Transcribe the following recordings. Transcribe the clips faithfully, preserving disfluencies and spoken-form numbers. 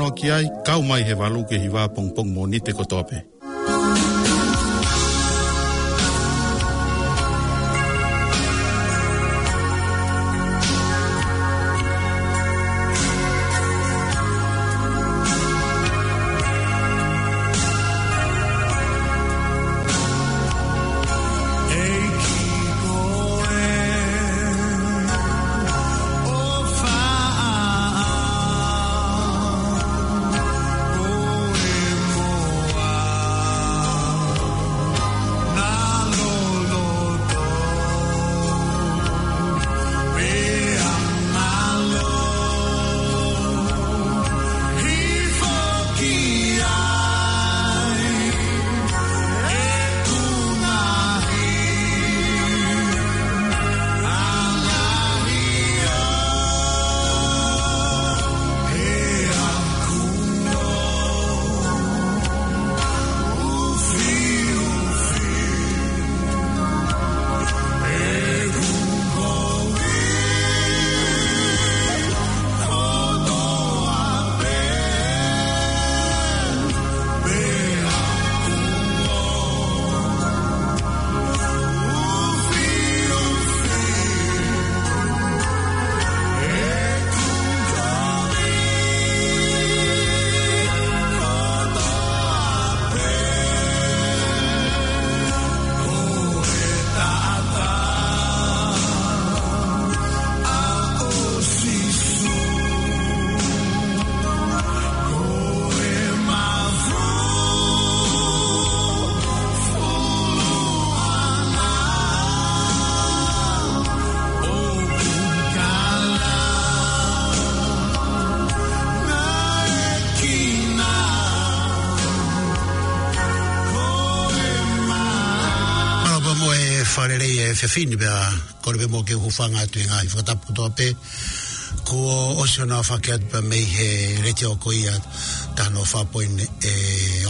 Noa ki ai, kau mai he valu ki he hiva pongipongi Mōnite kotoa pē. Mālō pea mo e fakalelei e efiafi ni pea kole pē muʻa ke u hūfanga atu he ngaahi fakatapu kotoa pē. Kuo ʻosi hono aofaki atu pē mei he letiō ko ia taha noa fā poini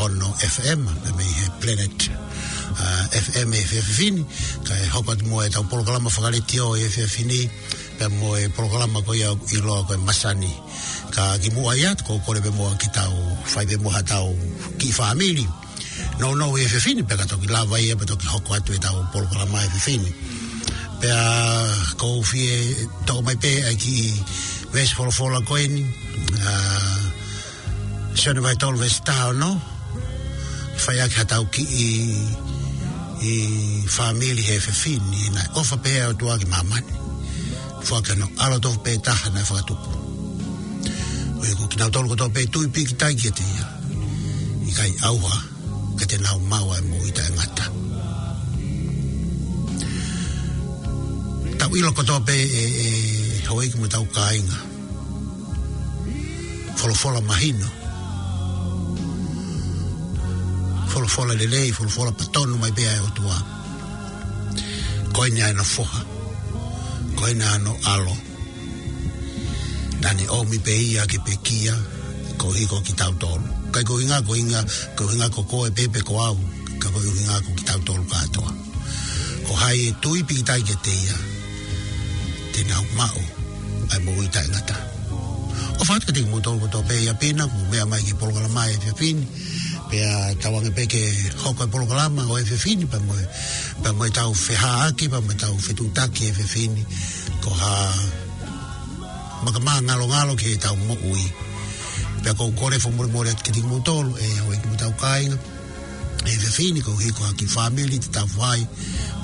ono F M, pē mei he Planet, ā, F M he efiafi ni, kae hoko atu mo ʻetau polokalama fakaletiō he efiafi ni, pea mo e polokalama ko ia ʻoku ʻiloa ko e Masani. Ka kimuʻa ia, ʻoku ou kole pē muʻa ke tau fai pē muʻa haʻatau kiʻi fāmili nounou he efiafi ni, pea ka toki lava ia, pea toki hoko atu ʻetau polokalama he efiafi ni. Pea ʻoku ou fie toʻo mai pē ʻa e kiʻi veesi folofola ko eni, ā, Sione vahe tolu veesi taha ono, fai ʻaki haʻatau kiʻi, ʻi fāmili he efiafi ni, naʻe ʻofa pehē ʻa e ʻOtua ki māmani, foaki hono ʻAlo tofu pē taha naʻe fakatupu. ʻOku ʻikai ko kinautolu kotoa pē tui pīkitai kiate ia, ʻikai ʻauha, ka te nau maʻu ʻa e moʻui taʻengata. Tau ʻilo kotoa pē ʻe, ʻe houʻeiki mo ʻetau kāinga, folofola mahino, folofola lelei, folofola patonu mai pē ʻa e ʻOtua. Ko eni ʻa ʻene foha, ko eni ʻa hono ʻAlo. Naʻa ne ʻomi pē ia ke pekia koeʻuhi ko kitautolu. ʻIkai ko e ʻuhinga, ko e ʻuhinga, ko e ʻuhinga ko koe pē pe ko au, ka ko e ʻuhinga ko kitautolu kātoa. Ko hai ʻe tui pīkitai kiate ia, te nau maʻu ʻa e moʻui taʻengata. ʻOfa atu kiate kimoutolu kotoa pē ʻi ʻapi na kuo mou meʻa mai ki he polokalama he efiafi ni. Pea tauange pē ke hoko e polokalama ʻo e efiafi ni, pea mo e, pea mo ʻetau feʻaveʻaki, pea mo ʻetau fetuʻutaki he efiafi ni, ko ha makamā ngalongalo ki heʻetau moʻui. Pea ʻoku ou kole fakamolemole atu kiate kimoutolu, ʻe houʻeiki mo ʻetau kāinga, he efiafi ni koeʻuhi ko ha kiʻi fāmili te tau fai,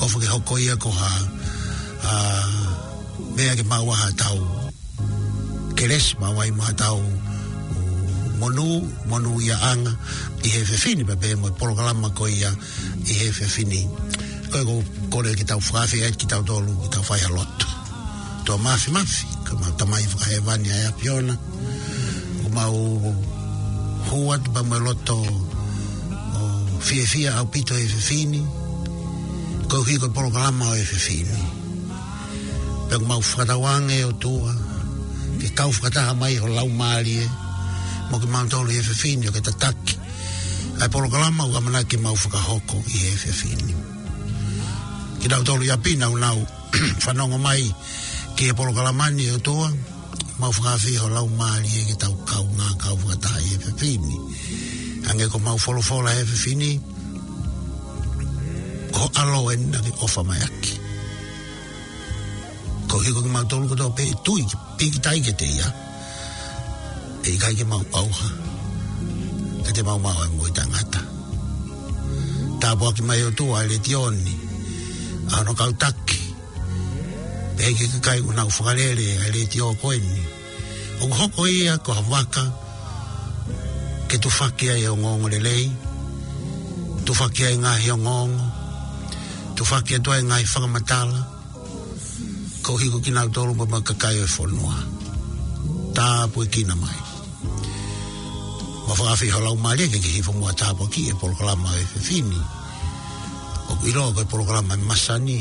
ʻofa ke hoko ia ko ha, ā, meʻa ke maʻu ai haʻatau kelesi, maʻu ai mo haʻatau monū, monūʻiaʻanga ʻi he efiafi ni, pea pehē mo e polokalama ko ia ʻi he efiafi ni. Ko ia ʻoku ou kole ke tau fakaafeʻi ai kitautolu ke tau fai ha lotu. ʻOtua Māfimafi, ko ʻemau Tamai Fakahēvani ʻa e ʻAfiona, ʻoku mau hū atu pea mo e loto ʻo fiefia ʻaupito he efiafi ni, koeʻuhi ko e polokalama ʻo e efiafi ni. Pea ʻoku mau fakatauange ʻOtua, ke kau fakataha mai ho Laumālie mo kimautolu he efiafi ni ʻo ke tataki ʻa e polokalama ʻoku ʻamanaki ke mau fakahoko ʻi he efiafi ni. Kinautolu ʻi ʻapi naʻa nau fanongo mai ki he polokalama ni ʻOtua, mau fakaafeʻi ho Laumālie ke tau kaungā kau fakataha Hangē ko ʻemau folofola he efiafi ni, ko ho ʻAlo eni naʻa ke ʻofa mai ʻaki. Koeʻuhi ko kimautolu kotoa pē ʻe tui, pīkitai kiate ia, ʻe ʻikai ke mau ʻauha, ka te mau maʻu ʻa e moʻui taʻengata. Tāpuakiʻi mai ʻOtua ʻa e letiō ni, ʻa hono kau taki, pehē ki he kakai ʻoku nau fakalele ʻa e letiō ko eni. ʻOku hoko ia ko ha vaka ke tufaki ai e ongoongolelei, tufaki ai e ngaahi ongoongo, tufaki atu ai e ngaahi fakamatala, koeʻuhi ko kinautolu mo e kakai ʻo e fonua. Tāpuekina mai. Mo fakaafeʻi ho laumālie ke ke hifo muʻa ʻo tāpuakiʻi e polokalama ʻo e efiafi ni. ʻOku ʻiloa ko e polokalama ʻa e masani.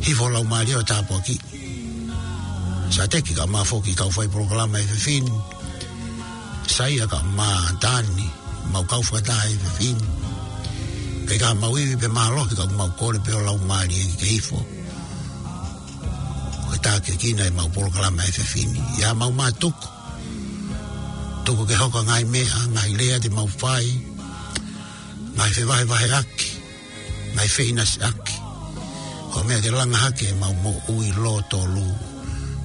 Hifo ho laumālie ʻo tāpuakiʻi. Sateki kae ʻumaʻā foki e kau fai polokalama ʻo e efiafi ni. Saia kae ʻumaʻā Tani, ʻemau kau fakataha he efiafi ni. Pea ʻikai ke mau ivi pe mālohi ka ʻoku mau kole pē ho laumālie ke ke hifo ʻo tākiekina ʻemau polokalama ʻo e efiafi ni. ʻI haʻamau mātuku, tuku ke hoko ʻa e ngaahi meʻa, ngaahi lea te mau fai, ngaahi fevahevaheʻaki, ngaahi feʻinasiʻaki, ko e meʻa ke langa hake ʻemau moʻui lōtolu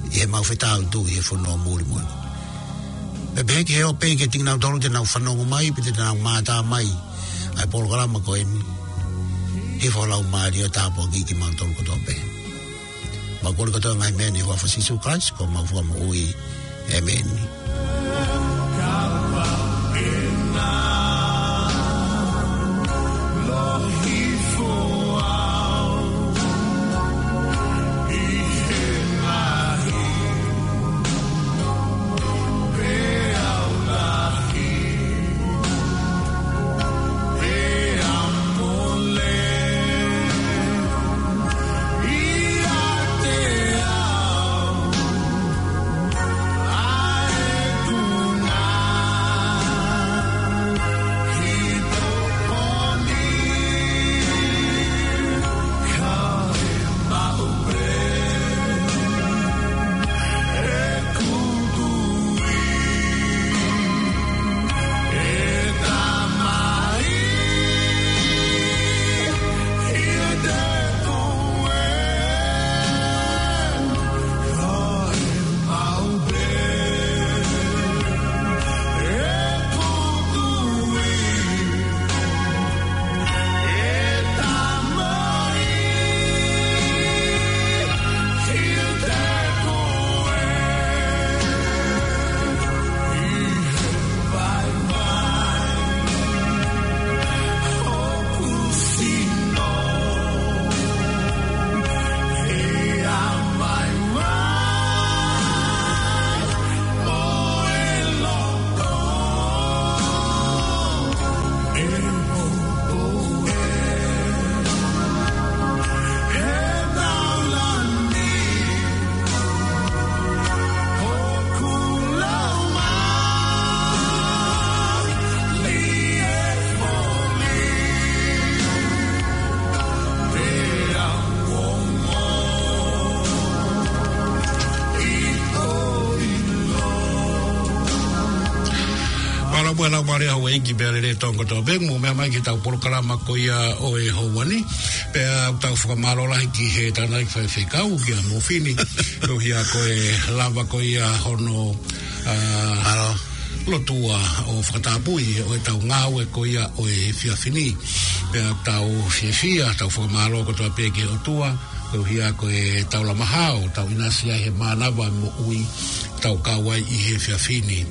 ʻi heʻemau fetaʻutuʻu ʻi he fonua mulimuli. Pea pehē ki he ʻofa pē kiate kinautolu te nau fanongo mai, pe te nau mātā mai ʻa e polokalama ko eni. Hifo ho laumālie ʻo tāpuakiʻi kimautolu kotoa pē. Mau kole kotoa e ngaahi meʻa ni ʻi he huafa ʻo Sīsū Kalaisi ko homau Fakamoʻui. ʻĒmeni. Mālō muʻa e laumālie ʻa houʻeiki pea lelei e Tonga kotoa pē, mou meʻa mai ki heʻetau polokalama ko ia ʻo e houa ni. Pea ʻoku tau fakamālō lahi ki he tangataʻeiki faifekau, kia Mofini, koeʻuhi ko e lava ko ia hono, ā, Mālō. Lotua ʻo fakatapui ʻo ʻetau ngāue ko ia ʻo e efiafi ni. Pea ʻoku tau fiefia, tau fakamālō kotoa pē ki he ʻOtua, koeʻuhi ko e taulama hao, tau ʻinasi ai he mānava moʻui, tau kau ai ʻi he efiafi ni.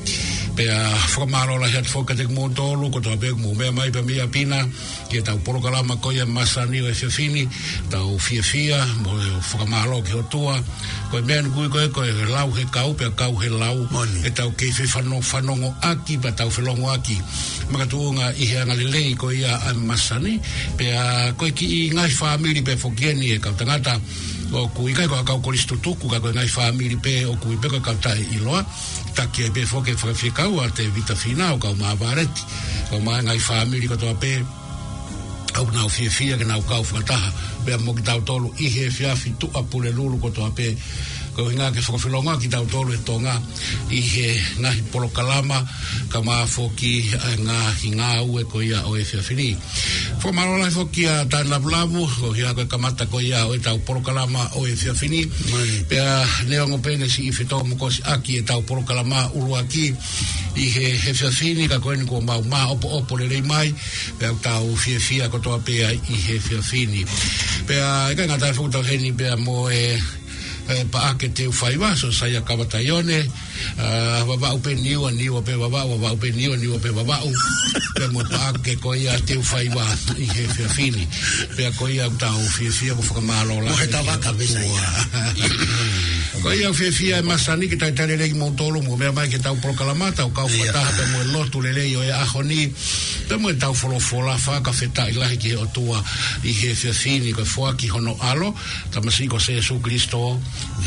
Pea fakamālō lahi atu foki kiate kimoutolu kotoa pē ʻoku mou meʻa mai pea mei ʻapi na ki heʻetau polokalama ko ia ʻa e masani ʻo e efiafi ni, tau fiefia, mo fakamālō ki he ʻOtua. Ko e meʻa eni ʻoku ui ko e, ko e lau he kau, pea kau he lau. Moʻoni. ʻEtau kei fefano-, fanongoʻaki, pea tau felongoaki. Makatuʻunga ʻi he angalelei ko ia ʻa e masani, pea ko e kiʻi ngaahi fāmili pē foki eni e kau tangata, ʻoku ʻikai ko ha kau kolisi tutuku, ka ko e ngaahi fāmili pē ʻoku ui pē ko e kau taʻeʻiloa. Taki ai pē foki e faifekau ʻa Tēvita Fīnau, kau Māvāreti, kau mai ngaahi fāmili kotoa pē, ʻoku nau fiefia ke nau kau fakataha pea mo kitautolu ʻi he efiafi Tuʻapulelulu kotoa pē. Ko e ʻuhinga ke fakafilonga kitautolu ʻe Tonga ʻi he ngaahi polokalama, kae ʻumaʻā foki ʻa e ngaahi ngāue ko ia ʻo e efiafi ni. Fakamālō lahi foki kia Tane Lavulavu, ko ia ko e kamata ko ia ʻo ʻetau polokalama ʻo e efiafi ni. Mai. Pea neongo pē ʻene siʻi fetōmokosi ʻaki ʻetau polokalama ʻuluaki ʻi he, he efiafi ni, ka ko eni kuo mau māʻopoʻopo lelei mai, pea ʻoku tau fiefia kotoa pē ai ʻi he efiafi ni. Pea ʻikai ngata ai, ʻoku tau ʻi heni pea mo e, e Paʻake Teufaiva, Siosaia Kava Taione, ʻa, Vavaʻu pē Niua, Niua pē Vavaʻu, Vavaʻu pē Niua, Niua pē Vavaʻu. Pea mo e Paʻake ko ia Teufaiva ʻi he efiafi ni. Pea ko ia ʻoku tau fiefia mo fakamālō lahi. Mo he tavaka pē sai. Ko ia ʻoku fiefia ʻe masani ke talitali lelei kimoutolu mo meʻa mai ki heʻetau polokalama, tau kau fakataha pea mo e lotu lelei ʻo e ʻaho ni. Pea mo ʻetau folofola, fakafetaʻi lahi ki he ʻOtua ʻi he efiafi ni ko e foaki hono ʻAlo, tamasiʻi ko Sēsū Kalaisi,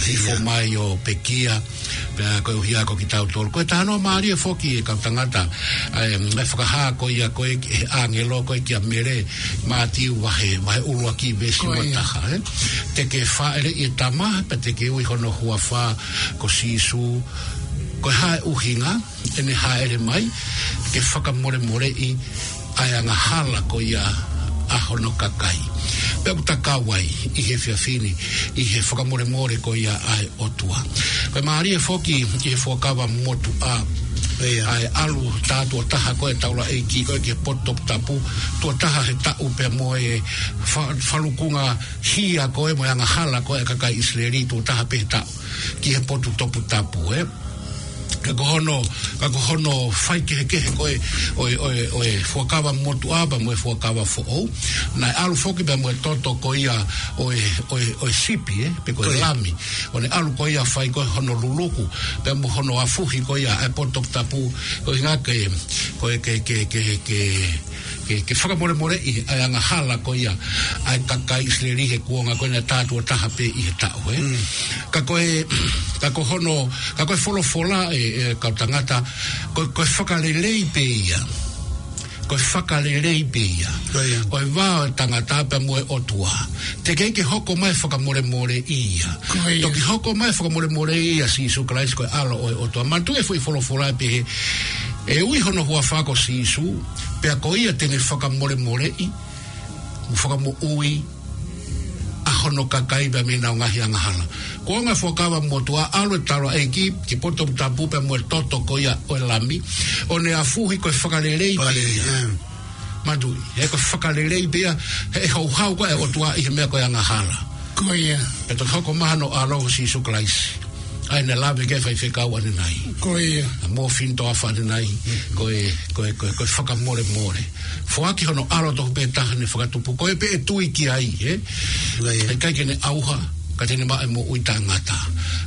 hifo mai ʻo pekia, pea koeʻuhi ko kitautolu. Ko e talanoa mālie foki ʻe kau tangata, ʻa e, ʻa e fakahā ko ia ko ē ʻe he ʻāngelo ko ē kia Mele, Mātiu vahe, vahe ʻuluaki veesi uataha, ē. Te ke fāʻeleʻi e tama, pea te ke ui hono huafa ko Sīsū. Ko e hā e ʻuhinga ʻene hāʻele mai? Ke fakamolemoleʻi ʻa e angahala ko ia ʻa hono kakai. Pea ʻoku ta kau ai ʻi he efiafi ni ʻi he fakamolemole ko ia ʻa e ʻOtua. Ko e mālie foki ʻi he Fuakava Motuʻa, ʻa e ʻalu tā tuʻo taha ko ē ʻa e taulaʻeiki ko ē ki he potu toputapu, tuʻo taha he taʻu pea mo e fa-, falukunga hia ko ē mo e angahala ko ē ʻa e kakai ʻIsileli tuʻo taha pē he taʻu ki he potu toputapu, ē. Ka ko hono, ka ko hono faikehekehe ko ē ʻo e, ʻo e, ʻo e Fuakava Motuʻa pea mo e Fuakava Foʻou, naʻe ʻalu foki pea mo e toto ko ia ʻo e, ʻo e, ʻo e sipi, ē, pe ko e lami. ʻO ne ʻalu ko ia fai ko ē hono luluku pea mo hono afuhi ko ia ʻa e potu toputapu, ko e ʻuhinga ke, ko e ke, ke, ke, ke ke, ke fakamolemoleʻi ʻa e angahala ko ia ʻa e kakai ʻIsileli he kuonga ko ē naʻe tā tuʻo taha pē ʻi he taʻu, ē. Ka ko e, ka ko hono, ka ko e folofola ē, ʻe kau tangata, ko, ko e fakalelei pē ia. Ko e fakalelei pē ia. Ko e vā ʻo e tangata pea mo e ʻOtua. Teʻeki ke hoko mai e fakamolemoleʻi ia. Toki hoko mai e fakamolemoleʻi ʻa Sīsū Kalaisi ko e ʻAlo ʻo e ʻOtua. Manatuʻi e foʻi folofola ʻe pehē, ʻe ui hono huafa ko Sīsū, pea ko ia te ne fakamolemoleʻi mo fakamoʻui ʻa hono kakai pea mei heʻenau ngaahi angahala. Kuonga Fuakava Motuʻa, ʻalu e taulaʻeiki ki he potu toputapu pea mo e toto ko ia ʻo e lami, ʻo ne afuhi ko e fakalelei pē ia. Manatuʻi, he ko e fakalelei pē ia, he ʻe houhau ko ē ʻa e ʻOtua ʻi he meʻa ko e angahala. Ko ia. Pea toki hoko mai hono ʻAlo ko Sīsū Kalaisi. ʻA ia naʻe lave ki ai e faifekau ʻanenai. Ko ia. Mo fini toafa ʻanenai, ko e, ko e, ko e, ko e fakamolemole. Foaki hono ʻAlo tofu pē taha ne fakatupu. Ko ia pē ʻe tui ki ai, ē? Ko ia. ʻIkai ke ne ʻauha, ka te ne maʻu e moʻui taʻengata.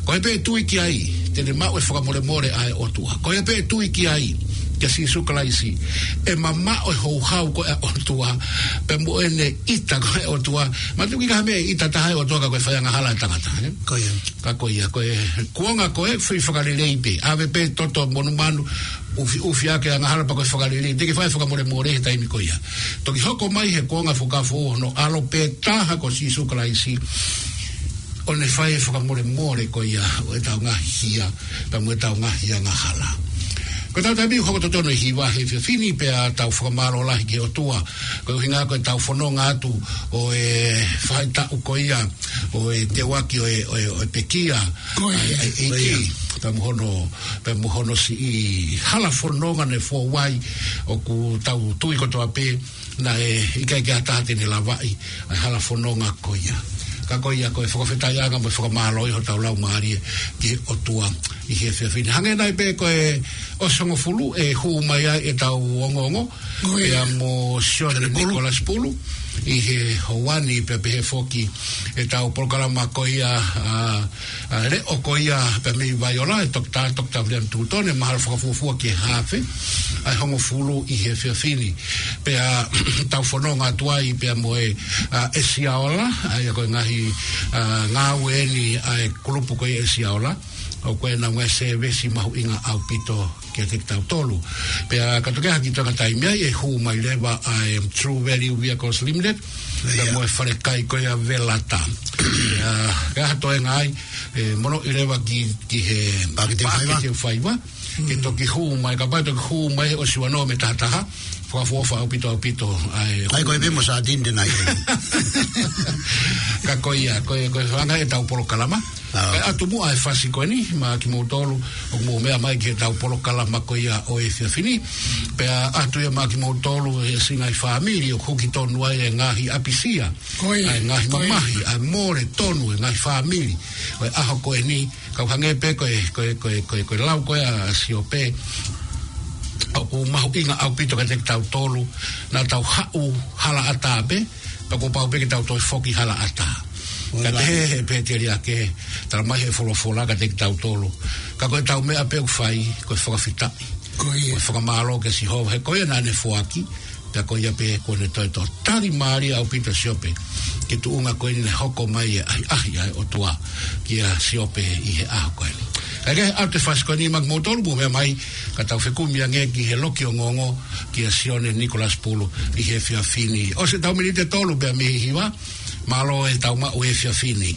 Ko ia pē ʻe tui ki ai, te ne maʻu e fakamolemole ʻa e ʻOtua. Ko ia pē ʻe tui ki ai, kia Sīsū Kalaisi, ʻe mamaʻo e houhau ko ē ʻa e ʻOtua, pea mo ʻene ʻita ko ē ʻa e ʻOtua. Manatuʻi ʻikai ha meʻa ʻe ʻita taha ai e ʻOtua ka ko e fai angahala ʻa e tangata, ē? Ko ia. Ka ko ia, ko e kuonga ko ē foʻi fakalelei pē. ʻAve pē toto monumanu, ʻufiʻufi ʻaki e angahala pea ko e fakalelei. Teʻeki fai e fakamolemole he taimi ko ia. Toki hoko mai he kuonga Fuakava Foʻou hono ʻAlo pē taha ko Sīsū Kalaisi, ʻo ne fai e fakamolemole ko ia ʻo ʻetau ngaahi hia, pea mo ʻetau ngaahi angahala. Ko ʻetau taimi hoko totonu ʻi he hiva he efiafi ni pea tau fakamālō lahi ki he ʻOtua. Ko e ʻuhinga ko ʻetau fononga atu ʻo e faʻahitaʻu ko ia ʻo e teuaki ʻo e, ʻo e, ʻo e pekia. Ko ia. ʻA e, ʻa e ʻEiki. Ko ia. Pea mo hono, pea mo hono siʻi hala fononga naʻe foua ai, ʻoku tau tui kotoa pē naʻe ʻikai ke ʻi ai ha taha te ne lavaʻi ʻa e hala fononga ko ia. Ka ko ia ko e fakafetaʻiʻanga mo e fakamālō ʻi hotau laumālie ki he ʻOtua ʻi he efiafi ni. Hangē nai pē ko e ʻosi hongofulu ʻe hū mai ai ʻetau ongoongo, Ko ia. Pea mo Sione Sione Pulu. Nikolasi Pulu, ʻi he houa ni pea pehē foki ʻetau polokalama ko ia, ʻa, ʻa, leʻo ko ia pea mei Vaiola, ʻe Toketā, Toketā Viliami Tūtone, mahalo fakafuofua ki he haafe ʻa e hongofulu ʻi he efiafi ni. Pea tau fononga atu ai pea mo e, ʻa, ʻEsiaola, ʻa ia ko e ngaahi, ʻa, ngāue eni ʻa e kulupu ko ia ʻEsiaola. ʻoku ʻi ai e ngaahi sēvesi mahuʻinga ʻaupito kiate kitautolu. Pea ka toki hake ʻi he taimi ai ʻe hū mai leva ʻa e True Value Vehicles Limited, pea mo e falekai ko ia Velata. Pea ka ha toe ngaahi, ʻe, mono ʻi leva ki, ki he Paketi Faiva. Paketi Faiva. Ke toki hū mai, kapau toki hū mai ʻosi uanoa mei he taha taha, fakaʻofoʻofa ʻaupito, ʻaupito, ʻa e. ʻAi, ko e pē mo Satini te nai. Ka ko ia, ko e, ko e hanga ʻetau polokalama. Ka ʻoatu muʻa e fasi ko eni, maʻa kimoutolu, ʻoku mou meʻa mai ki heʻetau polokalama ko ia ʻo e efiafi ni. Pea ʻoatu ia maʻa kimoutolu he siʻi ngaahi fāmili, ʻoku huki tonu ai e ngaahi ʻapisia. Ko ia. ʻA e ngaahi mamahi, ʻa e mole tonu e ngaahi fāmili. ʻO e ʻaho ko eni, kau hangē pē ko e, ko e, ko e, ko e, ko e lau ko ē ʻa Siope, ʻoku mahuʻinga ʻaupito kiate kitautolu, naʻa tau haʻu halaʻatā pē, pea kuo pau pē ke tau toe foki halaʻatā. Ka te he, he pēteliake, tala mai he folofola kiate kitautolu. Ka ko ʻetau meʻa pē ʻoku fai, ko e fakafetaʻi. Ko ia. Ko e fakamālō kia Sihova, he ko ia naʻa ne foaki, pea ko ia pē kuo ne toe tali mālie ʻaupito Siope, ke tuʻunga ko eni ne hoko mai e ʻahiʻahi ʻa e ʻOtua kia Siope ʻi he ʻaho ko eni. Ka ke ʻoatu e fasi ko eni maʻa kimoutolu, mou meʻa mai, ka tau fekumi ange ki he loki ongoongo kia Sione Nicholas Pulu ʻi he efiafi ni. ʻOsi ʻetau miniti ʻe tolu pē mei he hiva, mālō e tau maʻu he efiafi ni.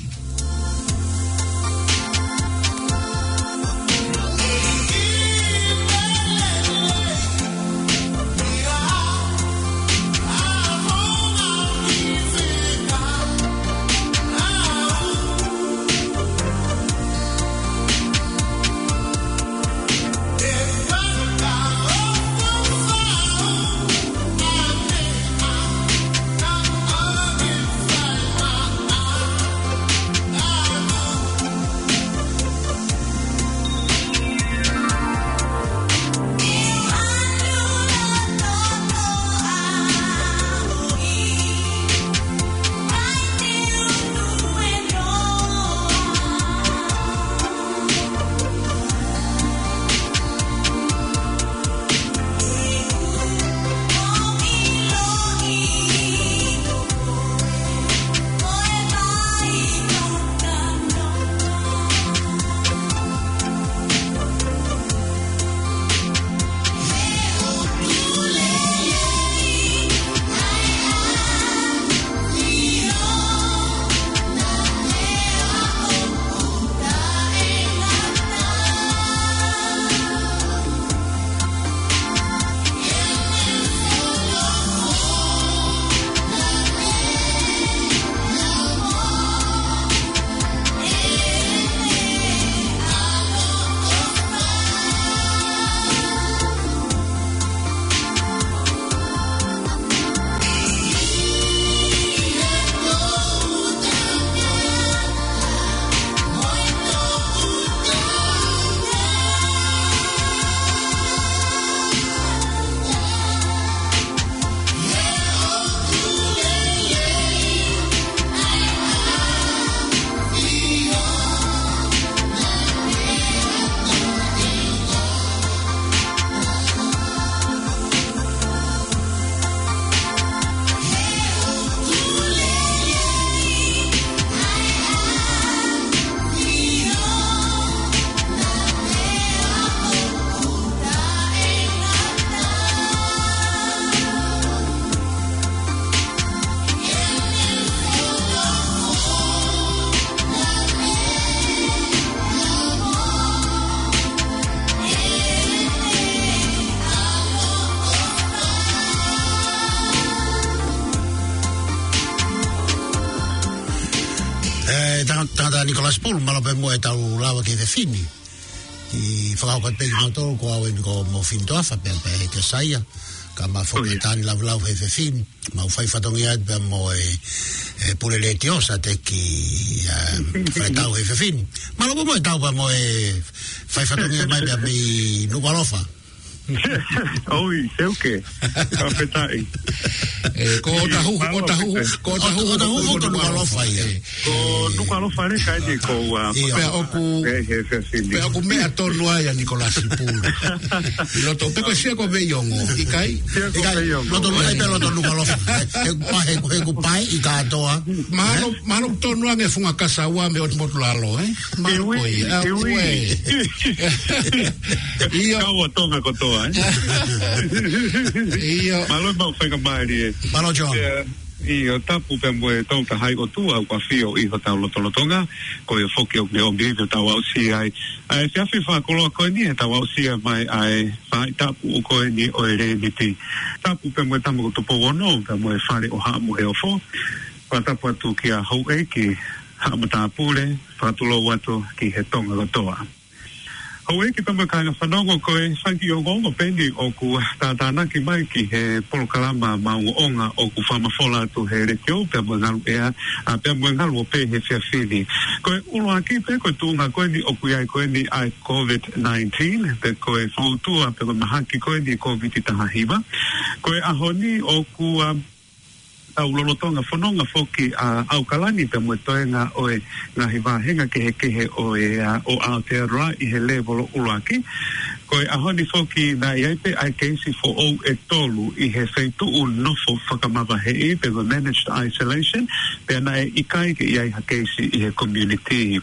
ʻE, tangata, tangata Nicholas Pulu, mālō pē muʻa ʻetau lava ki he efiafi ni. ʻI he fakahoko atu pē kimoutolu, ko au eni ko Mofini Toafa, pea pē he Kesaia, ka mau foki ʻi he taimi laulauloto he efiafi ni, mau fai fatongia atu pea mo e, e pule letiō Sateki, ʻa, fai tau he efiafi ni. Mālō pē muʻa ʻetau pea mo e fai fatongia mai pea mei Nukuʻalofa. ʻOi, seuke. Ka petaʻi. Ē, ko ʻOtahuhu, ʻOtahuhu, ko ʻOtahuhu, ʻOtahuhu, ko Nukuʻalofa ia. Ē. Ko Nukuʻalofa le kai ni ko ua. Pea ʻoku, pea ʻoku meʻa tonu ai ʻa Nikolasi Pulu. ʻI loto, pe ko Siako Veiongo, ʻikai? Siako Veiongo. Loto, ʻikai pē loto Nukuʻalofa. He kupae, he kupae ʻi kātoa. Mahalo, mahalo tonu ange Fungakasaua mei ʻOtu Motulalo, ē? Mahalo ko ia. Iwi, iwi. ʻIo. Kau ʻa Tonga kotoa, ē? ʻIo. Mālō e maʻu faingamālie. Mālō, John. ʻIo, tapu pea mo e tau tahai ʻOtua ʻoku ʻafio ʻi hotau lotolotonga, ko ia foki ʻoku ne ʻomi ʻi hotau aʻusia ai. ʻA e efiafi fakakoloa ko eni ʻetau aʻusia mai ʻa e faʻahitapu ko eni ʻo e Leniti. Tapu pea mo e Tama ko Tupou Ono, pea mo e Fale ʻo Haʻa Moheofo. Fakatapu atu kia Houʻeiki Haʻa Matāpule, fakatulou atu ki he Tonga kotoa. Houʻeiki pea mo e kāinga fanongo, ko e fanga kiʻi ongoongo pē eni ʻoku tātānaki mai ki he polokalama maʻongoʻonga ʻoku fakamafola atu he letiō pea mo e ngalu ʻea, ʻa, pea mo e ngalu ope he efiafi ni. Ko e ʻuluaki pē ko e tuʻunga ko eni ʻoku ʻi ai ko eni ʻa e COVID nineteen, pe ko e foutua, pe ko e mahaki ko eni COVID taha hiva. Ko e ʻaho ni ʻoku, ʻa, tau lolotonga fononga foki ʻa ʻAokalani pea mo e toenga ʻo e ngaahi vāhenga kehekehe ʻo e, ʻa, ʻo Aotearoa ʻi he lēvolo ʻuluaki. Ko e ʻaho ni foki naʻe ʻi ai pē ʻa e keisi foʻou ʻe tolu ʻi he feituʻu nofo fakamavaheʻi pe ko e managed isolation, pea naʻe ʻikai ke ʻi ai ha keisi ʻi he community.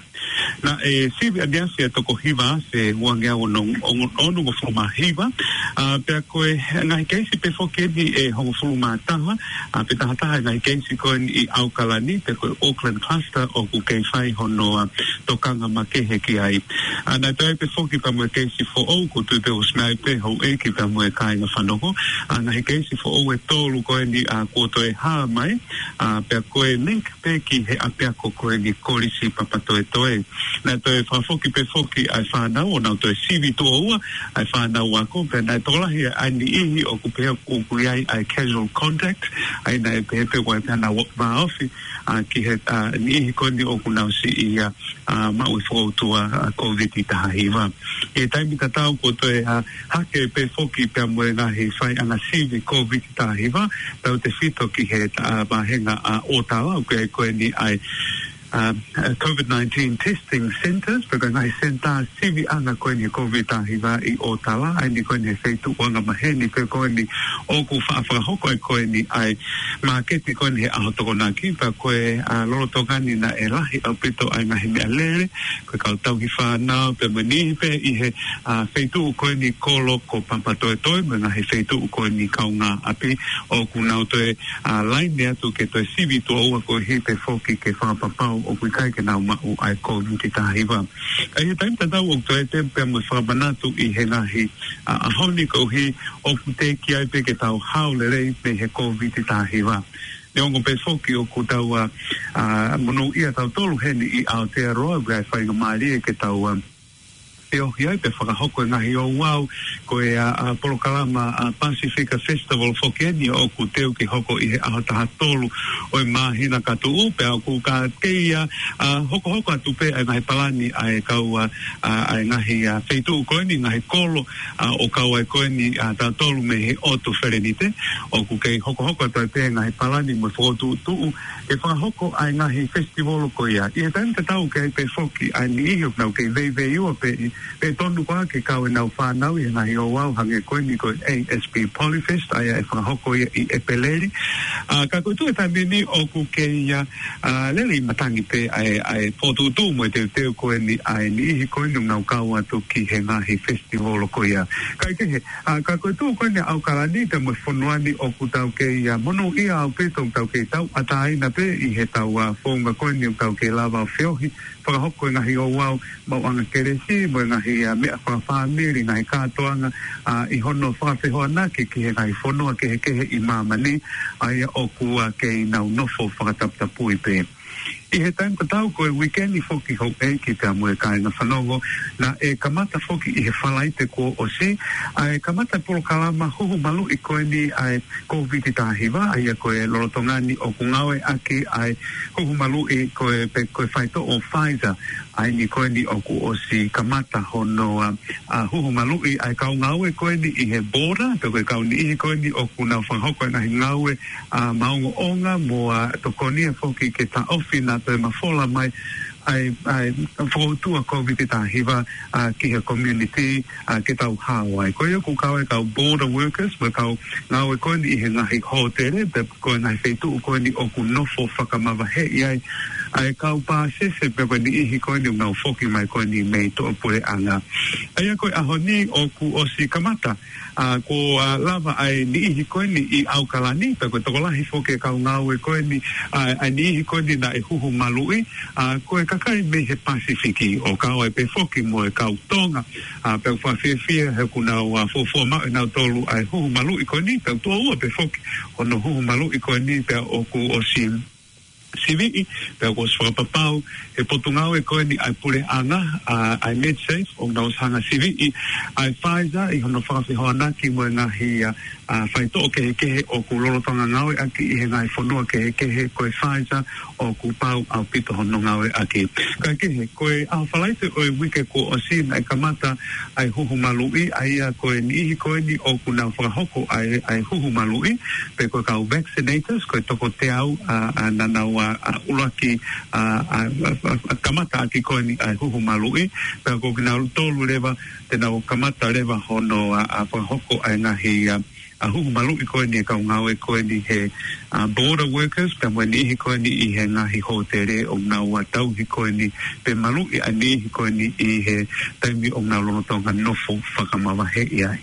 Naʻe sivi ʻaneafi ʻa e toko hiva afe uangeau ono, ono, onongofulu mā hiva, ʻa, pea ko e ngaahi keisi pē foki eni ʻe hongofulu mā taha, ʻa, pe taha taha e ngaahi keisi ko eni ʻi ʻAokalani, pe ko e Auckland Cluster ʻoku kei fai hono, ʻa, tokanga makehe ki ai. ʻA, naʻe toe pē foki pea mo e keisi foʻou, ʻoku ou tui pē ʻosi meʻa ai pē Houʻeiki pea mo e kāinga fanongo, ʻa, ngaahi keisi foʻou ʻe tolu ko eni, ʻa, kuo toe hā mai, ʻa, pea ko e link pē ki he ʻapiako ko eni Kolisi Papatoetoe. Naʻe toe fakafoki pē foki ʻa e fānau, ʻo nau toe sivi tuʻo ua ʻa e fānau ako, pea naʻe tokolahi ʻa e niʻihi ʻoku pehē ʻoku ʻi ai ʻa e casual contact, ʻa ia naʻe pehē pē ʻoku ʻi ai pē haʻanau vāofi, ʻa, ki he, ʻa, niʻihi ko eni ʻoku nau siʻi, ʻa, ʻa, maʻu e foutua, ʻa, COVID taha hiva. ʻI he taimi tatau kuo toe, ʻa, hake pē foki pea mo e ngaahi faiʻanga sivi COVID taha hiva, tautefito ki he, ʻa, vāhenga ʻa ʻŌtala, ʻoku ʻi ai ko eni ʻa e, ʻa, ʻa, COVID nineteen testing centres, pe ko e ngaahi senitā siviʻanga ko eni COVID taha hiva ʻi ʻŌtala, ʻa eni ko eni he feituʻu anga maheni pē ko eni ʻoku faʻa fakahoko ai ko eni ʻa e māketi ko eni he ʻaho Tokonaki, pea ko e, ʻa, lolotonga ni naʻe lahi ʻaupito ʻa e ngaahi meʻalele, ko e kau tauhi fānau, pea mo e niʻihi pē ʻi he, ʻa, feituʻu ko eni kolo ko Papatoetoe, mo e ngaahi feituʻu ko eni kaungāʻapi, ʻoku nau toe, ʻa, laine atu ke toe sivi tuʻo ua koeʻuhi pē foki ke fakapapau ʻoku ʻikai ke nau maʻu ʻa e COVID taha hiva. ʻI he taimi tatau ʻoku toe temu pea mo e fakamanatu ʻi he ngaahi, ʻa, ʻaho ni koeʻuhi ʻoku teʻeki ai pē ke tau hao lelei mei he COVID taha hiva. Neongo pē foki ʻoku tau, ʻa, ʻa, monūʻia tautolu heni ʻi Aotearoa, ʻoku ʻi ai e faingamālie ke tau, ʻa, feohi ai pea fakahoko e ngaahi ouau, ko e, ʻa, ʻa, polokalama, ʻa, Pasifika Festival foki eni ʻoku teu ke hoko ʻi he ʻaho taha tolu ʻo e māhina ka tuʻu, pea ʻoku ka kei, ʻa, ʻa, hokohoko atu pē ʻa e ngaahi palani ʻa e kau, ʻa, ʻa, ʻa e ngaahi, ʻa, feituʻu ko eni, ngaahi kolo, ʻa, ʻo kau ai ko eni, ʻa, tautolu mei he ʻotu Felenite, ʻoku kei hokohoko atu ai pē ngaahi palani mo e fokotuʻutuʻu ke fakahoko ʻa e ngaahi festival ko ia. ʻI he taimi tatau ʻoku ʻi ai pē foki ʻa e niʻihi ʻoku nau kei veiveiua pē ʻi, pē tonu koā ke kau ʻenau fānau ʻi he ngaahi ouau hangē ko eni ko e A S B Polyfest, ʻa ia ʻe fakahoko ia ʻi ʻEpeleli. ʻA, ka ko e tuʻu he taimi ni ʻoku kei, ʻa, ʻa, lele ʻi matangi pē ʻa e, ʻa e fokotuʻutuʻu mo e teuteu ko eni ʻa e niʻihi ko eni ʻoku nau kau atu ki he ngaahi festival ko ia. Kaekehe, ʻa, ka ko e tuʻu ko eni ʻa ʻAokalani pea mo e fonua ni ʻoku tau kei, ʻa, monūʻia ʻaupito ʻoku tau kei tauʻatāina pē ʻi heʻetau, ʻa, founga ko eni ʻoku tau kei lava ʻo feohi, fakahoko e ngaahi ouau maʻuʻanga kelesi, mo e ngaahi, ʻa, meʻa fakafāmili, ngaahi kātoanga, ʻa, ʻi hono fakafehoanaki ki he ngaahi fonua kehekehe ʻi māmani, ʻa ia ʻoku, ʻa, kei nau nofo fakataputapui pē. ʻI he taimi tatau ko e uike ni foki, houʻeiki pea mo e kāinga fanongo, naʻe kamata foki ʻi he Falaite kuo ʻosi ʻa e kamata polokalama huhu maluʻi ko eni ʻa e Kōviti taha hiva, ʻa ia ko e lolotonga ni ʻoku ngāueʻaki ʻa e huhu maluʻi ko e, pe ko e faitoʻo Pfizer, ʻa eni ko eni ʻoku ʻosi kamata hono, ʻa, ʻa, huhu maluʻi ʻa e kau ngāue ko eni ʻi he border, pe ko e kau niʻihi ko eni ʻoku nau fakahoko e ngaahi ngāue, ʻa, maʻongoʻonga mo, ʻa, tokonia foki ke taʻofi naʻa toe mafola mai ʻa e, ʻa e fokoutua Kōviti taha hiva, ʻa, ki he community, ʻa, ke tau hao ai. Ko ia ʻoku kau ai e kau border workers, mo e kau ngāue ko eni ʻi he ngaahi hōtele, pe ko e ngaahi feituʻu ko eni ʻoku nofo fakamavaheʻi ai ʻa e kau pāsese, pe ko e niʻihi ko eni ʻoku nau foki mai ko eni mei tuʻapuleʻanga. ʻA ia ko e ʻaho ni ʻoku ʻosi kamata, ʻa, ko, ʻa, lava ʻa e niʻihi ko eni ʻi ʻAokalani, pe ko e tokolahi foki e kau ngāue ko eni, ʻa, ʻa e niʻihi ko eni naʻe huhu maluʻi, ʻa, ko e kakai mei he Pasifiki, ʻo kau ai pē foki mo e kau Tonga, ʻa, pea ʻoku fakafiefia he ʻoku nau, ʻa, fuofua maʻu ʻe nautolu ʻa e huhu maluʻi ko eni, pea ʻoku tuʻo ua pē foki hono huhu maluʻi ko eni, pea ʻoku ʻosi siviʻi, pea ʻoku ʻosi fakapapau ʻe he potungāue ko eni ʻa e puleʻanga, ʻa, ʻa e MedSafe, ʻoku nau ʻosi hanga siviʻi ʻa e Pfizer ʻi hono fakafehoanaki mo e ngaahi, ʻa, ʻa, faitoʻo kehekehe ʻoku lolotonga ngāueʻaki ʻi he ngaahi fonua kehekehe, ko e Pfizer ʻoku pau ʻaupito hono ngāueʻaki. Kaekehe, ko e ʻaho Falaite ʻo e uike kuo ʻosi naʻe kamata ʻa e huhu maluʻi, ʻa ia ko e niʻihi ko eni ʻoku nau fakahoko ʻa e, ʻa e huhu maluʻi, pe ko e kau vaccinators, ko e toko teau, ʻa, ʻa, naʻa nau, ʻa, ʻa, ʻuluaki, ʻa, ʻa, ʻa, ʻa, ʻa, kamataʻaki ko eni ʻa e huhu maluʻi, pea ko kinautolu leva te nau kamata leva hono, ʻa, ʻa, fakahoko ʻa e ngaahi, ʻa, ʻa, huhu maluʻi ko eni e kau ngāue ko eni he, ʻa, border workers, pea mo e niʻihi ko eni ʻi he ngaahi hōtele ʻoku nau, ʻa, tauhi ko eni pe maluʻi ʻa e niʻihi ko eni ʻi he taimi ʻoku nau lolotonga nofo fakamavaheʻi ai.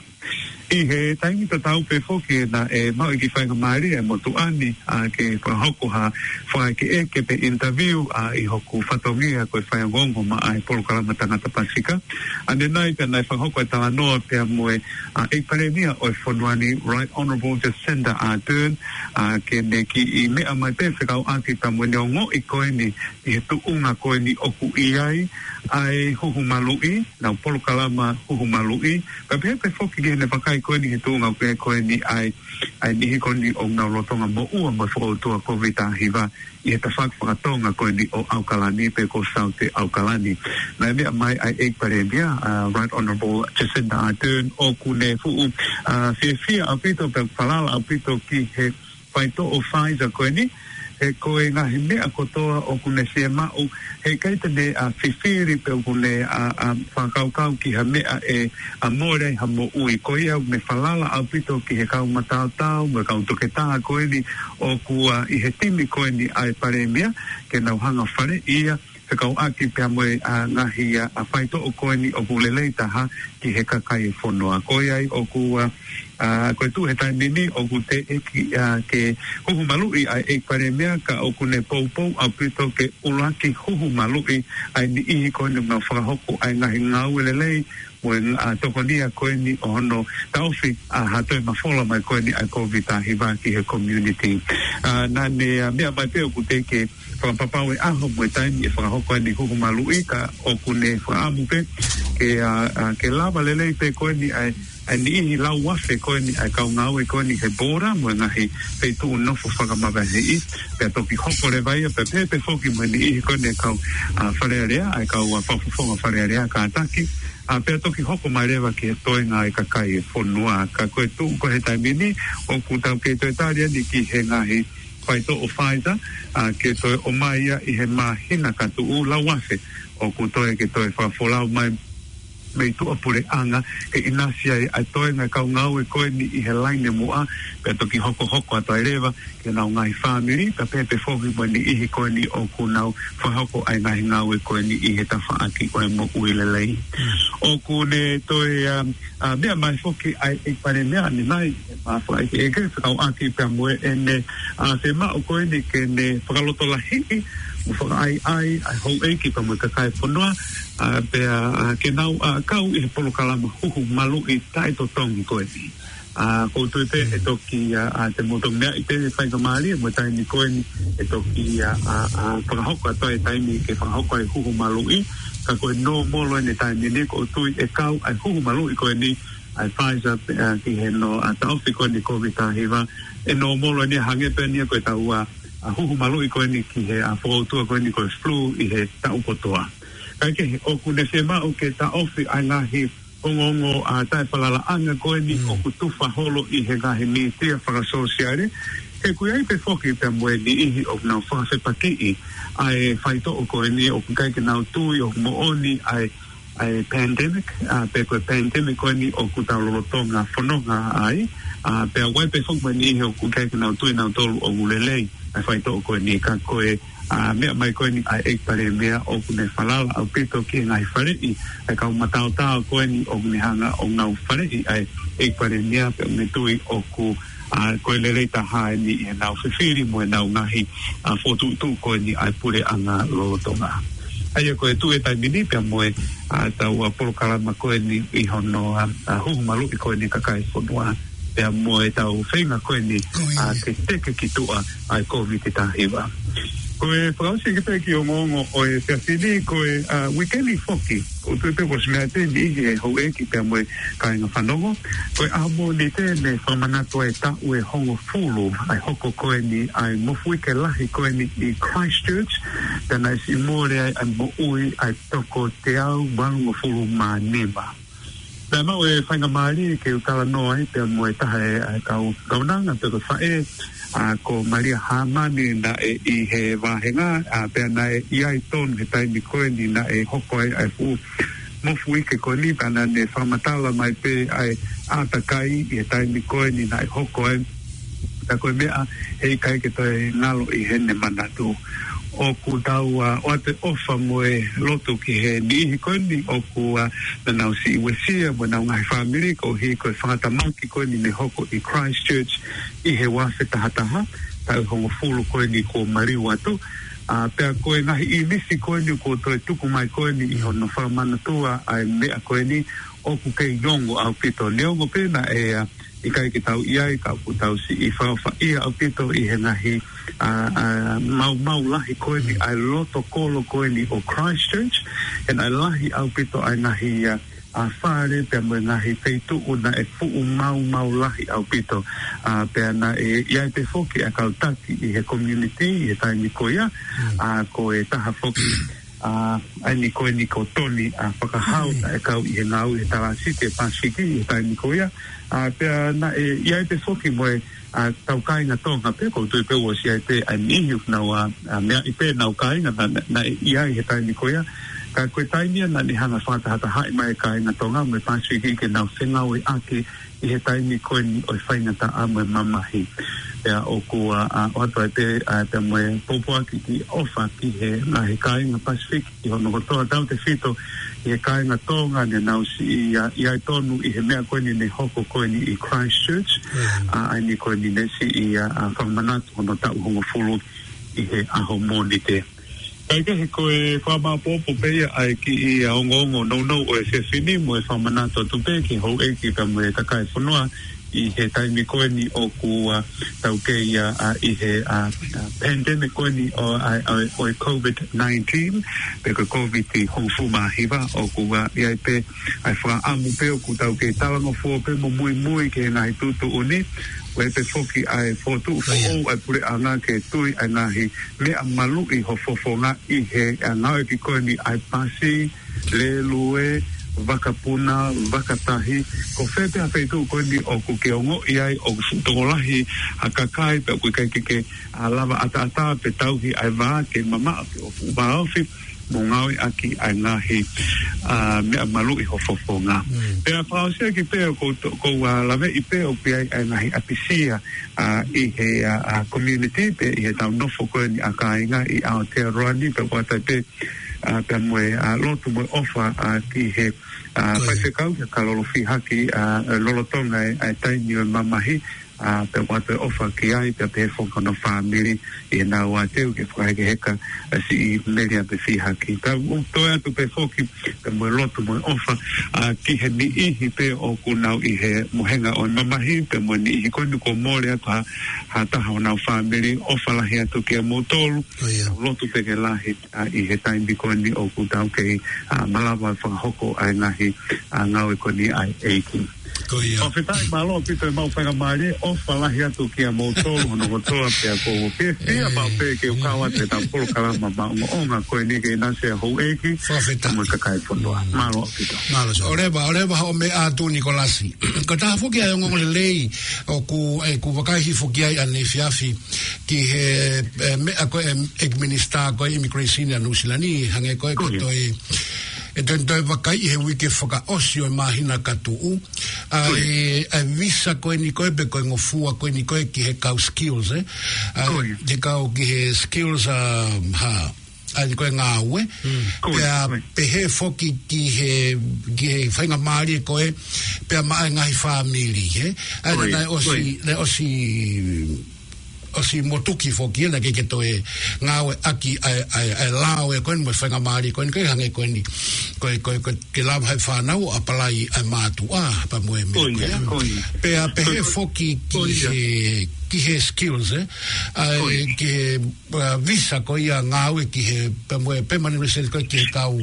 ʻI he taimi tatau pē foki naʻe maʻu e kiʻi faingamālie ʻa e motuʻa ni, ʻa, ke fakahoko ha fakaʻekeʻeke pe interview, ʻa, ʻi hoku fatongia ko e faiongoongo maʻa e polokalama Tangata Pasifika. ʻAnenai pea naʻe fakahoko e talanoa pea mo e, ʻa, ʻEiki Palēmia ʻo e fonua ni, Right Honourable Jacinda Ardern, ʻa, ke ne kiʻi meʻa mai pē fekauʻaki pea mo ʻene ongoʻi ko eni ʻi he tuʻunga ko eni ʻoku ʻi ai ʻa e huhu maluʻi, ʻenau polokalama huhu maluʻi, pea pehē pē foki ki heʻene vakai ko eni he tuʻunga ko ē ko eni ʻa e, ʻa e niʻihi ko eni ʻoku nau lolotonga moʻua mo e fokoutua Kōviti taha hiva ʻi he tafaʻaki fakatonga ko eni ʻo ʻAokalani pe ko Saute ʻAokalani. Naʻe meʻa mai ʻa e ʻEiki Palēmia, ʻa, Right Honourable Jacinda Ardern, ʻoku ne fuʻu, ʻa, fiefia ʻaupito pea falala ʻaupito ki he faitoʻo Pfizer ko eni, he ko e ngaahi meʻa kotoa ʻoku ne fiemaʻu, heʻikai te ne, ʻa, fifili pe ʻoku ne, ʻa, ʻa, fakakaukau ki ha meʻa ʻe, ʻa, mole ai ha moʻui. Ko ia ʻoku ne falala ʻaupito ki he kau mataotao mo e kau toketā ko eni ʻoku, ʻa, ʻi he timi ko eni ʻa e Palēmia, ke nau hanga faleʻi ia, fekauʻaki pea mo e, ʻa, ngaahi, ʻa, ʻa, faitoʻo ko eni ʻoku lelei taha ki he kakai e fonua. Ko ia ai ʻoku, ʻa, ʻa, ko e tuʻu he taimi ni ʻoku teʻeki, ʻa, ke huhu maluʻi ʻa e ʻEiki Palēmia, ka ʻoku ne poupou ʻaupito ke ʻuluaki huhu maluʻi ʻa e niʻihi ko eni ʻoku nau fakahoko ʻa e ngaahi ngāue lelei mo e, ʻa, tokonia ko eni ʻo hono taʻofi, ʻa, ha toe mafola mai ko eni ʻa e Kōviti taha hiva ki he community. ʻA, naʻa ne, ʻa, meʻa mai pē ʻoku teʻeki fakapapau e ʻaho mo e taimi ʻe fakahoko ai ʻene huhu maluʻi, ka ʻoku ne fakaʻamu pē ke, ʻa, ʻa, ke lava lelei pē ko eni ʻa e, ʻa e niʻihi lau afe ko eni ʻa e kau ngāue ko eni he border mo e ngaahi feituʻu nofo fakamavaheʻi, pea toki hoko leva ia, pea pehē pē foki mo e niʻihi ko eni ʻa e kau, ʻa, Fale Alea, ʻa e kau, ʻa, fakafofonga Fale Alea kātaki, ʻa, pea toki hoko mai leva ki he toenga ʻa e kakai e fonua. Ka ko e tuʻu ko ē he taimi ni, ʻoku tau kei toe tali eni ki he ngaahi faitoʻo Pfizer, ʻa, ke toe ʻomai ia ʻi he māhina ka tuʻu, lau afe ʻoku toe ke toe fakafolau mai mei tuʻapuleʻanga, ke ʻinasi ai ʻa e toenga e kau ngāue ko eni ʻi he laine muʻa, pea toki hokohoko atu ai leva ki honau ngaahi fāmili, pea pehē pē foki mo e niʻihi ko eni ʻoku nau fakahoko ʻa e ngaahi ngāue ko eni ʻi he tafaʻaki ʻo e moʻui lelei. ʻOku ne toe, ʻa, ʻa, meʻa mai foki ʻa e ʻEiki Palēmia ʻanenai, ʻa, fakaʻekeʻeke fekauʻaki pea mo ʻene, ʻa, fiemaʻu ko eni ke ne fakalotolahiʻi mo fakaʻaiʻai ʻa e houʻeiki pea mo e kakai e fonua, ʻa, pea, ʻa, ke nau, ʻa, kau ʻi he polokalama huhu maluʻi taʻetotongi ko eni. ʻA, ʻoku ou tui pē ʻe toki, ʻa, ʻa, te mou toki meaʻi pē faingamālie mo e taimi ko eni ʻe toki, ʻa, ʻa, ʻa, fakahoko atu ai e taimi ke fakahoko ai e huhu maluʻi, ka ko e nōmolo eni e taimi ni ʻoku ou tui ʻe kau ʻa e huhu maluʻi ko eni ʻa e Pfizer, ʻa, ki he nō, ʻa, taʻofi ko eni Covid taha hiva, ʻe nōmolo eni hangē pē eni ko e taua, ʻa, huhu maluʻi ko eni ki he, ʻa, fokoutua ko eni ko e flu ʻi he taʻu kotoa. Kaekehe, ʻoku ne fiemaʻu ke taʻofi ʻa e ngaahi ongoongo, ʻa, taʻefalalaʻanga ko eni ʻoku tufa holo ʻi he ngaahi mītia fakasōsiale. He ʻoku ʻi ai pē foki pea mo e niʻihi ʻoku nau fakafepakiʻi ʻa e faitoʻo ko eni ʻoku ʻikai ke nau tui ʻoku moʻoni ʻa e, ʻa e pandemic, ʻa, pe ko e pandemic ko eni ʻoku tau lolotonga fononga ai, ʻa, pea ʻoku ʻi ai pē foki mo e niʻihi ʻoku ʻikai ke nau tui nautolu ʻoku lelei ʻa e faitoʻo ko eni ka ko e ʻa, meʻa mai ko eni ʻa e ʻEiki Palēmia ʻoku ne falala ʻaupito ki he ngaahi faleʻi ʻa e kau mataotao ko eni ʻoku ne hanga ʻo ngāue faleʻi ʻa e ʻEiki Palēmia pea ʻoku ne tui ʻoku, ʻa, ko e lelei taha eni ʻi heʻenau fifili mo ʻenau ngaahi, ʻa, fokotuʻutuʻu ko eni ʻa e puleʻanga lolotonga. ʻA ia ko e tuʻu e taimi ni pea mo e, ʻa, taua polokalama ko eni ʻi hono, ʻa, ʻa, huhu maluʻi ko eni kakai e fonua pea mo e tau feinga ko eni, ʻa, ke teke ki tuʻa ʻa e Covid taha hiva. Ko e fakaʻosi ki pē ki he ongoongo ʻo e efiafi ni, ko e, ʻa, uike ni foki, ʻoku ou tui pē kuo ʻosi meʻa atu e niʻihi e houʻeiki pea mo e kāinga fanongo. Ko e ʻaho Mōnite ne fakamanatu ai e taʻu ʻe hongofulu ʻa e hoko ko eni ʻa e mofuike lahi ko eni ʻi Christchurch, pea naʻe siʻi mole ai ʻa e moʻui ʻa e toko teau valungofulu mā nima. Naʻe maʻu e faingamālie ke u talanoa ai pea mo e taha e, ʻa e kau kaunanga pe ko e faʻē, ʻa, ko Malia Hāmani naʻe ʻi he vāhenga, ʻa, pea naʻe ʻi ai tonu he taimi ko eni naʻe hoko ai ʻa e fuʻu mofuike ko eni, pea naʻa ne fakamatala mai pē ʻa e ʻātakai ʻi he taimi ko eni naʻe hoko ai. Ka ko e meʻa heʻikai ke toe ngalo ʻi heʻene manatu. ʻOku tau, ʻa, ʻoatu e ʻofa mo e lotu ki he niʻihi ko eni ʻoku, ʻa, naʻa nau siʻi uesia mo ʻenau ngaahi fāmili koeʻuhi ko e fakatamaki ko eni ne hoko ʻi Christchurch ʻi he ua afe taha taha, taʻu ʻe hongofulu ko eni kuo maliu atu. ʻA, pea ko e ngaahi ʻīmisi ko eni kuo toe tuku mai ko eni ʻi hono fakamanatua ʻa e meʻa ko eni ʻoku kei ongo ʻaupito. Neongo pē naʻe, ʻa, ʻikai ke tau ʻi ai ka ʻoku tau siʻi fakaʻofaʻia ʻaupito ʻi he ngaahi, ʻa, ʻa, maumau lahi ko eni ʻa e loto kolo ko eni ʻo Christchurch, he naʻe lahi ʻaupito ʻa e ngaahi, ʻa, ʻa fale pea mo e ngaahi feituʻu naʻe fuʻu maumau lahi ʻaupito. ʻA, pea naʻe ʻi ai pē foki ʻa e kau taki ʻi he community ʻi he taimi ko ia, ʻa, ko e taha foki ʻa, ʻa eni ko eni ko Tony, ʻa, Fakahau, naʻe kau ʻi he ngāue he Talāsiti ʻa e Pasifiki ʻi he taimi ko ia. ʻA, pea naʻe ʻi ai pē foki mo e, ʻa, tau kāinga Tonga pē, ʻoku ou tui pē ʻoku ʻosi ʻi ai pē ʻa e niʻihi ʻoku nau, ʻa, ʻa, meaʻi pē ʻenau kāinga naʻa, naʻa, naʻe ʻi ai he taimi ko ia. Ka ko e taimi ia naʻa ne hanga ʻo fakatahatahaʻi mai e kāinga Tonga mo e Pasifiki ke nau fengāueʻaki ʻi he taimi ko eni ʻo e faingataʻa mo e mamahi. Pea ʻoku, ʻa, ʻa, ʻoatu ai pē, ʻa, pea mo e pōpoaki ki ʻofa ki he ngaahi kāinga Pasifiki ʻi hono kotoa, tautefito ʻi he kāinga Tonga ne nau siʻi, ʻa, ʻi ai tonu ʻi he meʻa ko eni ne hoko ko eni ʻi Christchurch, ʻa, ʻa eni ko eni ne siʻi, ʻa, ʻa, fakamanatu hono taʻu hongofulu ʻi he ʻaho Mōnite. Kaekehe, ko e fakamāopoopo pē ia ʻa e kiʻi, ʻa, ongoongo nounou ʻo e efiafi ni mo e fakamanatu atu pē ki he houʻeiki pea mo e kakai e fonua ʻi he taimi ko eni ʻoku, ʻa, tau kei, ʻa, ʻa, ʻi he, ʻa, ʻa, pandemic ko eni ʻo, ʻa, ʻa, ʻo e Covid nineteen, pe ko e Covid hongofulu mā hiva, ʻoku, ʻa, ʻi ai pē ʻa e fakaʻamu pē ʻoku tau kei talangofua pē mo muimui ki he ngaahi tuʻutuʻuni, ʻoku ʻi ai pē foki ʻa e fokotuʻu foʻou ʻa e puleʻanga ke tui ʻa e ngaahi meʻa maluʻi ho fofonga ʻi he, ʻa, ngāueʻaki ko eni ʻa e pasi, lēlue, vakapuna, vakatahi, ko fē pē ha feituʻu ko eni ʻoku ke ongoʻi ai ʻoku fuʻu tokolahi ha kakai pea ʻoku ʻikai ke ke, ʻa, lava ʻataʻatā pe tauhi ʻa e vā ke mamaʻo ke ʻoku vāofi mo ngāueʻaki ʻa e ngaahi, ʻa, meʻa maluʻi ho fofonga. Pea fakaʻosi ʻaki pē ʻoku ou to-, ʻoku ou, ʻa, laveʻi pē ʻoku ʻi ai ʻa e ngaahi ʻapisia, ʻa, ʻi he, ʻa, ʻa, community pe ʻi he tau nofo ko eni ʻa kāinga ʻi Aotearoa ni pea ʻoku ʻoatu ai pē, ʻa, pea mo e, ʻa, lotu mo e ʻofa, ʻa, ki he, ʻa, faifekau ki he Kalolo Fihaki, ʻa, lolotonga e, ʻa e taimi ʻo e mamahi, ʻa, pea ʻoatu e ʻofa ki ai, pea pehē foki ki honau fāmili, ʻi heʻenau ō atu ke fakahekeheka, ʻa, siʻi meʻa pē fihaki. Pea ʻoku toe ʻoatu pē foki, pea mo e lotu mo e ʻofa, ʻa, ki he niʻihi pē ʻoku nau ʻi he mohenga ʻo e mamahi, pea mo e niʻihi ko eni kuo mole atu ha, ha taha ʻo honau fāmili, ʻofa lahi atu kiate kimoutolu, lotu pē ke lahi, ʻa, ʻi he taimi ko eni ʻoku tau kei, ʻa, malava fakahoko ʻa e ngaahi, ʻa, ngāue ko eni ʻa e ʻEiki. Fakafetaʻi, mālō ʻaupito e maʻu faingamālie, ʻofa lahi atu kiate kimoutolu hono kotoa pea ʻoku ou fiefia maʻu pē ke u kau atu he ʻetau polokalama maʻongoʻonga ko eni ke ʻinasi ʻa houʻeiki mo e kakai fonua. Mālō ʻaupito. Mālō, ʻoleva, ʻoleva hoʻo meʻa atu Nikolasi. Ko e taha foki ʻa e ongoongolelei ʻoku, ʻoku vakai hifo ki ai ʻaneefiafi ki he, ʻe, meʻa ko e, ʻe, ʻEiki Minisitā ko e Immigration ʻa Nuʻusila ni, hangē ko e ko e toe, ʻe toe, toe vakai ʻi he uike fakaʻosi ʻo e māhina ka tuʻu. ʻA e, ʻa e visa ko eni ko e pē ko e ngofua ko eni ko e ki he kau skills, ē? ʻA e, ki he kau ki he skills, ʻa, ha, ʻa e ko e ngāue. Pea pehē foki ki he, ki he faingamālie ko e, pea maʻa e ngaahi fāmili, ē? ʻA e, naʻe ʻosi, naʻe ʻosi ʻosi motuki foki ʻena ke ke toe ngāueʻaki ʻa e, ʻa e, ʻa e lao ʻe ko eni mo e faingamālie ko eni ko e hangē ko eni. Ko e, ko e, ko e ke lava ʻe he fānau ʻo ʻapalai ʻa e mātuʻa, pea mo e meʻa ko ia. Pea pehē foki ki he, ki he skills, ē? ʻA e, ki he, ʻa, visa ko ia ngāue ki he, pea mo e permanent resident ko e ki he kau,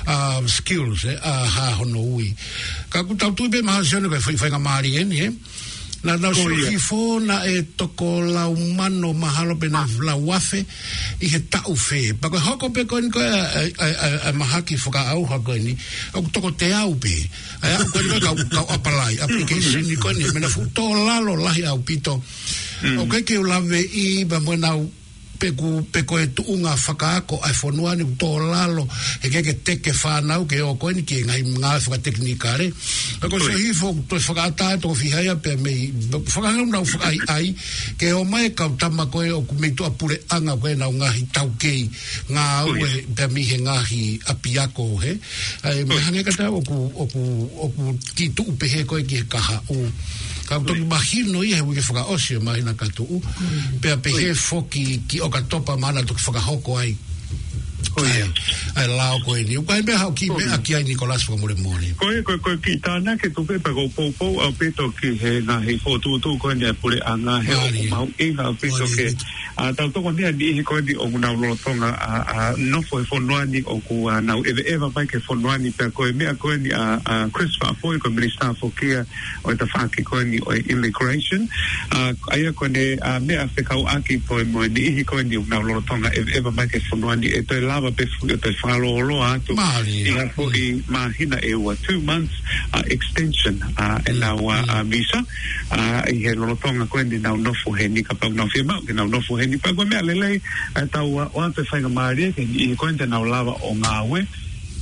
ʻa, skills, ē? ʻA, ha hono ui. Ka ʻoku tau tui pē mahalo Sione ko e fai-, faingamālie eni, ē? Naʻa nau sio hifo naʻe toko lau mano mahalo pe naʻe lau afe ʻi he taʻu fē. Pea ko e hoko pē ko eni ko e, ʻa e, ʻa e, ʻa e, ʻa e mahaki fakaʻauha ko eni, ʻoku toko teau pē. ʻA e aʻu ko eni ko e kau, kau ʻapalai, application ko eni, meʻa naʻe fuʻu tō lalo lahi ʻaupito. ʻOku ʻikai ke u laveʻi, pea mo ʻenau pe ko, pe ko e tuʻunga fakaako ʻa e fonua ni ʻoku tō lalo, he ʻikai ke teke fānau ke ō ko eni ki he ngaahi ngāue fakatekinikale. Pea ko e sio hifo, toe fakaʻatā, toko fiha ia pea mei, fakaʻatā nau fakaʻaiʻai, ke ō mai e kau tama ko ē ʻoku mei tuʻapuleʻanga ko ē ʻenau ngaahi taukei ngāue pea mei he ngaahi ʻapiako, hē? ʻA e, meʻa hangē ka tau ʻoku, ʻoku, ʻoku kiʻi tuʻu pehē ko ē ki he kahaʻu. Ka ʻoku toki mahino ia he uike fakaʻosi ʻo e māhina ka tuʻu. Pea pehē foki ki ʻOkatopa mahalo naʻa toki fakahoko ai. ʻA e, ʻa e lao ko eni. ʻOku ʻi ai meʻa haʻo kiʻi meʻa ki ai Nikolasi fakamolemole. Ko e, ko e, ko e kiʻi tānaki tuku pē pea ʻoku ou poupou ʻaupito ki he ngaahi fokotuʻutuʻu ko eni ʻa e puleʻanga he ʻoku mahuʻinga ʻaupito ke ʻA, tau tokoni ʻa e niʻihi ko eni ʻoku nau lolotonga ʻa, ʻa, nofo he fonua ni ʻoku, ʻa, nau ʻeveʻeva mai ki he fonua ni pea ko e meʻa ko eni ʻa, ʻa, Chris Faʻafoi ko e minisitā foki ia ʻo e tafaʻaki ko eni ʻo e immigration. ʻA, ʻa ia ko eni, ʻa, meʻa fekauʻaki ko e mo e niʻihi ko eni ʻoku nau lolotonga ʻeveʻeva mai ki he fonua ni ʻe toe lava pē foki ʻo toe fakalōloa atu ʻi ha foʻi māhina ʻe ua, two months, ʻa, extension, ʻa, ʻenau, ʻa, ʻa, visa. ʻA, ʻi he lolotonga ko eni ʻenau nofo heni, kapau ʻoku nau fiemaʻu ke nau nofo heni, pea ko e meʻa lelei, ʻa, tau, ʻa, ʻoatu e faingamālie ki he niʻihi ko eni te nau lava ʻo ngāue.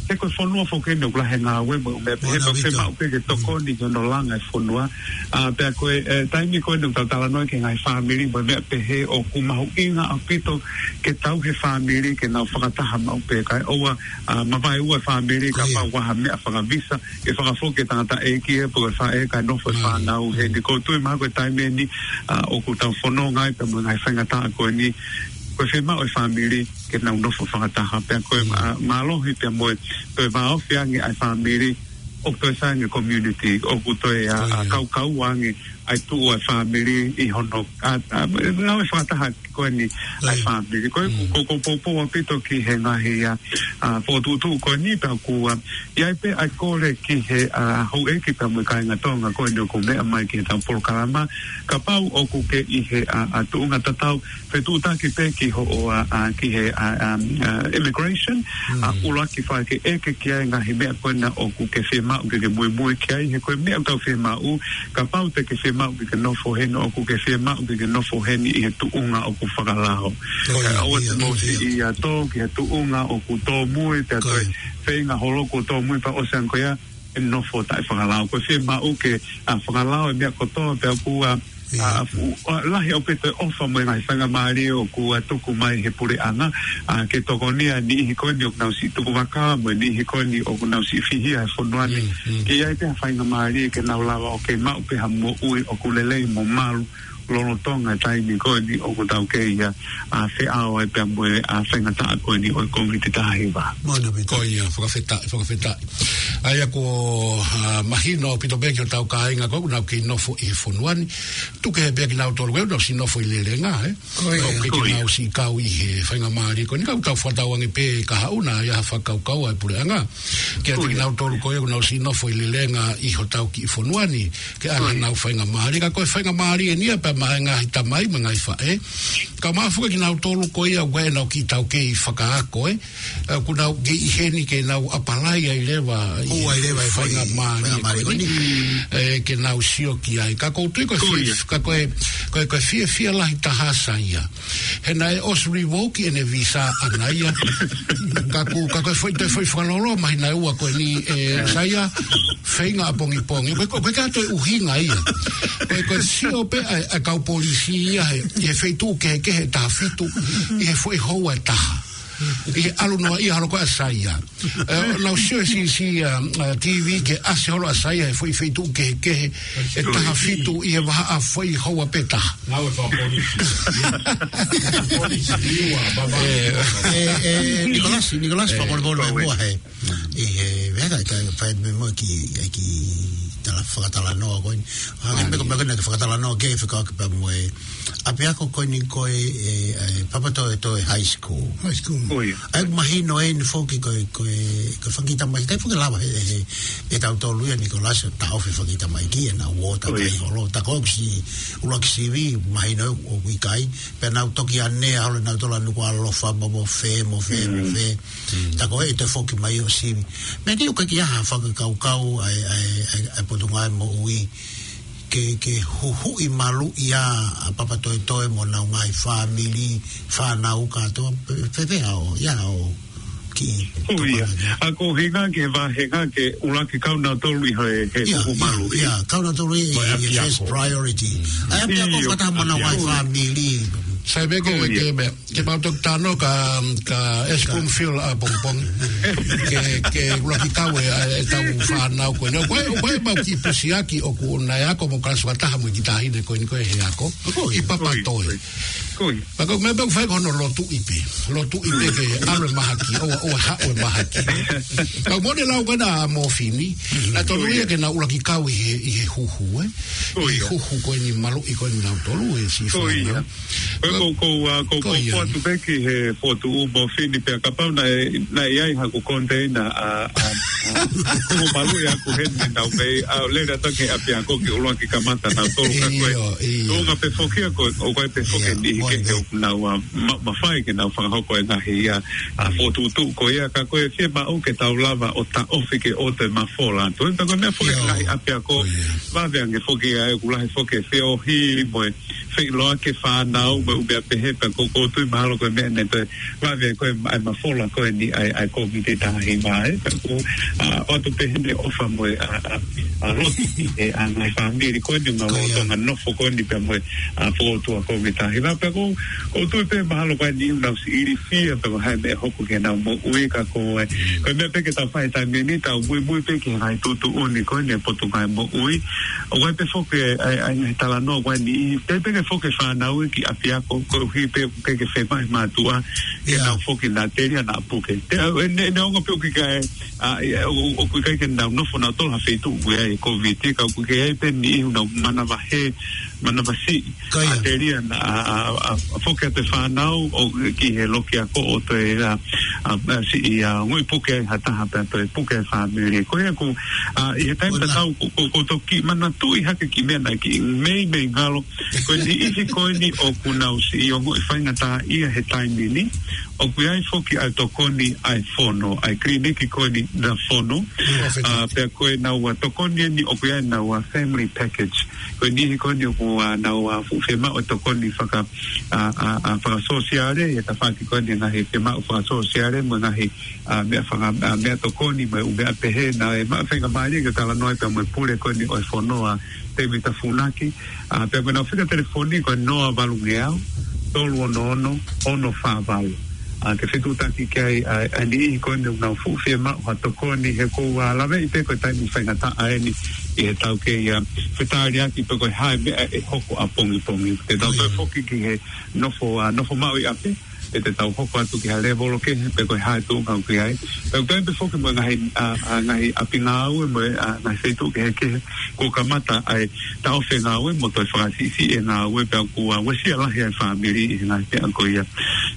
He ko e fonua foki eni ʻoku lahi e ngāue mo e meʻa pehē, ʻoku fiemaʻu pē ke tokoni ki hono langa e fonua. ʻA, pea ko e, ʻe, taimi ko eni ʻoku tau talanoa ki he ngaahi fāmili mo e meʻa pehē ʻoku mahuʻinga ʻaupito ke tauhi e fāmili ke nau fakataha maʻu pē kae ʻoua, ʻa, mavaeua e fāmili kapau ʻoku ʻi ai ha meʻa fakavisa ʻe fakafoki e tangataʻeiki ē pe ko e faʻē kae nofo e fānau heni. ʻOku ou tui mahalo ko e taimi eni, ʻa, ʻoku tau fononga ai pea mo e ngaahi faingataʻa ko eni, ko e fiemaʻu e fāmili ke nau nofo fakataha pea ko e, ʻa, mālohi pea mo e, ko e vāofi ange ʻa e fāmili, ʻoku toe sai ange e community, ʻoku toe, ʻa, ʻa, kaukau ange ʻa e tuʻu ʻa e fāmili ʻi hono, ʻa, ʻa, ngāue fakataha ko eni ʻa e fāmili. Ko e, ʻoku ou poupou ʻaupito ki he ngaahi, ʻa, ʻa, fokotuʻutuʻu ko eni pea ʻoku, ʻa, ʻi ai pē ʻa e kole ki he, ʻa, houʻeiki pea mo e kāinga Tonga ko eni ʻoku meʻa mai ki heʻetau polokalama. Kapau ʻoku ke ʻi he, ʻa, ʻa, tuʻunga tatau, fetuʻutaki pē ki hoʻo, ʻa, ʻa, ki he, ʻa, ʻa, ʻa, immigration, ʻa, ʻuluaki fai ke ʻeke ki ai e ngaahi meʻa ko ena ʻoku ke fiemaʻu ke ke muimui ki ai, he ko e meʻa ʻoku tau fiemaʻu, kapau te ke fiemaʻu ke ke nofo heni, ʻoku ke fiemaʻu ke ke nofo heni ʻi he tuʻunga ʻoku fakalao. Kae ʻoua te mou siʻi ʻia tō ki he tuʻunga ʻoku tōmui, pea toe feinga holo kuo tōmui pea ʻosi ange ko ia, ʻe nofo taʻefakalao. Ko e fiemaʻu ke, ʻa, fakalao e meʻa kotoa pea ʻoku, ʻa, ʻA, fu-, ʻa, lahi ʻaupito e ʻofa mo e ngaahi faingamālie ʻoku, ʻa, tuku mai he puleʻanga, ʻa, ke tokoniʻi ʻa e niʻihi ko eni ʻoku nau siʻi tuku vaka mo e niʻihi ko eni ʻoku nau siʻi fihia he fonua ni. Mm, mm. Ke ʻi ai pē ha faingamālie ke nau lava ʻo kei maʻu pē ha moʻui ʻoku lelei mo malu lolotonga e taimi ko eni ʻoku tau kei, ʻa, ʻa, feʻao ai pea mo e, ʻa, faingataʻa ko eni ʻo e Kōviti taha hiva. Mono pita. Ko ia, fakafetaʻi, fakafetaʻi. ʻA ia ko, ʻa, mahino ʻaupito pē ki hotau kāinga ko ē ʻoku nau kei nofo ʻi he fonua ni. Tuku kehe pē kinautolu ko ē ʻoku nau siʻi nofo ʻi Lelenga, ē? Ko ia. ʻOku ʻikai ke nau siʻi kau ʻi he faingamālie ko eni, ka ʻoku tau fakatauange pē kahaʻu naʻa ʻi ai ha fakakaukau ʻa e puleʻanga kiate kinautolu ko ē ʻoku nau siʻi nofo ʻi Lelenga ʻi hotau kiʻi fonua ni, ke ʻoange ʻenau faingamālie. Ka ko e faingamālie eni ia pea maʻa e ngaahi tamai mo e ngaahi faʻē. Ka mafuka kinautolu ko ia ʻoku ʻi ai ʻenau kiʻi taukei fakaako, ē? ʻA, ʻoku nau kei ʻi heni ke nau ʻapalai ai leva ʻi he faingamālie ko eni. Ē, ke nau sio ki ai. Ka ʻoku ou tui ko e fie-, ka ko e, ko e, ko e fiefia lahi taha ʻa Saia. He naʻe ʻosi revoke ʻene visa ʻaʻana ia. Ka ʻoku, ka ko e foʻi, toe foʻi fakalolo, mahina ʻe ua ko eni, ē, Saia, feinga ʻapongipongi. Ko e, ko e, ko e ʻuhinga ia. Ko e, ko e sio pē ʻa e, ʻa e kau polisi ia he, ʻi he feituʻu kehekehe ʻe taha fitu, ʻi he foʻi houa ʻe taha. ʻI he ʻalu noa ia holo ko ē ʻa Saia. Ē, nau sio he siʻisiʻi, ʻa, ʻa, T V ke ʻasi holo ʻa Saia he foʻi feituʻu kehekehe ʻe taha fitu ʻi he vahaʻa foʻi houa pē ʻe taha. Ngāue fakapolisi. Polisi, niua, baba. Ē, ē, Nikolasi, Nikolasi, fakamolemole mai muʻa he. ʻI he, vea ka, ka, fai mai muʻa ki, ki tala, fakatalanoa ko eni. Hake me ko, me ko ena ke fakatalanoa ke fekauʻaki pea mo e ʻapiako ko eni ko e, ē, ē, Papatoetoe High School. High School. ʻA ia ʻoku mahino eni foki ko e, ko e, ko e fanga kiʻi tamaiki, ʻikai foki lava he, he, he tautolu ia Nikolasi ʻo taʻofi e fanga kiʻi tamaiki ʻenau ō takai holo. Ta ko e siʻi ʻuluaki sivi, mahino ʻoku ʻikai. Pea nau toki ʻanea holo nautolu ʻa Nukuʻalofa mo, mo fē, mo fē, mo fē. Ta ko e toe foki mai ʻo sivi. Meʻa ni ʻoku ʻikai ke ʻi ai ha fakakaukau ʻa e, ʻa e, ʻa e, ʻa e Potungāue Moʻui ke, ke huhuʻi maluʻi ʻa, ʻa Papatoetoe mo ʻenau ngaahi fāmili, fānau kātoa, pe, pe, pe ʻa ʻo, ia ʻo ki. ʻO ia. ʻA ko e ʻuhinga ke vahenga ke ʻuluaki kau nautolu ʻi he, he huhuʻi maluʻi. Ia, kau nautolu ʻi, ʻi he first priority. ʻA e ʻapiako fakataha mo ʻenau ngaahi fāmili. Sai pē ke, ke me Ke mau toki talanoa ka, ka ʻEsi Bloomfield ʻapongipongi. Ke, ke ʻuluaki kau e, ʻa e tau fānau ko eni. Ko e, ko e mau kiʻi pusiaki ʻoku naʻe ako mo kalasi fakataha mo e kiʻi taʻahine ko eni ko e he ako. ʻI Papatoetoe. Ko ia. Pea ko e meʻa pē ʻoku fai ko hono lotuʻi pē. Lotuʻi pē ke ʻalu e mahaki, ʻo, ʻo haʻu e mahaki. Ka mole lau ko ena ʻa Mofini. Naʻe tonu ia ke nau ʻuluaki kau ʻi he, ʻi he huhu, ē? ʻI he huhu ko eni maluʻi ko eni nautolu e siʻi fānau. Ko e ko, ko, ʻa, ko, ko, ko ia. Ko atu pē ki he fokotuʻu Mofini pea kapau naʻe, naʻe ʻi ai haku container ʻa, ʻa, ʻa, ko maluʻi ʻaku heni naʻa mei, ʻa, lele atu ki he ʻapiako ke ʻuluaki kamata nautolu ka ko e. ʻIo, ʻio. Ko e ʻuhinga pē foki ia ko, ʻoku ʻi ai pē foki e niʻihi kehe ʻoku nau, ʻa, ma-, mafai ke nau fakahoko e ngaahi, ʻa, ʻa, fokotuʻutuʻu ko ia ka ko e fiemaʻu ke tau lava ʻo taʻofi ke ʻoua toe mafola atu. Pea ko e meʻa foki e ngaahi ʻapiako, vave ange foki ʻa e ʻoku lahi foki e feohi mo e feʻiloaki e fānau mo e ʻū meʻa pehē pea ko, ʻoku ou tui mahalo ko e meʻa naʻe toe vave ko e ma-, ʻa e mafola ko eni ʻa e, ʻa e Kōviti taha hiva ē. Pea ko, ʻa, ʻoatu pē heni e ʻofa mo e, ʻa, ʻa, ʻa, lotu ʻa e ngaahi fāmili ko eni ʻoku nau lolotonga nofo ko eni pea mo e, ʻa, fokotuʻu ʻa e Kōviti taha hiva. Pea ko, ʻoku ou tui pē mahalo ko e niʻihi ʻoku nau siʻi ilifia pea mo e hā e meʻa ʻe hoko ki heʻenau moʻui ka ko e, ko e meʻa pē ke tau fai he taimi ni, tau muimui pē ki he ngaahi tuʻutuʻuni ko eni ʻa e Potungāue Moʻui. ʻOku ʻi ai pē foki e, ʻa e, ʻa e ngaahi talanoa ko eni, ʻikai pē ke foki e fānau ki ʻapiako, koeʻuhi pē ʻoku ʻikai ke fiemaʻu ʻe he mātuʻa ke nau foki naʻa telia naʻa puke. Te, ʻa, ʻe, ne, neongo pē ʻoku ʻikai, ʻa, ʻe, ʻo, ʻoku ʻikai ke nau nofo nautolu ha feituʻu ʻoku ʻi ai e Kōviti, ka ʻoku ʻi ai pē niʻihi ʻoku nau manavahē, manavasiʻi. Ko ia. Naʻa telia naʻa, ʻa, ʻa, ʻa, foki atu e fānau ʻo ki he loki ako ʻo toe, ʻa, ʻa, ʻa, siʻi, ʻa, ongoʻi puke ai ha taha pea toe puke e fāmili. Ko ia ʻoku, ʻa, ʻi he taimi tatau ʻoku, ʻoku, ʻoku ou toki manatuʻi hake e kiʻi meʻa naʻe kiʻi meimei ngalo. Ko e niʻihi ko eni ʻoku nau siʻi ongoʻi faingataʻaʻia he taimi ni. ʻOku ʻi ai foki ʻa e tokoni ʻa e fono, ʻa e kiliniki ko eni ʻa e fono. ʻA, pea ko ʻenau, ʻa, tokoni eni ʻoku ʻi ai ʻenau, ʻa, family package. Ko e niʻihi ko eni ʻoku, ā, nau, ā, fuʻu fiemaʻu e tokoni faka-, ā, ā, ā, fakasōsiale, ʻi he tafaʻaki ko eni e ngaahi fiemaʻu fakasōsiale, mo e ngaahi, ā, meʻa faka-, ā, meʻa tokoni, mo e ʻū meʻa pehē, naʻe maʻu e faingamālie ke talanoa ai pea mo e pule ko eni ʻo e fono, ʻa Tēvita Funaki, ā, pea ko ʻenau fika telefoni ko e noa valu ngeau, tolu ono ono, ono fā valu. Ā, ke fetuʻutaki ki ai, ā, ʻa e niʻihi ko eni ʻoku nau fuʻu fiemaʻu ha tokoni he ʻoku ou, ā, laveʻi pē ko e taimi faingataʻa eni ʻi heʻetau kei, ā, fetāliaki pe ko e hā e meʻa ʻe hoko ʻapongipongi. Te tau toe foki ki he nofo, ā, nofo maʻu ʻi ʻapi, ʻe te tau hoko atu ki ha lēvolo kehe pe ko e hā e tuʻunga ʻoku ʻi ai. Pea ʻoku ʻi ai pē foki mo e ngaahi, ā, ā, ngaahi ʻapi ngāue mo e, ā, ngaahi feituʻu kehekehe kuo kamata ai taʻofi e ngāue mo toe fakasiʻisiʻi e ngāue pea kuo, ā, uesia lahi ai e fāmili ʻi he ngaahi meʻa ko ia.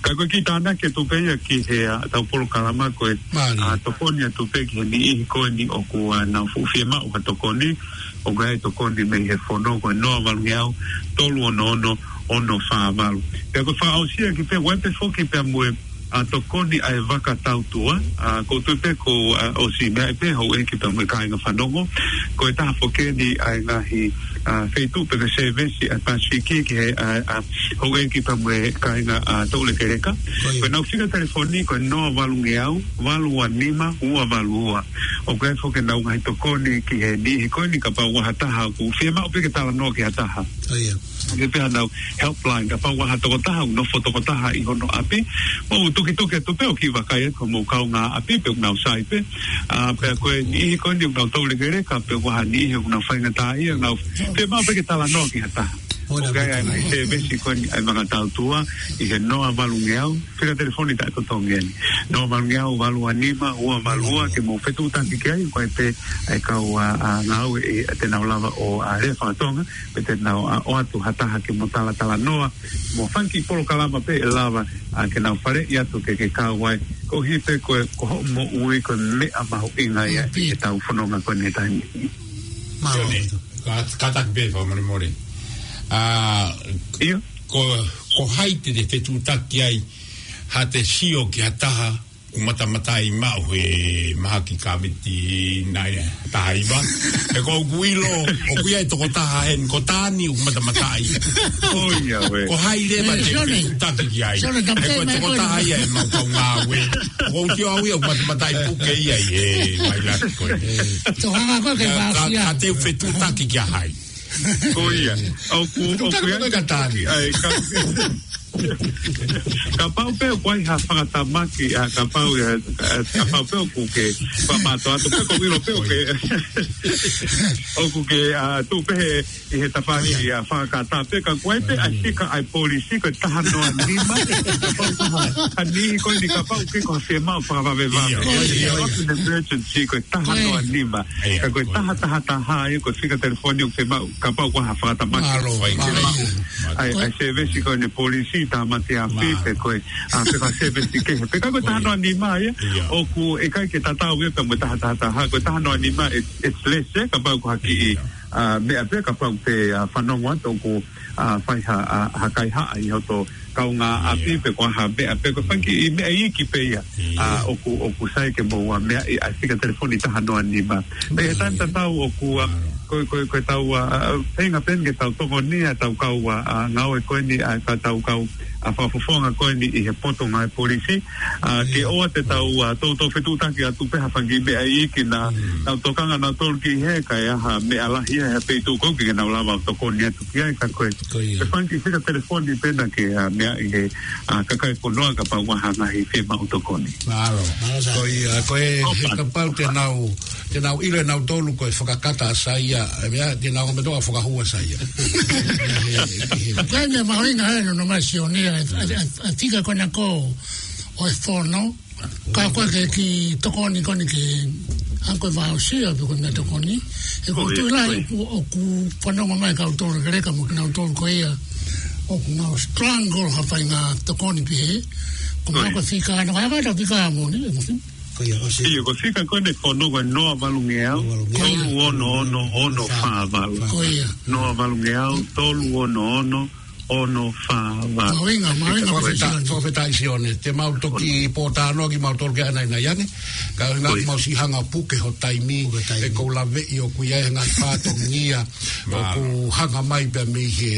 Ka ko e kiʻi tānaki atu pē ia ki he, ā, ʻetau polokalama ko e, ā, tokoni atu pē ki he niʻihi ko eni ʻoku, ā, nau fuʻu fiemaʻu ha tokoni, ʻoku ʻi ai e tokoni mei he fono ko e noa valu ngeau, tolu ono ono, ono fā valu. Pea ko e fakaʻosi ʻaki pē, ʻoku ʻi ai pē foki pea mo e, ā, tokoni ʻa e vaka tautua, ā, ʻoku ou tui pē kuo, ā, ʻosi meaʻi pē houʻeiki pea mo e kāinga fanongo. Ko e taha foki eni ʻa e ngaahi, ā, feituʻu pe ko e sēvesi ʻa e Pasifiki ki he, ā, ā, houʻeiki pea mo e kāinga, ā, toulekeleka. Ko ʻenau fika telefoni ko e noa valu ngeau, valu ua nima, ua valu ua. ʻOku ʻi ai foki ʻenau ngaahi tokoni ki he niʻihi ko eni kapau ʻoku ʻi ai ha taha ʻoku fiemaʻu pē ke talanoa ki ha taha. Ke pehē ʻenau helpline, kapau ʻoku ʻi ai ha tokotaha ʻoku nofo tokotaha ʻi hono ʻapi, mou tukituki atu pē ʻo kiʻi vakai atu ki hoʻomou kaungāʻapi pe ʻoku nau sai pē. Ā, pea ko e niʻihi ko eni ʻoku nau toulekeleka pe ʻoku ʻi ai ha niʻihi ʻoku nau faingataʻaʻia, nau fiemaʻu pē ke talanoa ki ha taha. ʻOku ʻi ai ʻa e ngaahi sēvesi ko eni ʻa e vaka tautua ʻi he noa valu ngeau, fika telefoni taʻetotongi eni. Noa valu ngeau, valu ua nima, ua valu ua, ke mou fetuʻutaki ki ai, ko e pē ʻa e kau, ā, ā, ngāue ʻe, ʻe te nau lava ʻo, ā, lea faka-Tonga, pe te nau, ā, ʻoatu ha taha ke mo talatalanoa, mo fanga kiʻi polokalama pē ʻe lava, ā, ke nau faleʻi atu ke ke kau ai, koeʻuhi pē ko e, ko hoʻo moʻui ko e meʻa mahuʻinga ia ʻi heʻetau fononga ko eni he taimi ni. Mālō. Sione, ka, kātaki pē fakamolemole. Ā, ʻIo. ko, ko hai te te fetuʻutaki ai, ha te sio ki ha taha, ʻoku matamataʻi maʻu he mahaki Kōviti nai taha hiva. He ko ʻeku ʻilo, ʻoku ʻi ai e tokotaha heni, ko Tani ʻoku matamataʻi. ʻOi, ia ē. Ko hai leva te fetuʻutaki ki ai. He ko e tokotaha ia ʻemau kau ngāue. ʻOku ou sio au ia ʻoku matamataʻi puke ia ʻi he vailasi ko ē. Ka, ka, ka te fetuʻutaki kia hai. Ko ia. ʻOku, ʻoku ʻi ai ka Tani. ʻAi, ka, kapau pē ʻoku ʻi ai ha fakatamaki, ā, kapau, ā, ā, kapau pē ʻoku ke, pa mato atu pē ko ʻilo pē ʻoku ke, ʻoku ke, ā, tuʻu pē he, ʻi he tafaʻaki, ā, fakakata pē ka ʻoku ʻi ai pē ʻa e fika ʻa e polisi ko e taha noa nima. Kapau ko ha, ha niʻihi ko eni kapau ke ko ha fiemaʻu fakavavevave. ʻIo, ʻio, ʻio. Ko e emergency ko e taha noa nima. Ka ko e taha taha taha ia ko e fika telefoni ʻoku fiemaʻu kapau ko ha fakatamaki. Mālō, mālō. ʻAi, ʻai sēvesi ko eni polisi, tāmate ʻapi, pe ko e, ā, pe ko ha sēvesi kehe. Pea ka ko e taha noa nima ia, ʻoku ʻikai ke tatau ia pea mo e taha taha taha. Ko e taha noa nima, it's, it's less, ē, kapau ko ha kiʻi, ā, meʻa pē, kapau pē, ā, fanongo atu ʻoku, ā, fai ha, ā, ha kaihaʻa ʻi hoto kaungāʻapi pe ko ha meʻa pe ko e fanga kiʻi meʻa iiki pē ia. ʻA, ʻoku, ʻoku sai ke mou, ā, meaʻi ʻa e fika telefoni taha noa nima. Pea ʻi he taimi tatau ʻoku, ā, ko, ko, ko e tau, ā, ā, feinga pē ke tau tokoniʻi ʻa e tau kau, ā, ā, ngāue ko eni, ʻa e tau kau, ā, fakafofonga ko eni ʻi he poto ngāue polisi, ā, ke ʻoua te tau, ā, toutou fetuʻutaki atu pē ha fanga kiʻi meʻa iiki naʻa nau tokanga nautolu ki hē, kae ʻi ai ha meʻa lahi ʻi ha feituʻu ko ē ke nau lava ʻo tokoni atu ki ai, ka ko e, ko e fanga kiʻi fika telefoni pē naʻa ke, ā, meaʻi he, ā, kakai fonua kapau ʻoku ʻi ai ha ngaahi fiemaʻu tokoni. Mālō. Mālō, Sā. Ko ia, ko e, he kapau te nau, te nau ʻilo ʻe nautolu ko e fakakata ʻa Saia, ʻa e meʻa, te nau meʻa toka fakahua Saia. Ko e meʻa mahuʻinga ē, nonga mai Sione, ʻa e, ʻa e, ʻa e, ʻa e fika ko ena ko ē ʻo e fono, ka ko e kiʻi tokoni ko eni ke, ʻa ko e voucher pe ko e meʻa tokoni. He ʻoku ou tui lahi ʻoku, ʻoku fanongo mai kau toulekeleka mo kinautolu ko ia ʻoku nau struggle ha faʻahinga tokoni pē hē. Ko e meʻa ko e fika ʻana, ko e hā e fika moʻoni, ʻe moʻoni. Ko ia, ʻosi. ʻIo, ko e fika ko eni fono ko e noa valu ngeau, tolu ono ono, ono fā valu. Ko ia. Noa valu ngeau, tolu ono ono, ono fā valu. Mahuʻinga, mahuʻinga, Fakafetaʻi, fakafetaʻi Sione. Te mau toki pōtalanoa kimautolu ke ʻanainai ange. Ka ʻuhinga ʻoku mau siʻi hanga puke ho taimi, Puke taimi. ʻE kou laveʻi ʻoku ʻi ai e ngaahi fatongia ʻoku hanga mai pea mei he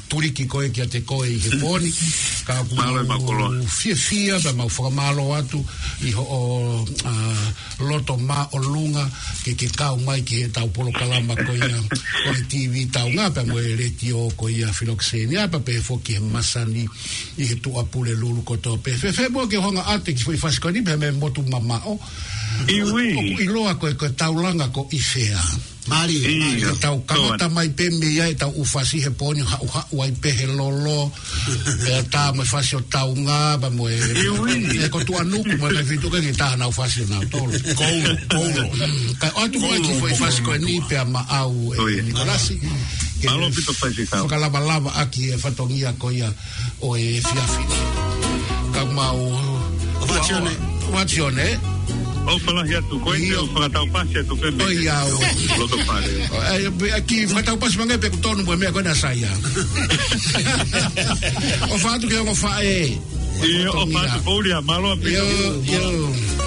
tuliki ko ē kiate koe ʻi he pō ni. Ka ʻoku mau fiefia pea mau fakamālō atu ʻi hoʻo, ʻa, loto māʻolunga ke ke kau mai ki heʻetau polokalama ko ia ʻo e T V Taunga pea mo e letiō ko ia Filokisenia pea pehē foki he masani ʻi he Tuʻapulelulu kotoa pē. Fēfē muʻa ke hanga ʻo ʻoatu e kiʻi foʻi fasi ko eni pea mei he motu mamaʻo. ʻIo. ʻOku ʻiloa ko e, ko e taulanga ko ʻIfea. Mālie, mālie. Tau kamata mai pē mei ai ʻetau ʻū fasi he pō ni, haʻuhaʻu ai pē he lolo. Pea tā mo e fasi ʻo Taunga, pea mo e, ʻIo. e ko Tuʻanuku, mo e kai fitu ka ke tā hanau fasi ʻo nautolu. Koulo, koulo. Kae ʻoatu mai e kiʻi foʻi fasi ko eni pea maʻau ʻe Nikolasi. Ke Mālō ʻaupito Faifekau. fakalavalava ʻaki e fatongia ko ia ʻo e efiafi ni. Ka mau, What's your name? What's your name? ʻOfa lahi atu, ko e ʻIo. ʻOku fakataupasi atu pē mei ʻOi, au. Loto fale. ʻE, ʻe, kiʻi fakataupasi mai ange pē ʻoku tonu mo e meʻa ko ena ʻa Saia. ʻOfa atu ki he ongo faʻē. ʻIo, ʻofa atu, Paulia, mālō ʻaupito. ʻIo, ʻio.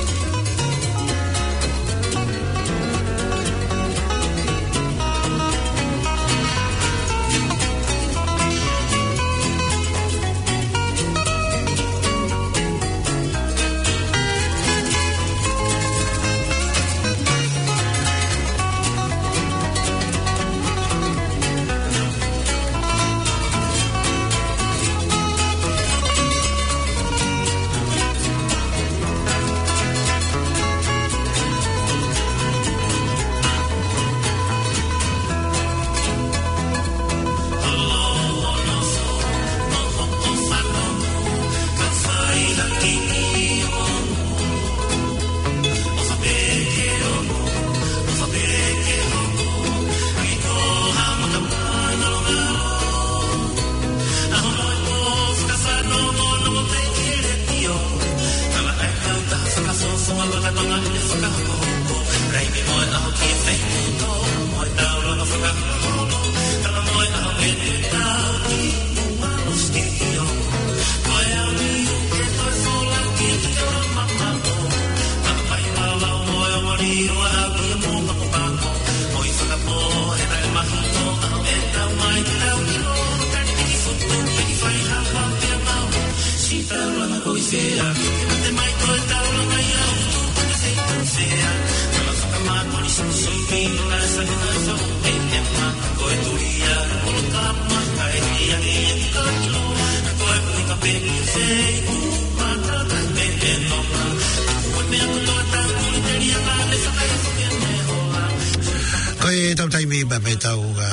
Ko ʻetau taimi pē mei heʻetau, ʻa,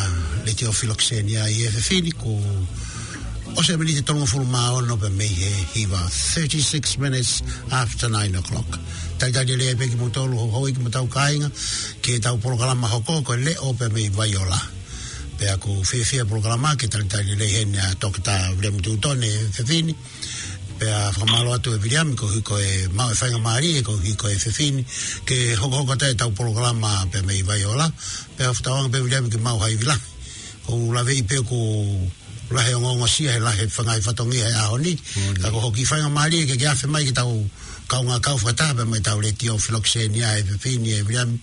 letiō Filokisenia ʻi he efiafi ni, kuo ʻosi e miniti ʻe tolungofulu mā ono pē mei he hiva, thirty-six minutes after nine o'clock. Talitali lelei pē kimoutolu, houhau kimoutolu kāinga, ki heʻetau polokalama hoko ko e Leʻo pē mei Vaiola. Pea ʻoku fiefia e polokalama ke talitali lelei heni ʻa Toketā Viliami Tutone he efiafi ni. Pea fakamālō atu ʻe Viliami koeʻuhi ko e maʻu e faingamālie koeʻuhi ko e efiafi ni ke hokohoko atu ʻetau polokalama pē mei Vaiola. Pea fakatauange pē Viliami ke maʻu ha ivi lahi. ʻOku ou laveʻi pē ʻoku lahi e ongoongosia he lahi e ngaahi fatongia he ʻaho ni. Ka ko hoʻo kiʻi faingamālie ke ke afe mai ke tau kaungā kau fakataha pē mei heʻetau letiō Filokisenia he efiafi ni ʻe Viliami,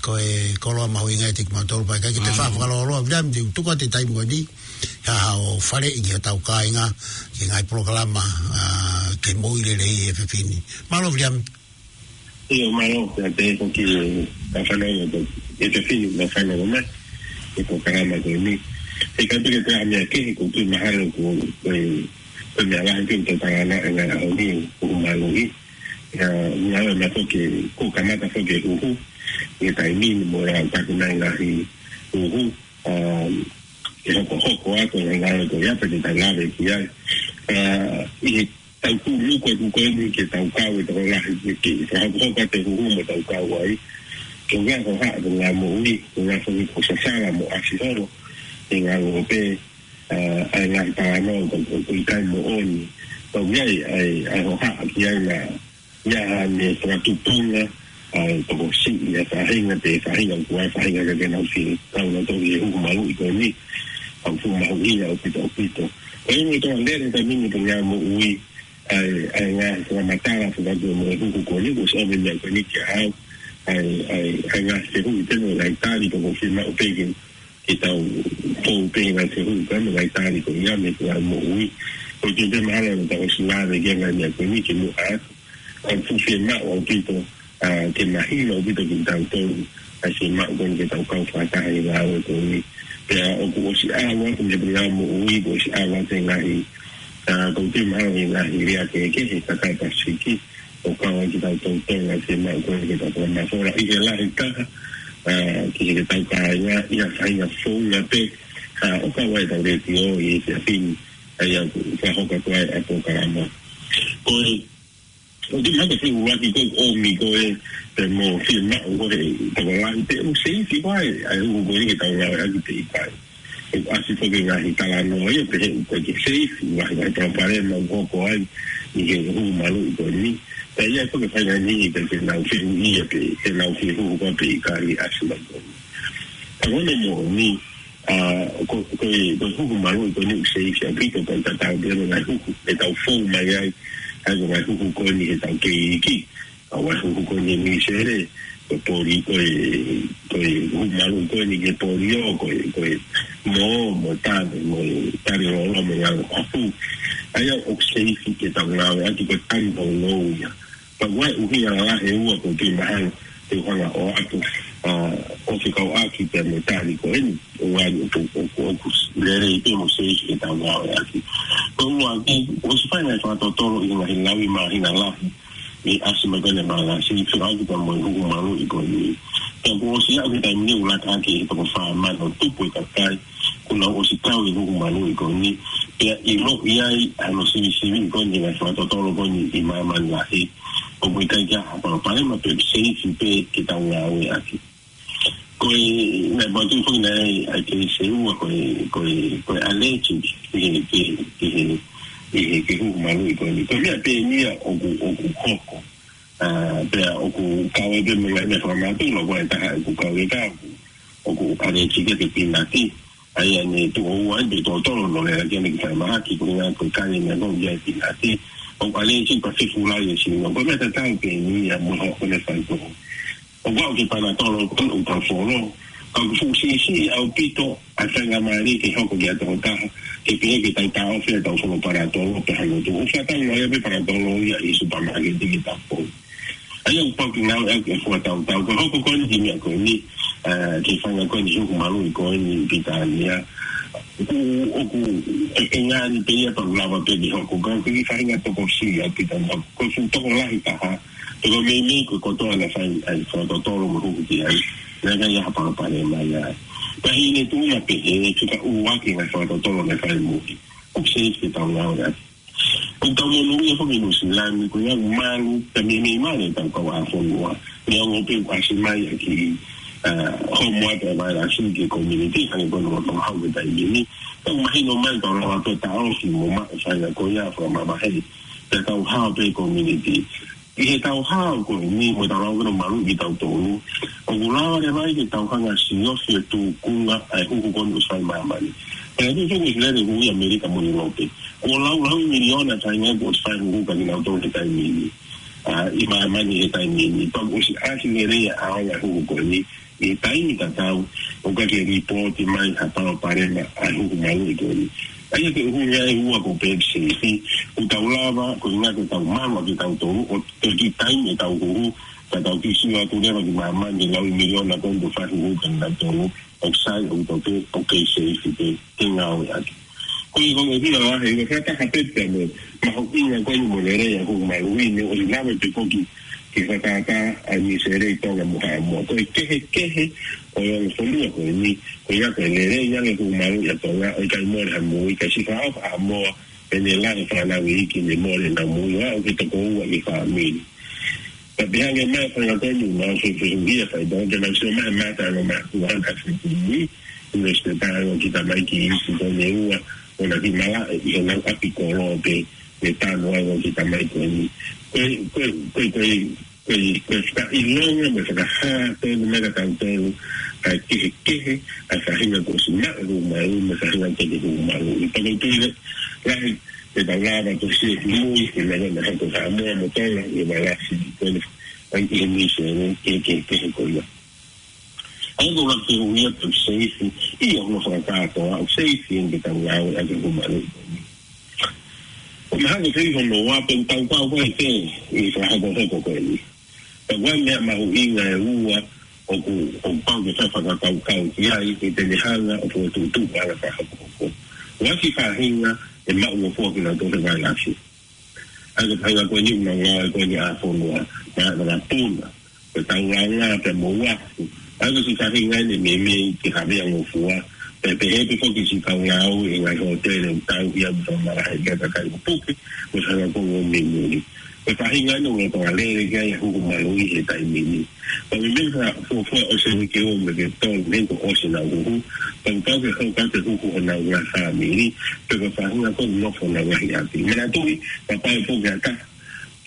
ko e koloa mahuʻinga ʻiate kimautolu pea ʻikai ke te faʻa fakalōloa Viliami, te u tuku atu e taimi ko eni, ha, haʻo faleʻi ki hotau kāinga, ki he ngaahi polokalama, ʻa, ke moʻui lelei he efiafi ni. Mālō Viliami. ʻIo, mālō, pea pehē foki ki he fānau ʻo e efiafi ni, mo e fānau ʻo mai, ʻi he polokalama ko eni. ʻIkai pē ke toe ʻi ai ha meʻa kehe, ʻoku ou tui mahalo ko, ko e, ko e meʻa lahi pē ʻoku tau talanoa he ngaahi ʻaho ni, ʻoku maluʻi. ʻIa, ngaahi meʻa foki, kuo kamata foki e huhu, ʻi he taimi ni mo e ʻalu atu e ngaahi huhu, um, ke hokohoko atu e ngaahi ko ia pē te tau lave ki ai. ʻA, ʻi he tau tūluku atu ko eni ke tau kau e tokolahi ke, ke fakahoko atu e huhu mo tau kau ai. Ko e ngaahi hohaʻa, ko e ngaahi moʻui, ko e ngaahi foki ko e sasala mo ʻasi holo. ʻE ngalo pē, ʻa, ʻa e ngaahi talanoa ko, ko, ko e ʻikai moʻoni. Ko ia ai, ʻa e, ʻa e hohaʻa ki ai na ia ʻa e meʻa fakatupunga, ʻa e tokosiʻi ʻa e faʻahinga, pe faʻahinga kua, faʻahinga ka ke nau fi, kau na toki e huhu maluʻi ko eni. ʻoku fuʻu mahuʻinga ʻaupito ʻaupito. Ko e ongo tō lele ka mini pē ngā moʻui, ʻa e, ʻa e ngaahi fakamatala, fakamatala mo e huhu ko eni, kuo ʻosi ʻomai meʻa ko eni kia au, ʻa e, ʻa e, ʻa e ngaahi fehuʻi pē mo e ngaahi tali, pea ʻoku fiemaʻu pē ke, ke tau fou pē ngaahi fehuʻi pē mo e ngaahi tali ko ia mei he ngā moʻui. Ko e tui pē mahalo naʻa tau ʻosi lave ki he ngaahi meʻa ko eni kimuʻa atu. Ka ʻoku fuʻu fiemaʻu ʻaupito, ʻa, ke mahino ʻaupito kitautolu, ʻa e fiemaʻu ko eni ke tau kau fakataha he ngāue ko eni. Pea ʻoku ʻosi ʻalu atu mei he ngā moʻui, kuo ʻosi ʻalu atu e ngaahi, ʻa, ʻoku ou tui mahalo e ngaahi lea kehekehe he kakai Pasifiki, ʻo kau ai kitautolu Tonga he fiemaʻu ko eni ke tau fakamafola ʻi he lahi taha, ʻa, ki he ke tau kāinga, ʻi ha faʻahinga founga pē, ʻa, ʻo kau ai ʻetau letiō ʻi he efiafi ni, ʻa ia ʻoku fakahoko atu ai ʻa e polokalama. Ko e ʻOku mahalo ko e ʻuluaki ko e ʻomi ko e, pea mo e fiemaʻu ko e tokolahi pē ʻoku seifi ko ē, ʻa e huhu ko eni ke tau ngāueʻaki pē ʻikai. ʻOku ʻasi foki e ngaahi talanoa ia pehē ʻoku ʻikai ke seifi, ngaahi ngaahi palopalema ʻoku hoko ai ʻi he huhu maluʻi ko eni. Pea ʻi ai foki e faʻahinga niʻihi pē ke nau fehuʻia pē, ke nau fehuhu ko ē pe ʻikai ʻasi mai ko eni. Ka ko hono moʻoni, ʻa, ko, ko e, ko e huhu maluʻi ko eni ʻoku seifi ʻaupito, ko e tatau pē mo e ngaahi huhu ʻe tau fou mai ai, ʻa ia ko e ngaahi huhu ko eni heʻetau kei iiki, ʻa e ngaahi huhu ko eni Nuʻusila, ko e poli, ko e, ko e huhu maluʻi ko eni ki he polio, ko e, ko e mō, mo e tane, mo e tane lōloa, mo e ngaahi huhu. ʻA ia ʻoku seifi ke tau ngāueʻaki ko e tane lōloa ia. Pea ʻoku ʻi ai e ʻuhinga lalahi ʻe ua ʻoku ou tui mahalo te u hanga ʻo ʻoatu, ʻa, ʻo fekauʻaki pea mo e tali ko eni, ʻo ʻai ʻoku, ʻoku, ʻoku lelei pē mo seifi ke tau ngāueʻaki. Ko e ʻuluaki, ʻoku ʻosi fai e ngaahi fakatotolo ʻi he ngaahi lauʻi māhina lahi, ʻi he ʻasi mai ko eni ʻa e Mangasi, fekauʻaki pea mo e huhu maluʻi ko eni. Pea kuo ʻosi aʻu ki he taimi ni ʻoku laka hake ʻi he toko fā mano tupu e kakai, kuo nau ʻosi kau ʻi he huhu maluʻi ko eni, pea ʻiloʻi ai ʻa hono sivisiviʻi ko eni ʻa e fakatotolo ko eni ʻi māmani lahi. ʻOku ʻikai ke ʻi ai ha palopalema pea seifi pē ke tau ngāueʻaki. Ko e, naʻe poupou foki naʻe ʻi ai e kei seua ko e, ko e, ko e allergic ki he, ki he, ki he, ki he, ki he huhu maluʻi ko eni. Ko e meʻa pē eni ia ʻoku, ʻoku hoko. ʻA, pea ʻoku kau ai pē mo e ngaahi meʻa fakamatala, ko e taha ʻoku kau ai ka ʻoku, ʻoku ʻalēsika ki he pinati. ʻA ia ne tuʻo ua ai pē totolo no lea ki ane ki fai mahaki, ko e ngaahi ko e kai ʻene ko ia e pinati. ʻOku ʻalēsika pea fefulai e sino. Ko e meʻa tatau pē eni ia mo hoʻo ne fai ko. ʻOku aʻu ki he panatolo ko ʻoku tau folo. Ka ʻoku fuʻu siʻisiʻi ʻaupito ʻa e faingamālie ke hoko ki ha tokotaha, ke pehē ke tau taʻofi ʻetau folo panatolo pe hano tu. ʻOku faʻa tau noa ia pē panatolo ia ʻi supermarket ke tau folo. ʻA ia ʻoku pau ke ngāueʻaki e fua tautau. Ko e hoko ko eni ki he meʻa ko eni, ʻa, ki he faʻahinga ko eni huhu maluʻi ko eni ʻi Pilitānia. ʻOku, ʻoku, ʻe, ʻe ngani pē ia pea lava pē ke hoko. Ka ko e faʻahinga tokosiʻi ʻaupito. Ko e fuʻu tokolahi taha. Pea ko e meimei ko e kotoa naʻe fai ai fakatotolo mo huhu ki ai. Naʻe ʻikai ha palopalema ia. Pea hili e tuʻunga pehē, fika ua ki he ngaahi fakatotolo naʻe fai muli. ʻOku seifi ke tau ngāueʻaki. ʻOku tau monūʻia foki ʻi Nuʻusila ni, ko ia ʻoku malu, pea meimei malu ʻetau kau ʻāfonua. Neongo pē ʻoku ʻasi mai ʻa e kiʻi, ʻa, homo atu e vailasi ki he community, hangē ko hono ʻoatu hau ki he taimi ni. Pea ʻoku mahino mai ʻoku tau lava pē taʻofi mo maʻu e faʻahinga ko ia fakamamahi. Pea tau hao pē community. ʻI heʻetau hao ko eni mo ʻetau lava ke maluʻi kitautolu, ʻoku lava leva ai ke tau hanga ʻo siofi e tūkunga ʻa e huhu ko eni ʻoku fai ʻi māmani. Pea ʻoku tuʻu foki ʻi Nuʻusila ni, huhu ʻi ʻAmelika mo ʻIulope. Kuo laulau miliona taimi ai kuo fai huhu kia kinautolu he taimi ni. ʻA, ʻi māmani he taimi ni. Pea ʻoku ʻosi ʻasi lelei ʻa e ʻaonga e huhu ko eni. ʻI he taimi tatau, ʻoku ʻikai ke lipooti mai ha palopalema ʻa e huhu maluʻi ko eni. ʻA ia ko e ʻuhinga ʻe ua ʻoku ou pehē ʻoku seifi, ʻoku tau lava, ko e ʻuhinga ke tau malu ʻa kitautolu, ʻo toki taimi ʻetau huhu, ka tau kiʻi sio atu leva ki māmani, lauʻi miliona ko eni ʻoku fai huhu kia kinautolu, ʻoku sai, ʻoku tau pehē, ʻoku kei seifi pē, ke ngāueʻaki. Ko e konga ʻuhinga lahi, ko e fakataha pē pea mo e mahuʻinga ko eni mo e lelei ʻa e huhu maluʻi ni, ʻoku lava pē foki ke fakaʻatā ʻa Nuʻusila, Tonga mo Haʻamoa. Ko e kehekehe ʻo e ongo fonua ko eni, ko ia ko e lelei ange e huhu maluʻi ʻa Tonga, ʻoku ʻikai mole ha moʻui, ka siʻi fakaʻapaʻapa ʻa Haʻamoa, ʻene lahi e fānau iiki ne mole ʻenau moʻui, ʻo aʻu ki he toko ua ʻi he fāmili. Ka pehē ange mai e faʻahinga ko eni, naʻa ku fehuʻia fai, tau ke nau sio mai, mata no ma, ua na fiti ni, ʻi he speta ʻo kita mai ki isi ko eni ua, ʻo na ki mala, ʻi he nau ʻapi kolo pē, ne tanu ai ʻo kita mai ko eni. Ko e, ko e, ko e, ko e, ko e, ko e fakaʻilonga, mo e fakahā, tonu mai kia tautolu, ʻa e kehekehe ʻa e faʻahinga kuo ʻosi maʻu e huhu maluʻi mo e faʻahinga teʻeki ke huhu maluʻi. Pea ko e tui lahi, ʻe tau lava ʻo siʻi kimui, ʻi he meʻa naʻe hoko ʻi Haʻamoa mo Tonga, ʻi he vailasi ko eni, ʻa e ʻi he misi ʻeni, ke, ke, kehe ko ia. ʻA ia ko e ʻuluaki fehuʻi ia pe ʻoku seifi, ʻio, hono fakakātoa, ʻoku seifi eni ke tau ngāueʻaki e huhu maluʻi ko eni. ʻO mahalo ko e fehuʻi hono ua pe ʻoku tau kau ko ē ʻi he fakahokohoko ko eni. Pea ko e meʻa mahuʻinga ʻe ua ʻoku, ʻoku pau ke fai fakakaukau ki ai, ʻi heʻene hanga ʻo fokotuʻutuʻu ʻa e fakahokohoko. ʻOku ʻi ai e faʻahinga ʻe maʻungofua kinautolu he vailasi. ʻA ia ko e faʻahinga ko eni ʻoku nau ngāueʻaki ko eni ʻa e fonua, na, na, na puna, ko e taulanga pea mo uafu. ʻA ia ko e siʻi faʻahinga ʻeni ʻe meimei ke havea ngofua, pea pehē pē foki siʻi kau ngāue ʻi he ngaahi hōtele ʻoku tauhi ʻa e fakamalahe ki he kakai ʻoku puke, mo e faʻahinga ko ē ʻoku mei muli. Ko e faʻahinga ʻeni ʻoku lolotonga lele ki ai e huhu maluʻi he taimi ni. Pea meimei fakafuofua ʻosi e uike ua mo e uike tolu mei he kuo ʻosi ʻenau huhu, pea pau ke hoko atu e huhu honau ngaahi fāmili, pe ko e faʻahinga ko ē ʻoku nofo honau ngaahi ʻapi. Manatuʻi, kapau ʻe puke ha taha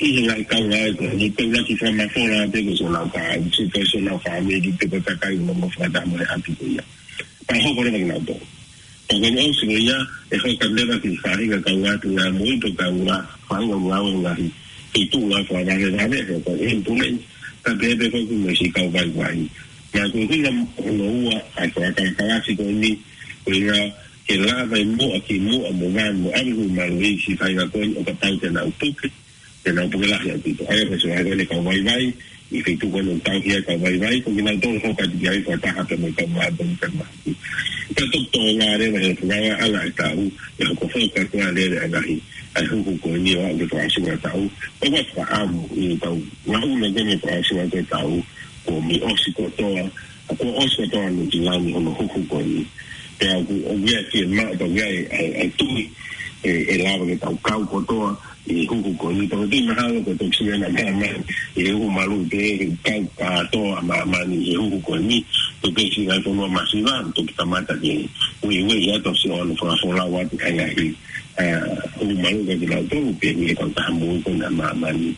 ʻi he ngaahi kaungāue ko eni, pe ʻuluaki fakamafola atu ko siʻonau kāinga, pe ko siʻonau fāmili, pe ko e kakai ʻoku nau fakataha mo e ʻapi ko ia. Pea hoko leva kinautolu. Pea ko eni ʻosi ko ia, ʻe hoko leva ki he faʻahinga kau atu ngā moʻui pe kau ngā faʻahinga ngāue ngaahi feituʻu ngāue fakavavevave, ko e ambulance, kae pehē pē foki mo e siʻi kau vaivai. Pea ko e ʻuhinga hono ua ʻa e fakakalakalasi ko eni, ko e ʻuhinga ke lava ʻo muʻa ki muʻa mo vanu mo ʻave e huhu maluʻi ki he faʻahinga ko eni ʻo kapau te nau puke, te nau puke lahi ʻaupito. ʻA ia ko e siʻi vaivai ko eni kau vaivai, ʻi he feituʻu ko eni ʻoku tauhi ai e kau vaivai, ko kinautolu ʻoku hoko atu ki ai fakataha pea mo e kau maʻa pea mo e kau maʻa. Pea toki tō leva he fakaʻaongaʻi ʻa e tau, ʻe hoko foki atu ʻa e lele ʻa e ngaahi, ʻa e huhu ko eni ʻo aʻu ki he fakaʻosinga ʻo e tau. Pea ʻoku ou fakaʻamu ʻi he tau, ngaahi ʻuhinga ko eni fakaʻosinga ʻo e tau, kuo mei ʻosi kotoa, kuo ʻosi kotoa ʻa Nuʻusila ni hono huhu ko eni. Pea ʻoku, ʻoku ʻi ai e fiemaʻu, pea ʻoku ʻi ai e, e, e tui, ʻe, ʻe lava ke tau kau kotoa ʻi he huhu ko eni. Pea ʻoku ou tui mahalo ko e toki siʻi ʻena māmani ʻi he huhu maluʻi pē, he kau kātoa ʻa māmani ʻi he huhu ko eni. Toki siʻi ngaahi fonua masiva, toki kamata ke ueʻi atu ʻo siʻi ʻo ne fakafolau atu ʻa e ngaahi, ʻa, huhu maluʻi kia kinautolu pē ʻi he kautaha moʻui ko eni ʻa māmani.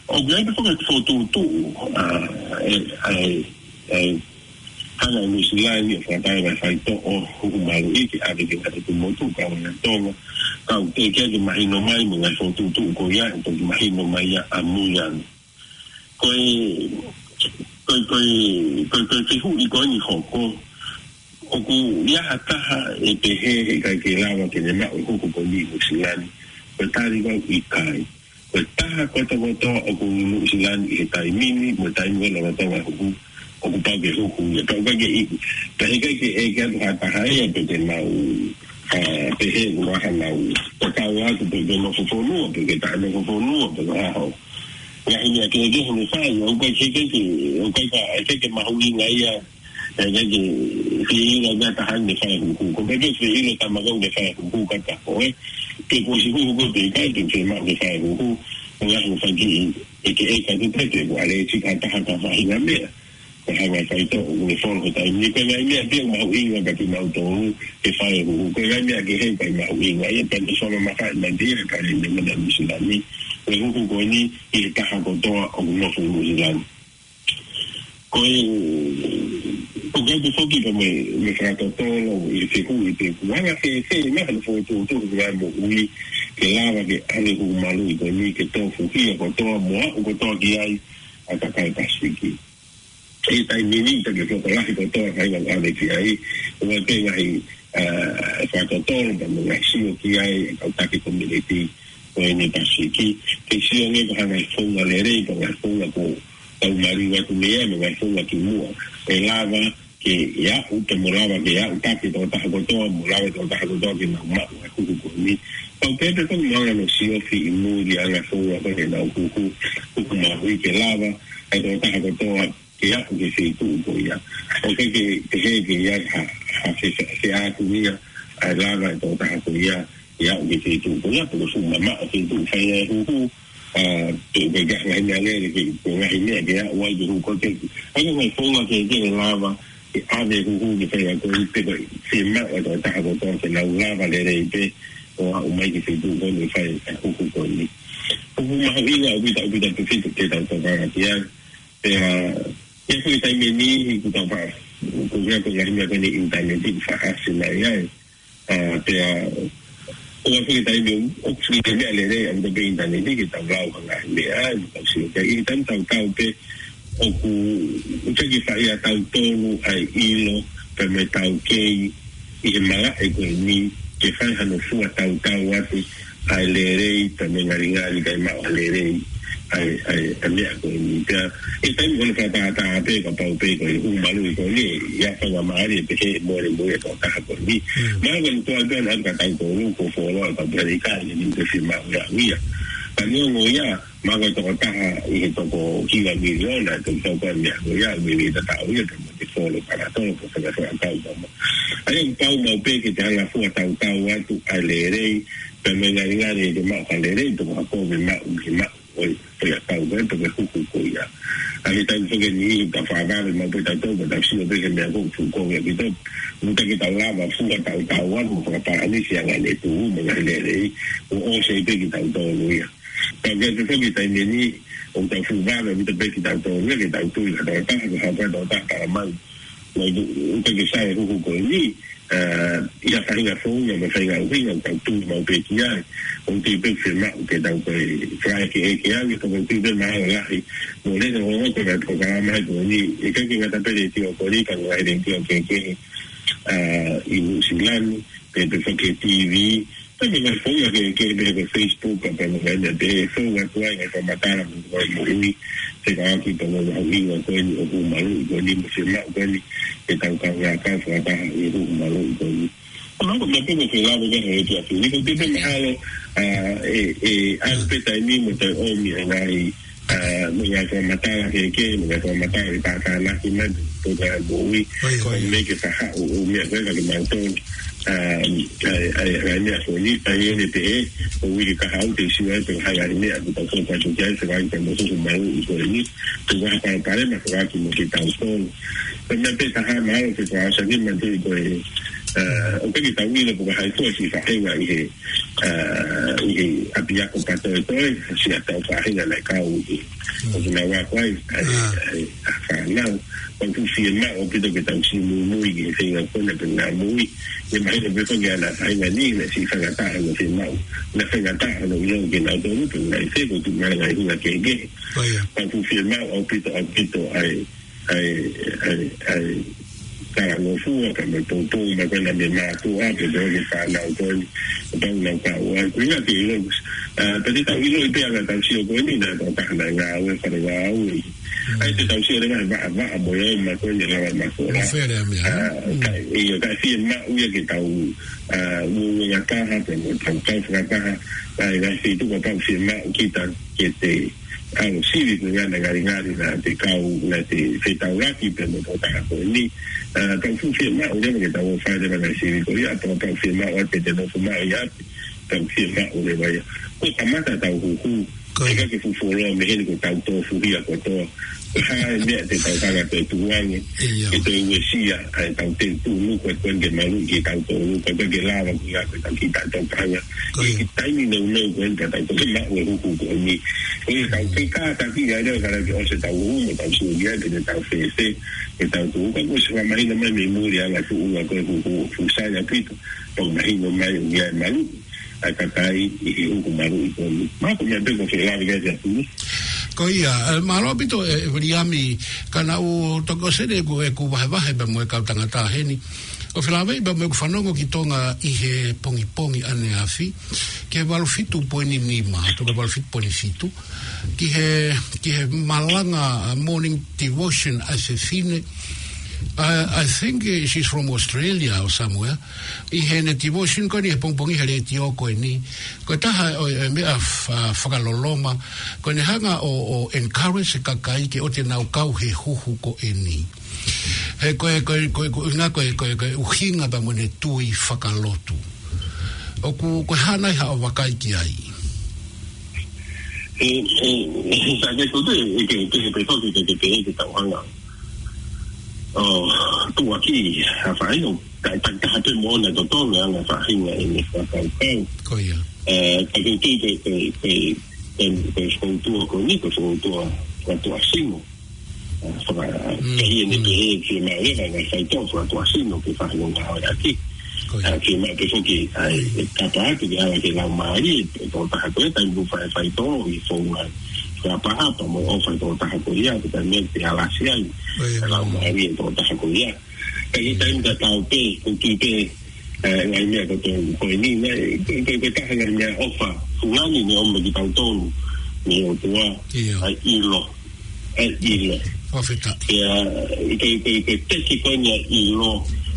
ʻOku ʻi ai pē foki e fokotuʻutuʻu, ʻa, ʻe, ʻa e, ʻa e, hanga ʻe Nuʻusila ni ʻo fakataha e ngaahi faitoʻo huhu maluʻi ke ʻave ki he ngaahi ʻotu motu, kau ai ʻa Tonga, ka ʻoku teʻeki ke mahino mai mo e ngaahi fokotuʻutuʻu ko ia, ʻe toki mahino mai ia ʻamui ange. Ko e, ko e, ko e, ko e, ko e fehuʻi ko eni ʻoku hoko, ʻoku ʻi ai ha taha ʻe pehē he ʻikai ke lava ke ne maʻu e huhu ko eni ʻi Nuʻusila ni? Ko e tali ko ē ʻoku ʻikai. Ko e taha kotokotoa ʻoku ʻi Nuʻusila ni ʻi he taimi ni, mo e taimi ko ē lolotonga e huhu, ʻoku pau ke huhu ia. Pea ʻoku ʻikai ke ʻi, pea he ʻikai ke ʻeke atu ha taha ia pe te nau, ʻa, pehē ʻoku ʻi ai haʻanau tatau atu pe ke nofo fonua, pe ke taʻenofo fonua, pe ko e hā. Ngaahi meʻa kehekehe ne fai, ʻoku ʻikai ke, ke, ʻoku ʻikai ke, ʻikai ke mahuʻinga ia, ʻikai ke fie ʻilo ʻe ha taha ne fai e huhu. Ko e pehē pē fie ʻilo e tama ko ē ne fai e huhu ka ta ko ē. Pe kuo ʻosi huhu koe pe ʻikai, pe fiemaʻu ke fai e huhu. Ko e ngaahi meʻa fai ki he ʻeke ʻeke atu pē pe kuo ʻalēsika ha taha ki ha faʻahinga meʻa. Ko e hanga ʻe he faitoʻo ʻoku ne folo he taimi ni, ko e ngaahi meʻa pē ʻoku mahuʻinga kia kimautolu ke fai e huhu. Ko e ngaahi meʻa kehe ʻikai mahuʻinga ia, pea ne solo maka e mandia e kale ne mena Nuʻusila ni. Ko e huhu ko eni ʻi he taha kotoa ʻoku nofo Nuʻusila ni. Ko e, ʻoku ʻi ai pē foki pea mo e, mo e fakatotolo ʻi he fehuʻi pe ʻoku anga fēfē ʻa hono fokotuʻutuʻu e ngaahi moʻui ke lava ke ʻave e huhu maluʻi ko eni ke tofuhia kotoa mo aʻu kotoa ki ai ʻa e kakai Pasifiki. ʻI he taimi ni, ʻikai ke fuoloa lahi kotoa e faʻahinga ʻoku ʻave ki ai, ʻoku ʻi ai pē ngaahi, ʻa, fakatotolo pea mo e ngaahi sio ki ai ʻa e kau taki komiunitī ko eni Pasifiki. Ke sio ange ko e hā e ngaahi founga lelei, pe ko e ngaahi founga ʻoku tau maliu atu mei ai, mo e ngaahi founga kimuʻa. ʻE lava ke aʻu, pea mo lava ke aʻutaki e tokotaha kotoa, mo lava e tokotaha kotoa ke nau maʻu e huhu ko eni. Pau pē pē ko e maʻu hono siofi ʻi muli ʻa e ngaahi founga ko ē ʻenau huhu, huhu mahuʻinga ke lava e tokotaha kotoa ke aʻu ki he feituʻu ko ia. ʻOku ʻikai ke, ke pehē ke ʻi ai ha, ha fe, fe, feʻātungia ʻa e lava e tokotaha ko ia ke aʻu ki he feituʻu ko ia, pe ko e fuʻu mamaʻo e feituʻu ʻoku fai ai e huhu, ʻa, pe ʻoku ʻikai ke ʻi ai ha ngaahi meʻa lele ke, ke ngaahi meʻa ke aʻu ai ki he huhu ko ē. ʻA ia ko e ngaahi founga kehekehe ʻe lava ke ʻave e huhu ki he faʻahinga ko ē, pe ko e fiemaʻu ʻa e tokotaha kotoa ke nau lava lelei pē ʻo aʻu mai ki he feituʻu ko ē ʻoku fai ai e huhu ko eni. Huhu mahuʻinga ʻaupito, ʻaupito, ʻaupito ke tau tokanga ki ai. Pea, ʻi he foʻi taimi ni, ʻoku tau faʻa Ko ia ko e ngaahi meʻa ko eni ʻinitaneti ʻoku faʻa ʻasi mai ai. ʻA, pea, ʻoku ʻi ai e taimi ʻoku, ʻoku ʻi ai e meʻa lelei ʻa e ʻinitaneti ke tau lau ha ngaahi meʻa, ʻa, tau sio. Pea ʻi he taimi tau tau pē, ʻoku, ʻoku ʻikai ke fai ʻe tautolu ʻa e ʻilo, pea mo e taukei, ʻi he malaʻe ko eni, ke fai hano fua tautau atu, ʻa e lelei, pea mo e ngalingali kae maʻu ʻa e lelei, ʻa e, ʻa e, ʻa e meʻa ko eni. Pea, ʻi he taimi ko eni fakatātā pē, kapau pē ko e huhu maluʻi ko eni, ʻi he faingamālie pē ke mole mo e tokotaha ko eni. Mm. Mahalo ko e tuʻa pē ʻa e ka tautolu, ko e fuoloa, ka pea ʻikai ke ni te si maʻu ia ia. Ka neongo ia, mahalo ko e tokotaha ʻi he toko hiva miliona, ʻe toko tau ko e meʻa ko ia, ʻe meimei tatau ia, pea mo e folo para tolo, ko e fakafoʻou tau tama. ʻA ia ʻoku pau maʻu pē ke te hanga fua tautau atu ʻa e lelei, pea mo e ngalingali ke maʻu ha lelei, toko hako me maʻu, me maʻu, ʻo e, ʻo e tau, ʻo e toko huhu ko ia. ʻA ia tau toke ni, ta fāvale maʻu pē tautolu, ta sio pē ke meʻa ko fu ko ia ki to, muta ke tau lava fua tautau atu, mo fakapalanisi ʻa e ngaahi tuʻu, mo e ngaahi lelei, ʻo ʻosi pē kitautolu ia. Ka ʻoku ʻi ai pē foki e taimi ni, ʻoku tau fuʻu vave ʻaupito pē kitautolu, ke tau tui, ka tau taha, ka tau taha, tau taha, tau mai. Mai tu, ʻoku ʻikai ke sai e huhu ko eni, ʻa, ʻi ha faʻahinga founga, mo e faʻahinga ʻuhinga, ʻoku tau tui maʻu pē ki ai. ʻOku tui pē fiemaʻu ke tau ko e fai ke ʻeke ange, ka ʻoku tui pē mahalo lahi. Mo lele o ko e polokalama ko eni, ʻikai ke ngata pē he letiō ko eni, ka ngaahi letiō kehekehe, ʻa, ʻi Nuʻusila ni, pea pē foki he T V, pea mo e ngaahi founga kehekehe pē ko e Facebook, pea mo e ngaahi meʻa pehē, fou atu ai ngaahi fakamatala mo e moʻui fekauʻaki pea mo e mahuʻinga ko eni ʻo e huhu maluʻi ko eni mo e fiemaʻu ko eni ke tau kaungā kau fakataha ʻi he huhu maluʻi ko eni. ʻA ia ko e meʻa pē ʻoku ou lave ki ai he efiafi ni, ko e tui pē mahalo, ʻa, ʻe, ʻe, ʻa e pē taimi mo e toe ʻomi ʻa e ngaahi ʻa, mo e ngaahi fakamatala kehekehe, mo e ngaahi fakamatala ʻi he tātānaki mai, pea mo e moʻui, ʻio, ko e ʻio. Meʻa ke fakahaʻu, ʻo meʻa ko ē ka ke mautolu, ʻa, ʻa, ʻa, ʻa e meʻa ko eni, ʻa ia ʻe pehē, ʻo uike kahaʻu te u sio ai, pe ko e hā e ngaahi meʻa, ʻoku tau fakaʻamu ki ai, fekauʻaki mo e huhu maluʻi ko eni, ʻoku ʻi ai ha palopalema fekauʻaki mo kitautolu. Ko e meʻa pē taha mahalo ke fakaʻosi ange mai ʻa e tui ko e, ʻa, ʻoku ʻikai ke tau ʻilo pe ko hai fua siʻi faʻahinga ʻi he ʻa, ʻi he ʻapiako patoetoe, siʻa tau faʻahinga naʻe kau ʻi he, ʻoku nau ako ai, ʻa e, ʻa e, ʻa e fānau. ʻOku fiemaʻu ʻaupito ke tau siʻi muimui ki he feinga ko ena pea mo e ngaahi moʻui. ʻE mahino pē foki ʻa e faʻahinga ni, naʻe siʻi faingataʻa hono fiemaʻu. Naʻe faingataʻa hono ʻilo kinautolu pea mo e ngaahi fefine, ko e tuʻu mai ngaahi ʻuhinga kehekehe. ʻOku fiemaʻu ʻaupito, ʻaupito ʻa e, ʻa e, ʻa e, ʻa e talangofua, pea mo e poupou, mo e ko ena mei he mātuʻa, pea mo e fānau ko eni, pea mo e kau ai. Ko ia ke ʻilo, ʻa, pea te tau ʻiloʻi pē ʻa e tau sio ko eni, naʻe tau taha naʻe ngāue, fale ngāue. ʻA ia te tau sio leva he vaʻa, vaʻa mo e ʻoma ko eni, lava mafola. Mo fele a meʻa. ʻA, ka, ʻio, ka fiemaʻu ia ke tau, ʻa, uouangataha, pea mo tau kau fakataha, ʻa e ngaahi feituʻu kapau fiemaʻu kita ke te ʻalu sivi ko ia naʻe ngalingali naʻa te kau naʻa te fetaulaki pea mo e tokotaha ko eni. ʻA, tau fuʻu fiemaʻu leva ke tau fai leva ngaahi sivi ko ia, tau tau fiemaʻu ʻa te te nofo maʻu ia, tau fiemaʻu leva ia. Ko e kamata tau huhu, ʻikai ke fuʻu fuoloa mei heni ko e tau tofuhia kotoa. Ko e hā e meʻa te tau hanga ʻo tukuange, ʻio, ke toe uesia ʻa e tau te tunu ko e ko eni ke maluʻi kitautolu, ko e ko eni ke lava ko ia ko e tau kitautolu hanga. Ko ia. ʻI he taimi nounou ko eni pea tau toki maʻu e huhu ko eni. Ko ia tau kei kātaki ai leva ka lava ke ʻosi e tau huhu mo tau sio ki ai pe te tau fēfē, ke tau tuʻu ka kuo ʻosi fakamahino mai mei muli ʻa e ngaahi tuʻunga ko e huhu ʻoku fuʻu sai ʻaupito, pea mahino mai ʻoku ʻi ai e maluʻi ʻa e kakai ʻi he huhu maluʻi ko eni. Mahalo ko e meʻa pē ʻoku ou fie lave ki ai ʻaupito. Ko ia, ʻe, mālō ʻaupito, ʻe, ʻe Viliami, ka naʻa ku toki ʻosi eni ʻeku, ʻeku vahevahe pea mo e kau tangata heni. ʻOku ou fie lave pea mo ʻeku fanongo ki Tonga ʻi he pongipongi ʻaneafi, ki he valu fitu poini nima, toko valu fitu poini fitu, ki he, ki he malanga, ʻa, morning devotion ʻa e fefine. I, I think, eh, she's from Australia or somewhere. ʻI heʻene devotion ko eni he pongipongi he letiō ko eni. Ko e taha ʻo e, ʻo e meʻa fa-, fakaloloma. Ko ʻene hanga ʻo, ʻo encourage e kakai ke ʻoua te nau kau he huhu ko eni. He ko e, ko e, ko e, ko e ʻuhinga ko e, ko e, ko e ʻuhinga pea mo ʻene tui fakalotu. ʻOku, ko e hā nai haʻo vakai ki ai? ʻE, ʻe, ʻe, sa ke tutu, ʻe, ke, ke, ke, ke, ke, ke, ke, ke tau hanga. ʻO, tuʻuaki, ha faʻahinga, ka, ka, ka, te mo na to to, na, na faʻahinga, ʻe, ne, fakau, kau. Ko ia. ʻE, ka, ke, ke, ke, ke, ke, ke, ke, foutua, ko ni, ko foutua, ko tua simo. Faka-, mm, pehē ne, mm, pehē fiemaʻu leva ngaahi faitoʻo fakatuʻasino ke fai hono ngāueʻaki. Ko ia. ʻA, fiemaʻu pē foki ʻa e, e kapa atu ke ala ke laumālie e tokotaha ko ia, taimi ʻoku fai faitoʻo ʻi he founga fakaʻapaʻapa mo e ʻofa e tokotaha ko ia, ko e taimi ia ke alasi ai. Ko ia. E laumālie e tokotaha ko ia. Ka ʻi he taimi tatau pē, ʻoku ou tui pē, ʻa e ngaahi meʻa ko ē ko eni, naʻe, ko e, ko e, ko e taha e ngaahi meʻaʻofa fungani ne ʻomai kiate kitautolu mei he ʻOtua, ʻio, ʻa e ʻilo. ʻA e ʻilo. Fakafetaʻi. Pea, ʻi he, ko e, ko e, ko e teki ko eni ʻa e ʻilo,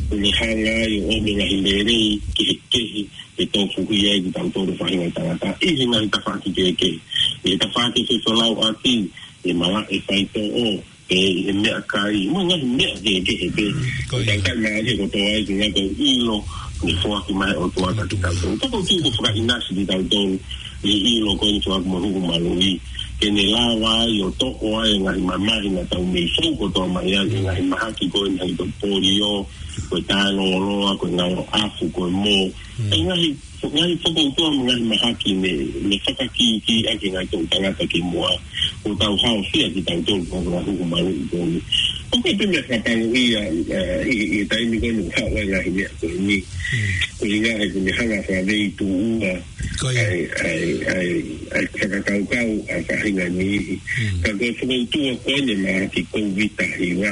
ʻoku ne hanga ai ʻo ʻomai e ngaahi lelei kehekehe ke tofuhia ai kitautolu faʻahinga tangata ʻi he ngaahi tafaʻaki kehekehe. ʻI he tafaʻaki fesolauʻaki, ʻi he malaʻe faitoʻo, ʻi he meʻakai, mo e ngaahi meʻa kehekehe pē. Ko ia. Ka ʻikai mālie kotoa ai, ko e ngaahi ko e ʻilo ne foaki mai ʻe he ʻOtua kiate kitautolu. Ka ʻoku ou tui ʻoku fakaʻinasi kitautolu ʻi he ʻilo ko eni ʻoku foaki mo e huhu maluʻi, ke ne lava ai ʻo toʻo ai e ngaahi mamahi naʻa tau mei fou kotoa mai ai, e ngaahi mahaki ko eni ʻa e polio, ko e tāloloa, ko e ngalo ʻafu, ko e mō. Mm. E ngaahi, ngaahi fokoutua mo e ngaahi mahaki ne, ne fakakīkīʻaki e ngaahi toʻu tangata kimuʻa. ʻOku tau haofia kitautolu ko e ngaahi huhu maluʻi ko eni. ʻOku ʻi ai pē meʻa fakapango ia, ʻa, ʻi, ʻi he taimi ko eni ʻoku haʻu ai e ngaahi meʻa ko eni. Mm. Ko e ʻuhinga he ʻoku ne hanga ʻo fakaveituʻua. Ko ia. ʻA e, ʻa e, ʻa e, ʻa e fakakaukau ʻa e faʻahinga niʻihi. Mm. Ka ko e fokoutua ko eni e mahaki Kōviti taha hiva,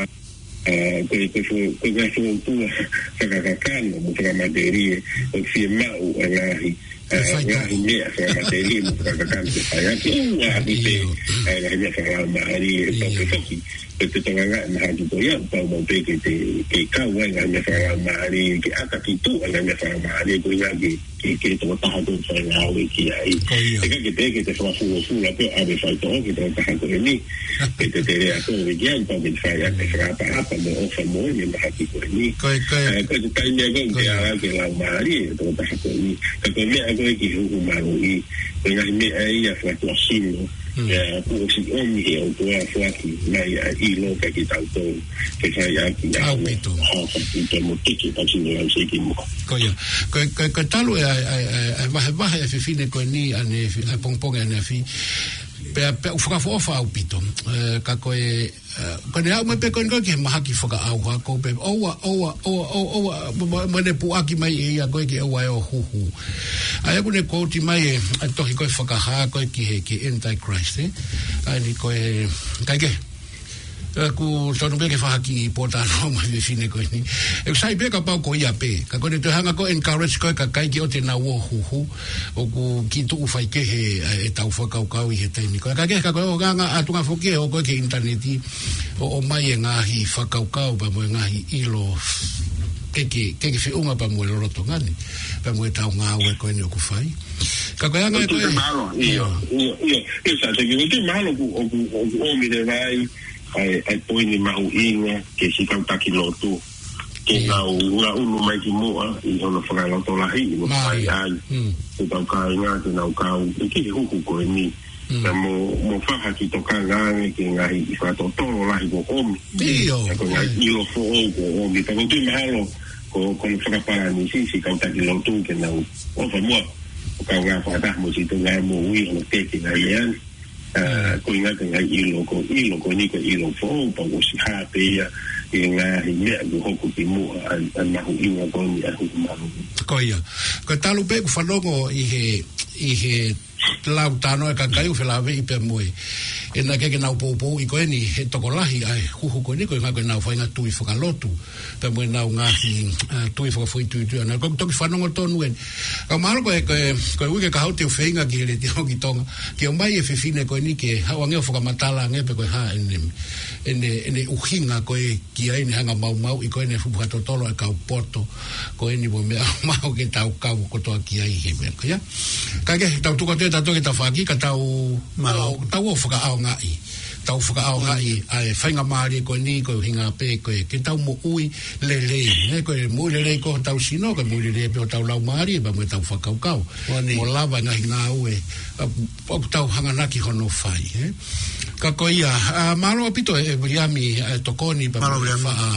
ʻa, ko e, ko e fo-, ko e ngaahi fokoutua fakakakano mo fakamatelie ʻoku fiemaʻu ʻa e ngaahi, ʻa, ngaahi meʻa fakamatelie mo fakakakano ke fai ʻaki. ʻOku ʻi ai pē, ʻio, ʻa e ngaahi meʻa fakalaumālie, ʻio, pau pē foki, ko e totongi e mahaki ko ia, pau maʻu pē ke te, ke kau ai e ngaahi meʻa fakalaumālie, ke ʻata ki tuʻa e ngaahi meʻa fakalaumālie, ko e ʻuhinga ke ke, ke tokotaha ko ē ʻoku fai ngāue ki ai. Ko ia. ʻIkai ke te, ke te fakafulofula pē ʻave faitoʻo ki he tokotaha ko eni. Ke te tele atu ʻo ki ai, pau ke te fai ʻaki e fakaʻapaʻapa mo e ʻofa mo e mahaki ko eni. Ko ia, ko ia. ʻA, ko e taimi ia ko ē ʻoku te ala ke laumālie e tokotaha ko eni. Ka ko e meʻa ko ē ki he huhu maluʻi, ko e ngaahi meʻa ia fakatuʻasino. Mm. ʻA, kuo ʻosi ʻomi ʻe he ʻOtua foaki mai ʻa e ʻilo kiate kitautolu ke fai ʻaki ʻa e ʻaupito, ʻaupito mo teke pasi mo lau seki mo. Ko ia. Ko e, ko e, ko e talu e, ʻa e, ʻa e, ʻa e, ʻa e vahevahe ʻa e fefine ko eni ʻanefi, ʻa e pongipongi ʻanefi. Pea, pea ʻoku fakaʻofoʻofa ʻaupito. ʻE, ka ko e, ʻe, ko ʻene aʻu mai pē ko eni ko ē ki he mahaki fakaʻauha ko ē pē. ʻOua, ʻoua, ʻoua, ʻoua, ʻoua, mo, mo, mo ʻene puʻaki mai ʻe ia ko ē ke ʻoua ʻe ʻo huhu. ʻA ia ʻoku ne kouti mai e, ʻa e tohi ko ē Fakahā ko ē ki he, ki he Antichrist, ē? ʻA eni ko e, kae kehe. ʻE, ʻoku tonu pē ke fakahā ki he pōtalanoa mai e fefine ko eni. ʻOku sai pē kapau ko ia pē. Ka ko ʻene toe hanga ko ē ʻo encourage ko ē e kakai ke ʻoua te nau ō ʻo huhu. ʻOku kiʻi tuʻu faikehe, ʻe, ʻetau fakakaukau ʻi he taimi ko ē. Kae kehe ka ko e ʻoange ʻa e tuʻunga foki ʻo ko ē ki he ʻinitaneti ʻo, ʻomai e ngaahi fakakaukau pea mo e ngaahi ʻilo kehekehe, kehekehe feʻunga pea mo e lolotonga ni. Pea mo ʻetau ngāue ko eni ʻoku fai. Ka ko e anga ʻoku ko ē. Mālō, ʻio, ʻio, ʻio, ʻio, ʻio, Sāseki, ʻoku mālō ʻoku, ʻoku, ʻoku ʻomi leva ai ʻa e, ʻa e poini mahuʻinga ki he siʻi kau taki lotu. Ke, ʻio, nau ngaʻunu mai ki muʻa ʻi hono fakalotolahiʻi mo fai ai. Mm. Ke tau kāinga, ke nau kau, ʻi he huhu ko eni. Mm. Pea mo, mo fai ha kiʻi tokanga ange ki he ngaahi fakatotolo lahi kuo ʻomi. ʻIo. Pea ko e ngaahi, ʻio, ʻilo foʻou kuo ʻomi. Pea ʻoku ou tui mahalo ko, ko hono fakapalanisi siʻi kau taki lotu ke nau ʻofa muʻa ʻo kaungā fakataha mo siʻi tokanga mo ui hono teke ngaahi meʻa ni. ʻA, ko e ʻuhinga ko e ngaahi ʻilo ko, ʻilo ko eni ko e ʻilo foʻou, pea kuo ʻosi hā pē ia ʻi he ngaahi meʻa kuo hoko ki muʻa, ʻa, ʻa e mahuʻinga ko eni ʻa e huhu maluʻi. Ko ia. Ko e talu pē ʻeku fanongo ʻi he, ʻi he lau talanoa e kakai ʻoku felāveʻi pea mo e, ʻenau kei ke nau poupouʻi ko eni he tokolahi ʻa e huhu ko eni ko e ʻuhinga ko ʻenau faʻahinga tui fakalotu. Pea mo ʻenau ngaahi, ʻa, tui fakafoʻituitui ʻana. Ko e toki fanongo tonu eni. Ka mahalo ko e, ko e, ko e uike kahaʻu te u feinga ki he Letiō ki Tonga. Ke ʻomai e fefine ko eni ke haʻu ange ʻo fakamatala ange pe ko e hā ʻene, ʻene, ʻene ʻuhinga ko ē ki ai ʻene hanga ʻo maumauʻi ko eni e fuʻu fakatotolo ʻa e kau poto. Ko eni mo e meʻa ʻoku mau ke tau kau kotoa ki ai he meʻa ko ia. Kae kehe, tau tuku atu ʻetau toki tafaʻaki, ka tau, mālō, tau, tau ō fakaʻaongaʻi. Tau fakaʻaongaʻi ʻa e faingamālie ko eni, ko e ʻuhinga pē ko ē ke tau moʻui lelei, ē, ko e moʻui lelei ko hotau sino, ko e moʻui lelei pē hotau laumālie, pea mo ʻetau fakakaukau. Ko eni. Mo lava e ngaahi ngāue, ʻa, ʻoku tau hanganaki hono fai, ē. Ka ko ia, ʻa, mālō ʻaupito ē, ʻe Viliami, ʻa e tokoni pea mo e, mālō Viliami, faʻa,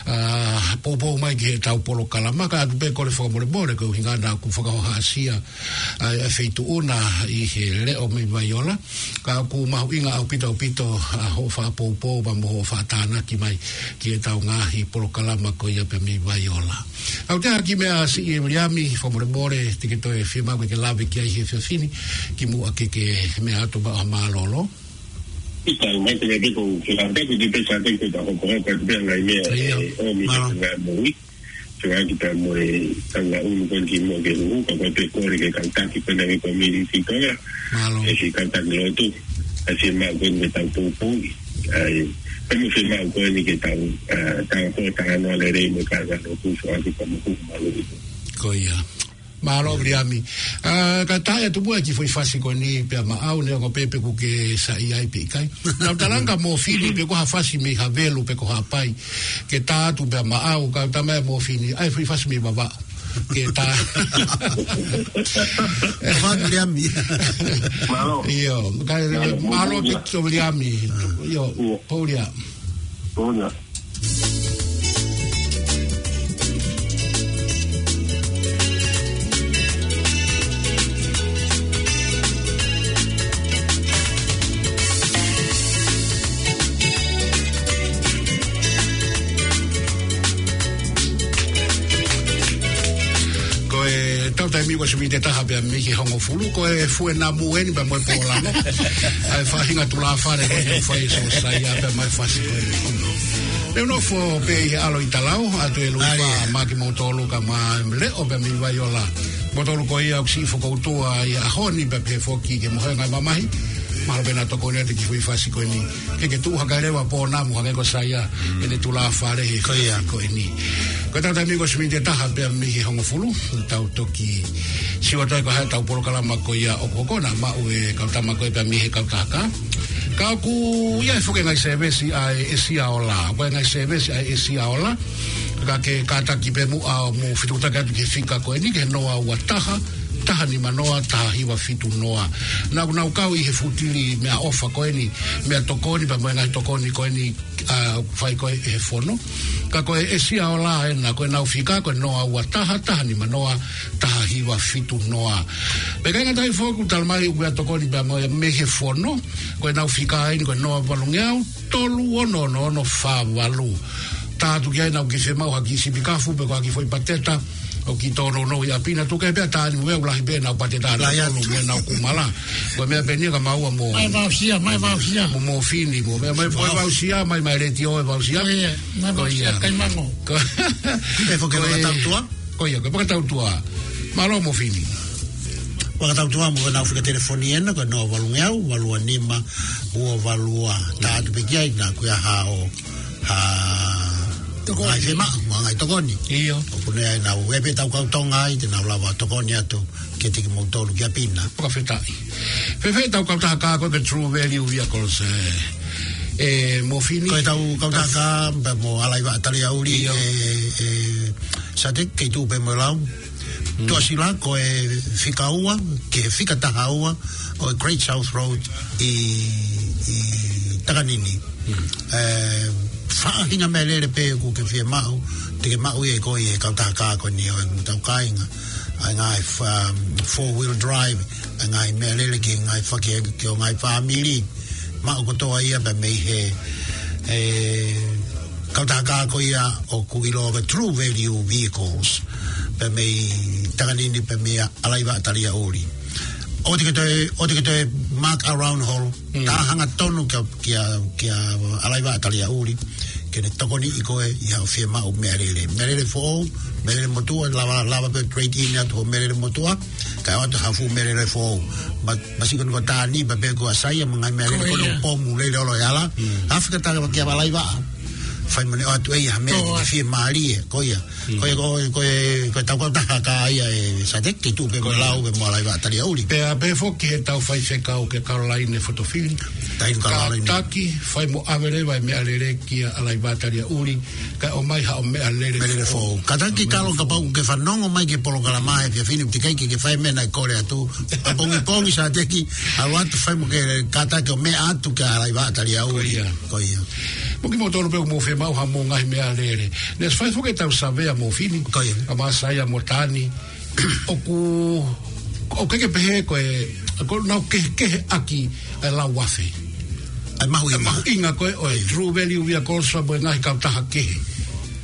ʻa, poupou mai ki heʻetau polokalama, ka ʻoatu pē kole fakamolemole, ko e ʻuhinga naʻa ku fakahohaʻasia ʻa e, ʻa e feituʻu na ʻi he leʻo mei Vaiola, ka ʻoku mahuʻinga ʻaupito, ʻaupito ʻa hoʻo fakapoupou pea mo hoʻo fakatānaki mai ki heʻetau ngaahi polokalama ko ia pea mei Vaiola. Au te haki meʻa siʻi ʻe Viliami, fakamolemole, te ke toe fiemaʻu ke ke lave ki ai he efiafi ni, kimuʻa ke ke meʻa atu maʻa mālōlō. ʻIkai, mai te mea pē ko u ke lave ki he pē sa te ke ta hokohoko atu pē ngaahi meʻa, ʻio, ʻe ʻomi mālō, ki he ngaahi moʻui. Fekauʻaki pea mo e tangata ʻunu ko eni kimuʻa ke huhu, ka ko e pē kole ke kau taki pē na ki he community ko ia. Mālō. ʻE siʻi kau taki lotu. ʻA siʻi maʻu ko eni ke tau poupou. ʻAi, pea mo e fiemaʻu ko eni ke tau, ʻa, tau ko e talanoa lelei mo e kāingalotu, fekauʻaki pea mo e huhu mālō. Ko ia. Mālō, Viliami. ʻA, ka tā atu muʻa e kiʻi foʻi fasi ko eni pea maʻau, neongo pē pe ʻoku ke saiʻia ai pe ʻikai. Naʻá ku talaange kia Mofini pe ko ha fasi mei Havelu pe ko Haʻapai ke tā atu pea maʻau, ka ʻoku talamai ʻe Mofini, ʻai foʻi fasi mei Vavaʻu ke tā. Fā Viliami. Mālō. ʻIo, ka, mālō, mālō, mālō, Viliami. Kito Viliami. ʻIo, ʻIo. Pōlia. Pōlia. Ko ʻetau taimi ko e ʻosi miniti ʻe taha pea mei he hongofulu, ko e fue namu eni pea mo e pōlango. ʻAi faʻahinga tulāfale ko e fai so sai a pea mai fasi ko e. Te u nofo pē ʻi he ʻAlo ʻi Talau, ʻa ʻAtuelui Fā, mālō kimoutolu ka ma leʻo pea mei Vaiola. Moutolu ko ia ʻoku siʻi fokoutua ʻi he ʻaho ni pea pehē foki ki he mohenga mamahi. Mahalo pē naʻa tokoni atu e kiʻi foʻi fasi ko eni. Ke ke tuʻu hake leva pō namu hangē ko Saia, ʻene tulāfale he fasi ko eni. Ko ʻetau taimi ko e ʻosi miniti ʻe taha pea mei he hongofulu, tau toki sio atu ai ko e hā ʻetau polokalama ko ia ʻoku hoko, naʻa maʻu e kau tama ko ē pea mei he kautaha kā. Ka ʻoku ʻi ai foki e ngaahi sēvesi ʻa e ʻEsiaola, ko e ngaahi sēvesi ʻa e ʻEsiaola, ka ke kātaki pē muʻa ʻo mou fetuʻutaki atu ki he fika ko eni, ki he noa ua taha, taha nima noa, taha hiva fitu noa. Naʻa nau kau ʻi he fūtili meʻaʻofa ko eni, meʻatokoni pea mo e ngaahi tokoni ko eni, ʻa, fai ko ē ʻe he fono. Ka ko e ʻEsiaola ena, ko ʻenau fika ko e noa ua taha, taha nima noa, taha hiva fitu noa. Pea ʻikai ngata ai foki, ʻoku talamai ʻoku meʻatokoni pea mo e mei he fono, ko ʻenau fika eni ko e noa valungeau, tolu ono ono ono fā valu. Tā atu ki ai ʻenau kiʻi fiemaʻu ha kiʻi sipi kafu pe ko ha kiʻi foʻi pateta, ʻoku kiʻi tōnounou ʻi ʻapi na, tuku kehe pē ʻa Tani mo Vea, ʻoku lahi pē ʻenau pateta, lahi atu, tonu mo ʻenau kumala. Ko e meʻa pē eni ia ka maua mo, mai vausia, mai vausia, mo Mofini, mo meʻa, mai, mai vausia, mai, mai letiō e vausia. Ko ia, mai vausia, ko ia. Kaimango. Ko, pē foki ko e fakatautua. Ko ia, ko e fakatautua. Mālō Mofini. Fakatautua mo ʻenau fika telefoni ena, ko e noa valungeau, valu ua nima, ua valu ua. Tā atu pē ki ai naʻa ko ia hao. Ha, tokoni. Ngaahi fiemaʻu, mo e ngaahi tokoni. ʻIo. ʻOku ne ai nau, ʻe pē tau kau Tonga ai, te nau lava tokoni atu kiate kimoutolu ki ʻapi na. Fakafetaʻi. Fēfē ʻetau kautaha kā ko e True Value Vehicles, ē, ē, Mofini? Ko ʻetau kautaha kā, pea mo ʻAlaivaʻa Taliaʻuli, ʻio, ē, ē, Sate, kei tuʻu pē mo e lau. Mm. Tuʻasila ko e fika ua, ki he fika taha ua, ʻo e Great South Road ʻi, ʻi Takanini. Mm. Ē, faʻahinga meʻalele pē ʻoku ke fiemaʻu, te ke maʻu ia ʻi he, ko e kautaha kā ko eni ʻo ʻetau kāinga. ʻA e ngaahi fa-, four wheel drive, ʻa e ngaahi meʻalele ki he ngaahi fake, ki he ngaahi fāmili. Maʻu kotoa ia pea mei he, ē, kautaha kā ko ia ʻoku ʻiloa ko e True Value Vehicles. Pea mei Takanini, pea mei ʻAlaivaʻa Taliaʻuli. ʻOua te ke toe, ʻoua te ke toe muck around holo. Mm. Tā hangatonu kia, kia, kia ʻAlaivaʻa Taliaʻuli ke ne tokoniʻi koe ʻi haʻo fiemaʻu meʻalele. Meʻalele foʻou, meʻalele motuʻa, lava, lava pē trade in atu hoʻo meʻalele motuʻa, kae ʻoatu ha fuʻu meʻalele foʻou. Ma, masiʻi ko eni ko Tani, pea pehē ko ʻa Saia, mo e ngaahi meʻalele ko ē, ko ia, ʻoku pomu lelei ʻolo ʻi he hala. Mm. Afi ka taka kia ʻAlaivaʻa. Fai mo ne ʻoatu ʻe ia ha meʻa, ko ia, ke fiemālie, ko ia. Mm. Ko ia, ko, ko e, ko ʻetau kautaha kā ia ē Sate, kei tuʻu pē mo e, ko ia, lau pē mo ʻAlaivaʻa Taliaʻuli. Pea pehē foki heʻetau faifekau ko Kalolaine Fotofili. Tainu Kalolaine. Kātaki, fai mo ʻave leva e meʻalele kia ʻAlaivaʻa Taliaʻuli, kae ʻomai haʻo meʻalele, meʻalele foʻou. Foʻou. Kātaki, meʻalele foʻou. Kalo kapau ʻoku ke fanongo mai ki he polokalama he efiafi ni, teʻeki ai ke ke fai e meʻa naʻe kole atu. ʻApongipongi Sate, ʻalu atu fai mo ke kātaki ʻo meʻa atu kia ʻAlaivaʻa Taliaʻuli. Ko ia. Ko ia. Mo kimoutolu pē ʻoku mou fiemaʻu haʻamou ngaahi meʻalele. Ne fai foki ʻetau savea Mofini. Ko ia. Kae ʻumaʻā Saia mo Tani. ʻOku, ʻoku ʻikai ke pehē ko e, ʻoku nau kehekehe ʻaki e lau afe. ʻA e mahuʻinga. ʻA e mahuʻinga ko ē ʻo e True Value Vehicles mo e ngaahi kautaha kehe.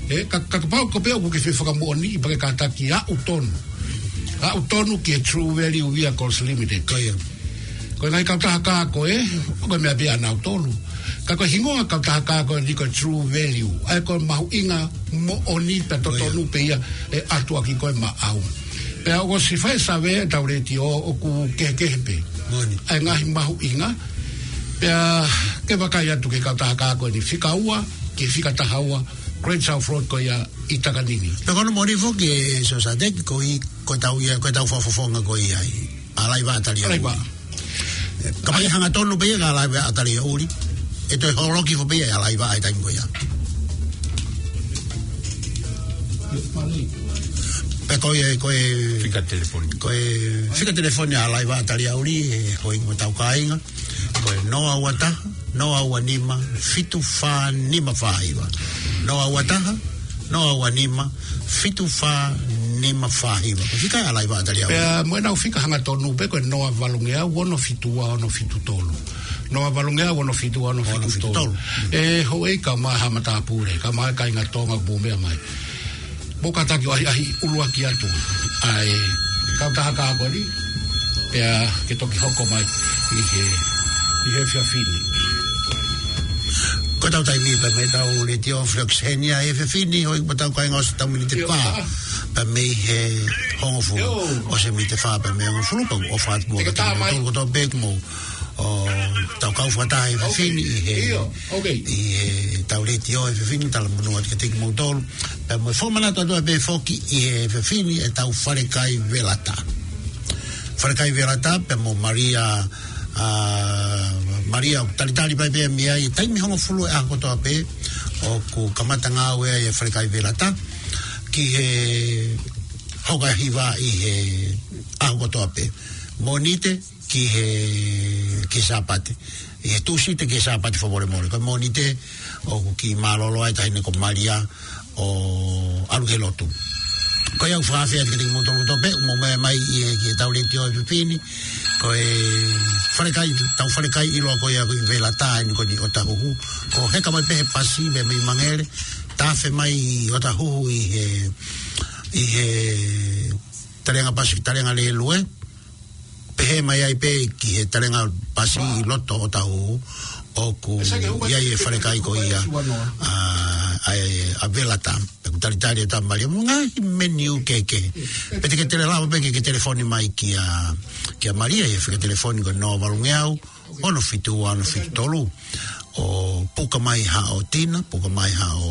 ʻE, ka, ka, kapau ko pē ʻoku ke fie fakamoʻoniʻi pea ke kātaki aʻu tonu. Aʻu tonu ki he True Value Vehicles Limited. Ko ia. Ko e ngaahi kautaha kā ko ē, ʻoku meʻa pē ʻanautolu. Ka ko e hingoa kautaha kā ko eni ko e True Value. ʻA ia ko e mahuʻinga moʻoni pea totonu pē ia ʻe ʻatu ʻaki ko ē maʻau. Pea ʻoku ʻosi fai e savea ʻe tau letiō ʻoku kehekehe pē. Moʻoni. ʻA e ngaahi mahuʻinga. Pea ke vakai atu ki he kautaha kā ko eni fika ua, ki he fika taha ua, Great South Road ko ia ʻi Takanini. Pea ko hono moʻoni foki ʻe Sosateki ko e, ko e tau ia, ko e tau fakafofonga ko ia ʻi ʻAlaiva ʻAtalia. ʻAlaiva. Ka mai hangatonu pē ia ka ʻAlaiva ʻAtalia ʻuli. ʻE toe holoki foki pē ia ʻAlaiva ʻa e taimi ko ia. Pea ko ia, ko e fika telefoni. Ko e fika telefoni ʻa ʻAlaiva ʻAtalia ʻuli, ʻe houʻeiki mo ʻetau kāinga. Ko e noa ua taha, noa ua nima, fitu fā nima fā hiva. Noa ua taha, noa ua nima, fitu fā nima fā hiva. Ko e fika ʻa ʻAlaiva ʻAtalia ʻuli. Pea mo ʻenau fika hangatonu pē ko e noa valungeau, ono fitu ua, ono fitu tolu. Noa valungeau, ono fitu ua, ono fitu tolu. Ono fitu tolu. ʻE houʻeiki kae ʻumaʻā ha matāpule, kae ʻumaʻā kāinga Tonga ʻoku mou meʻa mai. Mou kātaki ʻo ʻahiʻahi ʻuluaki atu ʻa e kautaha kā ko eni, pea ke toki hoko mai ʻi he, ʻi he efiafi ni. Ko ʻetau taimi pē mei heʻetau letiō Flux Henia ʻi he efiafi ni, houʻeiki mo ʻetau kāinga, ʻosi ʻetau miniti fā pē mei he hongofulu. ʻIo. ʻOsi e miniti fā pē mei he hongofulu, pea ʻoku ou ʻofa atu mo kimoutolu kotoa pē ʻoku mou ō, tau kau fakataha ʻi he efiafi ni ʻi he, ʻio, ʻi heʻetau letiō ʻi he efiafi ni, talamonū atu kiate kimoutolu. Pea mo e fakamanatu atu pē foki ʻi he efiafi ni ʻetau falekai velata. Falekai velata pea mo Malia, ʻa, Malia ʻoku talitali pē mei ai taimi hongofulu ʻaho kotoa pē ʻoku kamata ngāue ai e falekai velata ki he hoka hiva ʻi he ʻaho kotoa pē. Mōnite ki he, ki he Sāpate. ʻI he Tūsite ki he Sāpate fakamolemole. Ko e Mōnite ʻoku kiʻi mālōlō ai e taʻahine ko Malia ʻo ʻalu ki he lotu. Ko ia ʻoku ou fakaafe atu kiate kimoutolu kotoa pē ʻoku mou meʻa mai ʻi he, ki heʻetau letiō ʻi he efiafi ni. Ko e falekai, tau falekai ʻiloa ko ia ko e velata eni ko eni ʻi ʻŌtāhuhu. Ko e heka mai pē he pasi mei, mei Mangere. Tafe mai ʻi ʻŌtāhuhu ʻi he, ʻi he talenga pasi, talenga lēlue. Pehē mai ai pē ki he talenga pasi ʻi loto ʻo ʻŌtāhuhu ʻoku ʻi ai e falekai ko ia, ʻa, ʻa e, ʻa e velata. Pea ʻoku talitali ʻe Malia mo e ngaahi menu kehekehe. Pea te ke toe lava pē ke, ke telefoni mai kia, kia Malia ʻi he fika telefoni ko e noa valungeau, ono fitu ua, ono fitu tolu. ʻO puka mai haʻo tina, puka mai haʻo,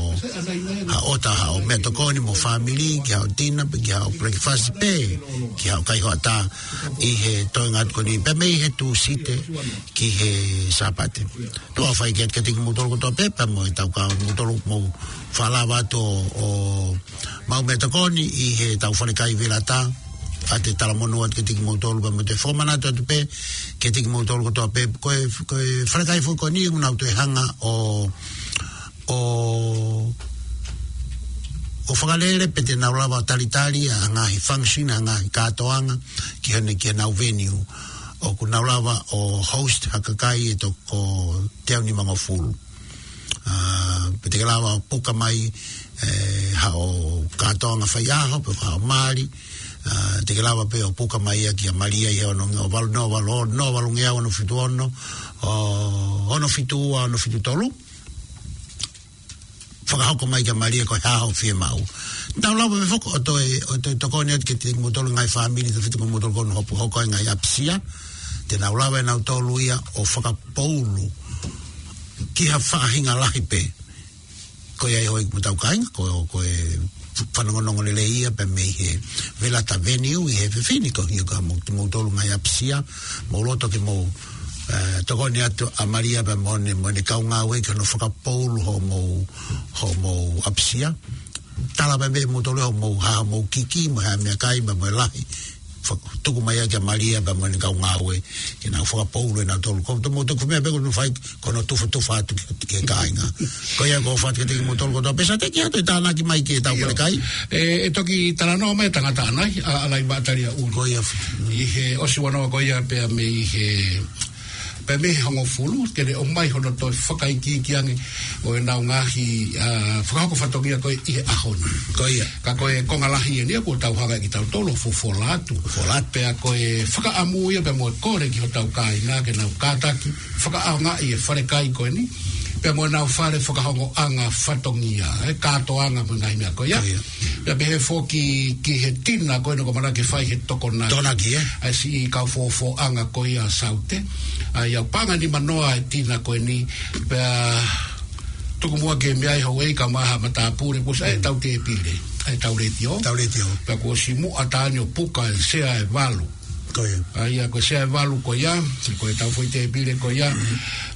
haʻo ʻota, haʻo meʻatokoni mo e fāmili, ki haʻo tina, pe ki haʻo breakfast pē, ki haʻo kai hoʻatā, ʻi he toenga atu ko eni, pea mei he Tūsite ki he Sāpate. Tuʻa ʻofa atu kiate kimoutolu kotoa pē, pea mo ʻetau kāinga, kimoutolu mou fakalava atu ʻo, ʻo maʻu meʻatokoni ʻi heʻetau falekai velata, pea te talamonū atu kiate kimoutolu, pea mo e fakamanatu atu pē kiate kimoutolu kotoa pē, ko e, ko e falekai foki ko eni ʻoku nau toe hanga ʻo, ʻo, ʻo fakalele pe te nau lava ʻo talitali ʻa e ngaahi function, ʻa e ngaahi kātoanga, ki hona, ki honau venue. ʻOku nau lava ʻo host ha kakai ʻe toko teau nimangofulu. ʻA, pe te ke lava ʻo puka mai, ʻe, haʻo kātoanga faiʻaho, pe haʻo mali, ʻa, te ke lava pē ʻo puka mai ia kia Malia ʻi he ono, ono valu, noa valu, noa valungeau ono fitu ono, ʻo, ono fitu ua, ono fitu tolu. Fakahoko mai kia Malia ko e hā hoʻo fiemaʻu. Tau lava pē foki ʻo toe, ʻo toe tokoni atu kiate kimoutolu ngaahi fāmili, tau fitu kimoutolu ko hono hopo hoko ai ngaahi ʻapisia. Te nau lava ʻe nautolu ia ʻo fakapoulu ki ha faʻahinga lahi pē. Ko ia ʻe houʻeiki mo ʻetau kāinga, ko, ko e fanongonongo lelei ia pē mei he velata venue ʻi he efiafi ni, ko ia ka mou, moutolu ngaahi ʻapisia, mou loto ke mou, ʻe, tokoni atu ʻa Malia pea mo ʻene, mo ʻene kau ngāue ki hono fakapoulu hoʻomou, hoʻomou ʻapisia. Tala pē mei moutolu hoʻomou, haʻamou kiki, mo e hā e meʻakai, mo e lahi. Fak-, tuku mai ia kia Malia pea mo ʻene kau ngāue, ke nau fakapoulu ʻe nautolu. Ko e moutolu ko e meʻa pē ko hono fai, ko hono tufatufa atu ki, ki he kāinga. Ko ia ʻoku ou ʻofa atu kiate kimoutolu kotoa pē, Sateki, ʻoatu e tānaki mai ki heʻetau falekai. ʻE, ʻe toki talanoa mai e tangata ʻanai, ʻa, ʻAlaiva ʻAtalia ʻuli. Ko ia. ʻI he ʻosi ua noa ko ia pea mei he Pea mei he hongofulu, ke ne ʻomai hono toe fakaikiiki ange ʻo ʻenau ngaahi, ʻa, fakahoko fatongia ko ē ʻi he ʻaho ni. Ko ia. Ka ko e konga lahi eni ia kuo tau hanga ʻe kitautolu ʻo fofola atu. Fofola atu. Pea ko e fakaʻamu ia pea mo e kole ki hotau kāinga ke nau kātaki fakaʻaongaʻi e fale kai ko eni. Pea mo ʻenau fale fakahongoʻanga fatongia, e kātoanga mo e ngaahi meʻa ko ia. Ko ia. Pea pehē foki ki he tina ko eni ʻoku ʻamanaki ke fai he tokonaki. Tokonaki, ē? ʻA e siʻi kau fofoʻanga ko ia Saute. ʻA ia ʻoku paʻanga nimanoa e tina ko eni, pea tuku muʻa ke meʻa ai houʻeiki kae ʻumaʻā ha matāpule, kuo ʻosi ʻai ʻetau tēpile, ʻai ʻetau letiō. Tau letiō. Pea kuo ʻosi muʻa taha ni ʻo puka e sea ʻe valu. Ko ia. ʻA ia ko e sea ʻe valu ko ia, ko ʻetau foʻi tēpile ko ia.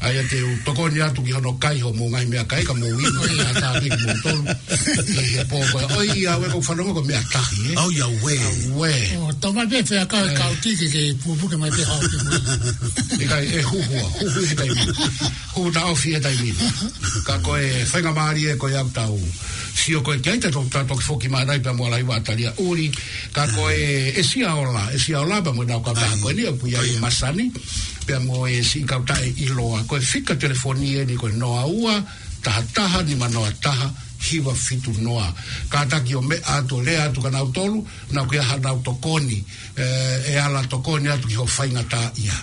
ʻA ia te u tokoni atu ki hono kai hoʻomou ngaahi meʻakai ka mou inu, ʻa e tāpiki mou tolu. ʻI he pō ko ia, ʻoiauē, ʻoku ou fanongo ko e meʻa tahi, ē? ʻOiauē. ʻAuē. ʻO, tau mai pē fea ka, ē, kau tiki ke pupuke mai pē hao ke mui. ʻIkai, ʻe huhua, huhu he taimi. Huhu taʻofi he taimi. Ka ko e faingamālie ko ia ʻoku tau sio ko ē ki ai, ta to-, ta toki foki mai nai pea mo Laiva Talia ʻuli. Ka ko e, ʻe Sia Ola, ʻe Sia Ola pea mo ʻenau kautaha ko eni, ʻoku ʻi ai ʻa Masani, pea mo e siʻi kautaha ʻiloa. Ko e fika telefoni eni ko e noa ua, taha taha, nima noa taha, hiva fitu noa. Kātaki ʻo meʻa atu, lea atu kia nautolu, naʻa ʻoku ʻi ai haʻanau tokoni, ē, ʻe ala tokoni atu ki hoʻo faingataʻaʻia.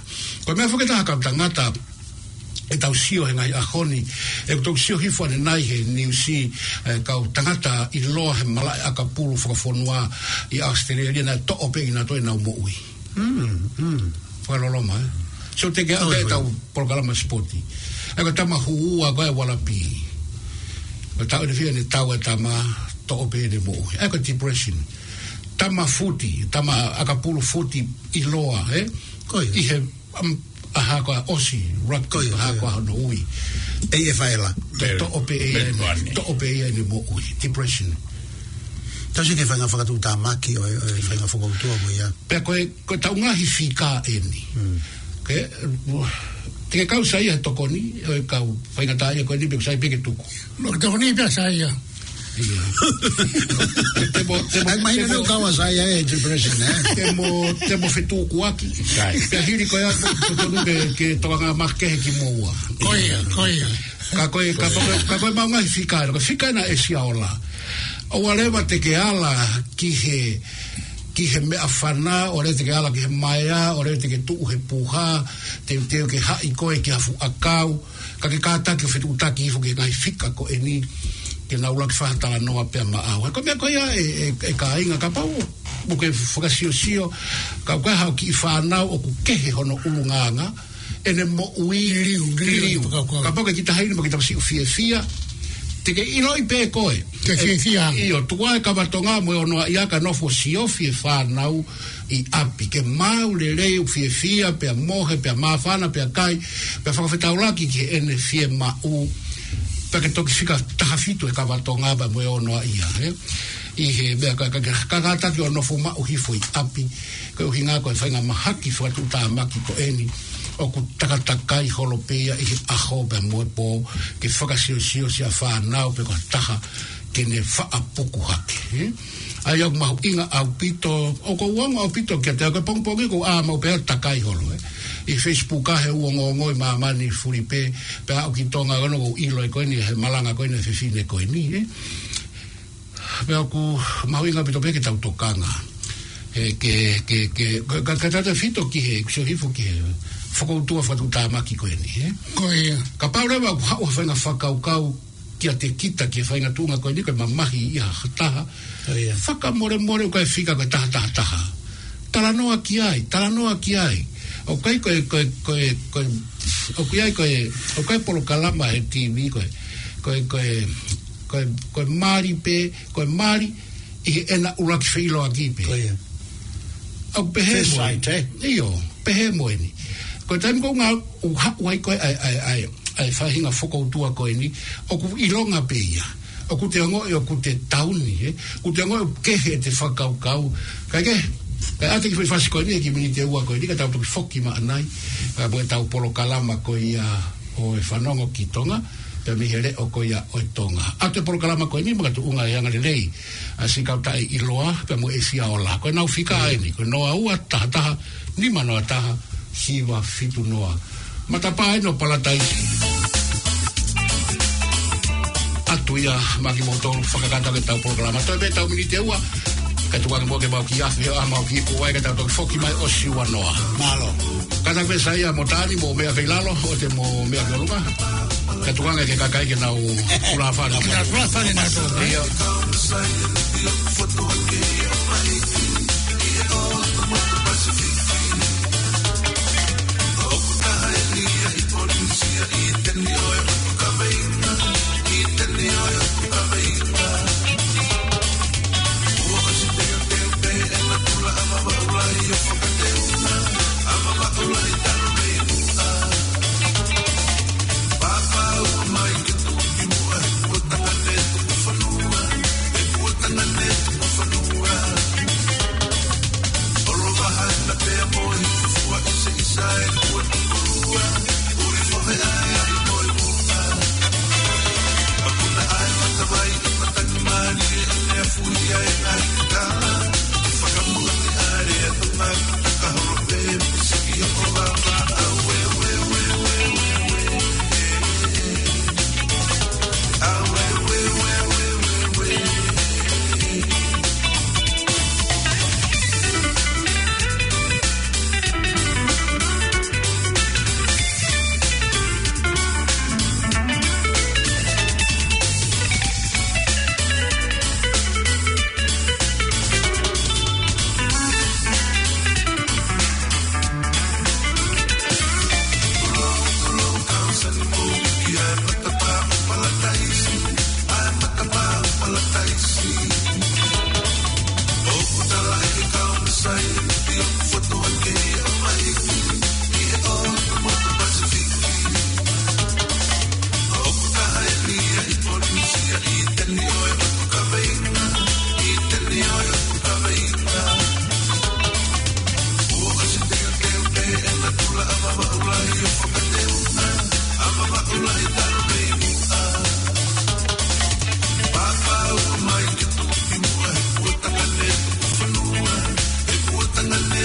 Ko e meʻa foki ʻe taha kau tangata, ʻetau sio he ngaahi ʻaho ni, ʻeku toki sio hifo ʻanenai he niusi, ē, kau tangata ʻiloa he malaʻe ʻakapulu fakafonua ʻi ʻAositelēlia naʻe toʻo pē ʻe kinautolu ʻenau moʻui. Mm, mm. Fakaloloma, ē? So te ke ʻau ʻOi, ʻoku ʻi ai ʻetau polokalama sipoti. ʻA ia ko e tama hū ua ko ē ʻa e Ualapī. Ko e taʻu ʻe fiha ʻene tau e tama, toʻo pē ʻene moʻui. ʻA ia ko e depression. Tama futi, tama ʻakapulu futi ʻiloa, ē? Ko ia. ʻI he, um, ʻaho ko ē ʻosi, rugby, ko ia, ʻaho ko ia. Ko ē hono ui. ʻEi ʻe faela. Toʻo pē ʻe ia ʻene, toʻo pē ʻe ia ʻene moʻui. Depression. Tau sio ki he faʻahinga fakatuʻutāmaki ʻo e, ʻo e faʻahinga fokoutua mo ia. Pea ko e, ko ʻetau ngaahi fika eni. Mm. Ke, te ke kau sai he tokoni, ʻo e kau faingataʻaʻia ko eni pe ʻoku sai pē ke tuku. Mo ke tokoni pē ʻa Saia. ʻIo. Te mo, te mo, ʻAi, mahino te mo, ʻoku kau ʻa Saia he depression, ē? Te mo, te mo fetukuaki. Sai. Pea hili ko ia, totonu ke, ke tokanga makehe kimoua. Ko ia, ko ia. Ka ko e, ka ko e, ka ko e mau ngaahi fika, ko e fika ena ʻe Sia Ola. ʻOua leva te ke ala ki he, ki he meʻafana, ʻoua leva te ke ala ki he maea, ʻoua leva te ke tuʻu he puha, teuteu ke haʻi koe ki ha fuʻu ʻakau, ka ke kātaki ʻo fetuʻutaki hifo ki he ngaahi fika ko eni, ke nau ʻuluaki fai ha talanoa pea maʻau. He ko e meʻa ko ia ē, ē, ē kāinga, kapau ʻoku ke fakasiosio, ka ʻoku ʻi ai haʻo kiʻi fānau ʻoku kehe hono ʻulungaanga, ʻene moʻui liliu, liliu, liliu. Kapau ko e kiʻi taha eni mo e kiʻi taha siʻi fiefia, te ke ʻiloʻi pē koe. Ke fiefia. ʻIo, tuku ā e kava Tonga mo e onoaʻia kae nofo siofi e fānau ʻi ʻapi. Ke maʻu lelei ʻo fiefia, pea mohe, pea māfana, pea kai, pea fakafetaulaki ki heʻene fiemaʻu. Pea ke toki fika taha fitu e kava Tonga pea mo e onoaʻia, ē? ʻI he meʻa ka, ka, ka, ka kātaki ʻo nofo maʻu hifo ʻi ʻapi. Ko e ʻuhinga ko e faʻahinga mahaki fakatuʻutāmaki ko eni ʻoku takatakai holo pē ia ʻi he ʻaho pea mo e pō, ke fakasiosio siʻa fānau pe ko ha taha ke ne faʻa puku hake, ē? ʻA ia ʻoku mahuʻinga ʻaupito, ʻoku ou ongo ʻaupito kiate au, ko e pongipongi ʻoku ou ʻā maʻu pē ʻo takai holo, ē? ʻI Facebook ʻa e ongoongo ʻi māmani fulipē, pea aʻu ki Tonga ko ena ʻoku ou ʻilo ʻe koe ni he malanga ko ena e fefine ko eni, ē? Pea ʻoku mahuʻinga ʻaupito pē ke tau tokanga. He ke, ke, ke, ka, ka, ka tautefito ki he, sio hifo ki he fokoutua fakatuʻutāmaki ko eni, ē? Ko ia. Kapau leva ʻoku haʻu ha faʻahinga fakakaukau kiate kita ki he faʻahinga tuʻunga ko eni, ko e mamahi ia ha taha. Ko ia. Fakamolemole ʻoku ʻikai fika ko e taha taha taha. Talanoa ki ai, talanoa ki ai. ʻOku ʻi ai ko e, ko e, ko e, ko e, ʻoku ʻi ai ko e, ʻoku ʻi ai polokalama he T V ko e, ko e, ko e, ko e, ko e mali pē, ko e mali ʻi heʻena ʻuluaki feʻiloaki pē. Ko ia. ʻOku pehē mo eni. First sight, ē? ʻIo, pehē mo eni. Ko e taimi ko ē ʻoku haʻu ai ko ē ʻa e, ʻa e, ʻa e, ʻa e faʻahinga fokoutua ko eni, ʻoku ʻilonga pē ia. ʻOku te ongoʻi ʻoku te tauni, ē? ʻOku te ongoʻi ʻoku kehe ʻete fakakaukau. Kae kehe, kae ʻoatu e kiʻi foʻi fasi ko eni, e kiʻi miniti ʻe ua ko eni, ka tau toki foki maʻanai, ē, mo ʻetau polokalama ko ia ʻo e Fanongo ki Tonga, pea mei he leʻo ko ia ʻo e Tonga. ʻAtu e polokalama ko eni, makatuʻunga e anga lelei ʻa e siʻi kautaha ʻiloa, pea mo ʻe Sia Ola. Ko ʻenau fika eni, ko e noa ua, taha taha, nima noa taha, hiva fitu noa. Matapā ʻeni ʻo Palataisi. ʻAtu ia maʻa kimoutolu fakakakato ʻetau polokalama. Toe pē ʻetau miniti ʻe ua. Kae tuku ange muʻa ke mau kiʻi afe ʻo ʻā mau kiʻi puai kae tau toki foki mai ʻosi ua noa. Mālō. Kātaki pē Saia mo Tani mo meʻa pē ʻi lalo, ʻoua te mo meʻa ki ʻolunga. Kae tuku ange ki he kakai ke nau kulafani. Nau kulafani nautolu, ē? ʻIo.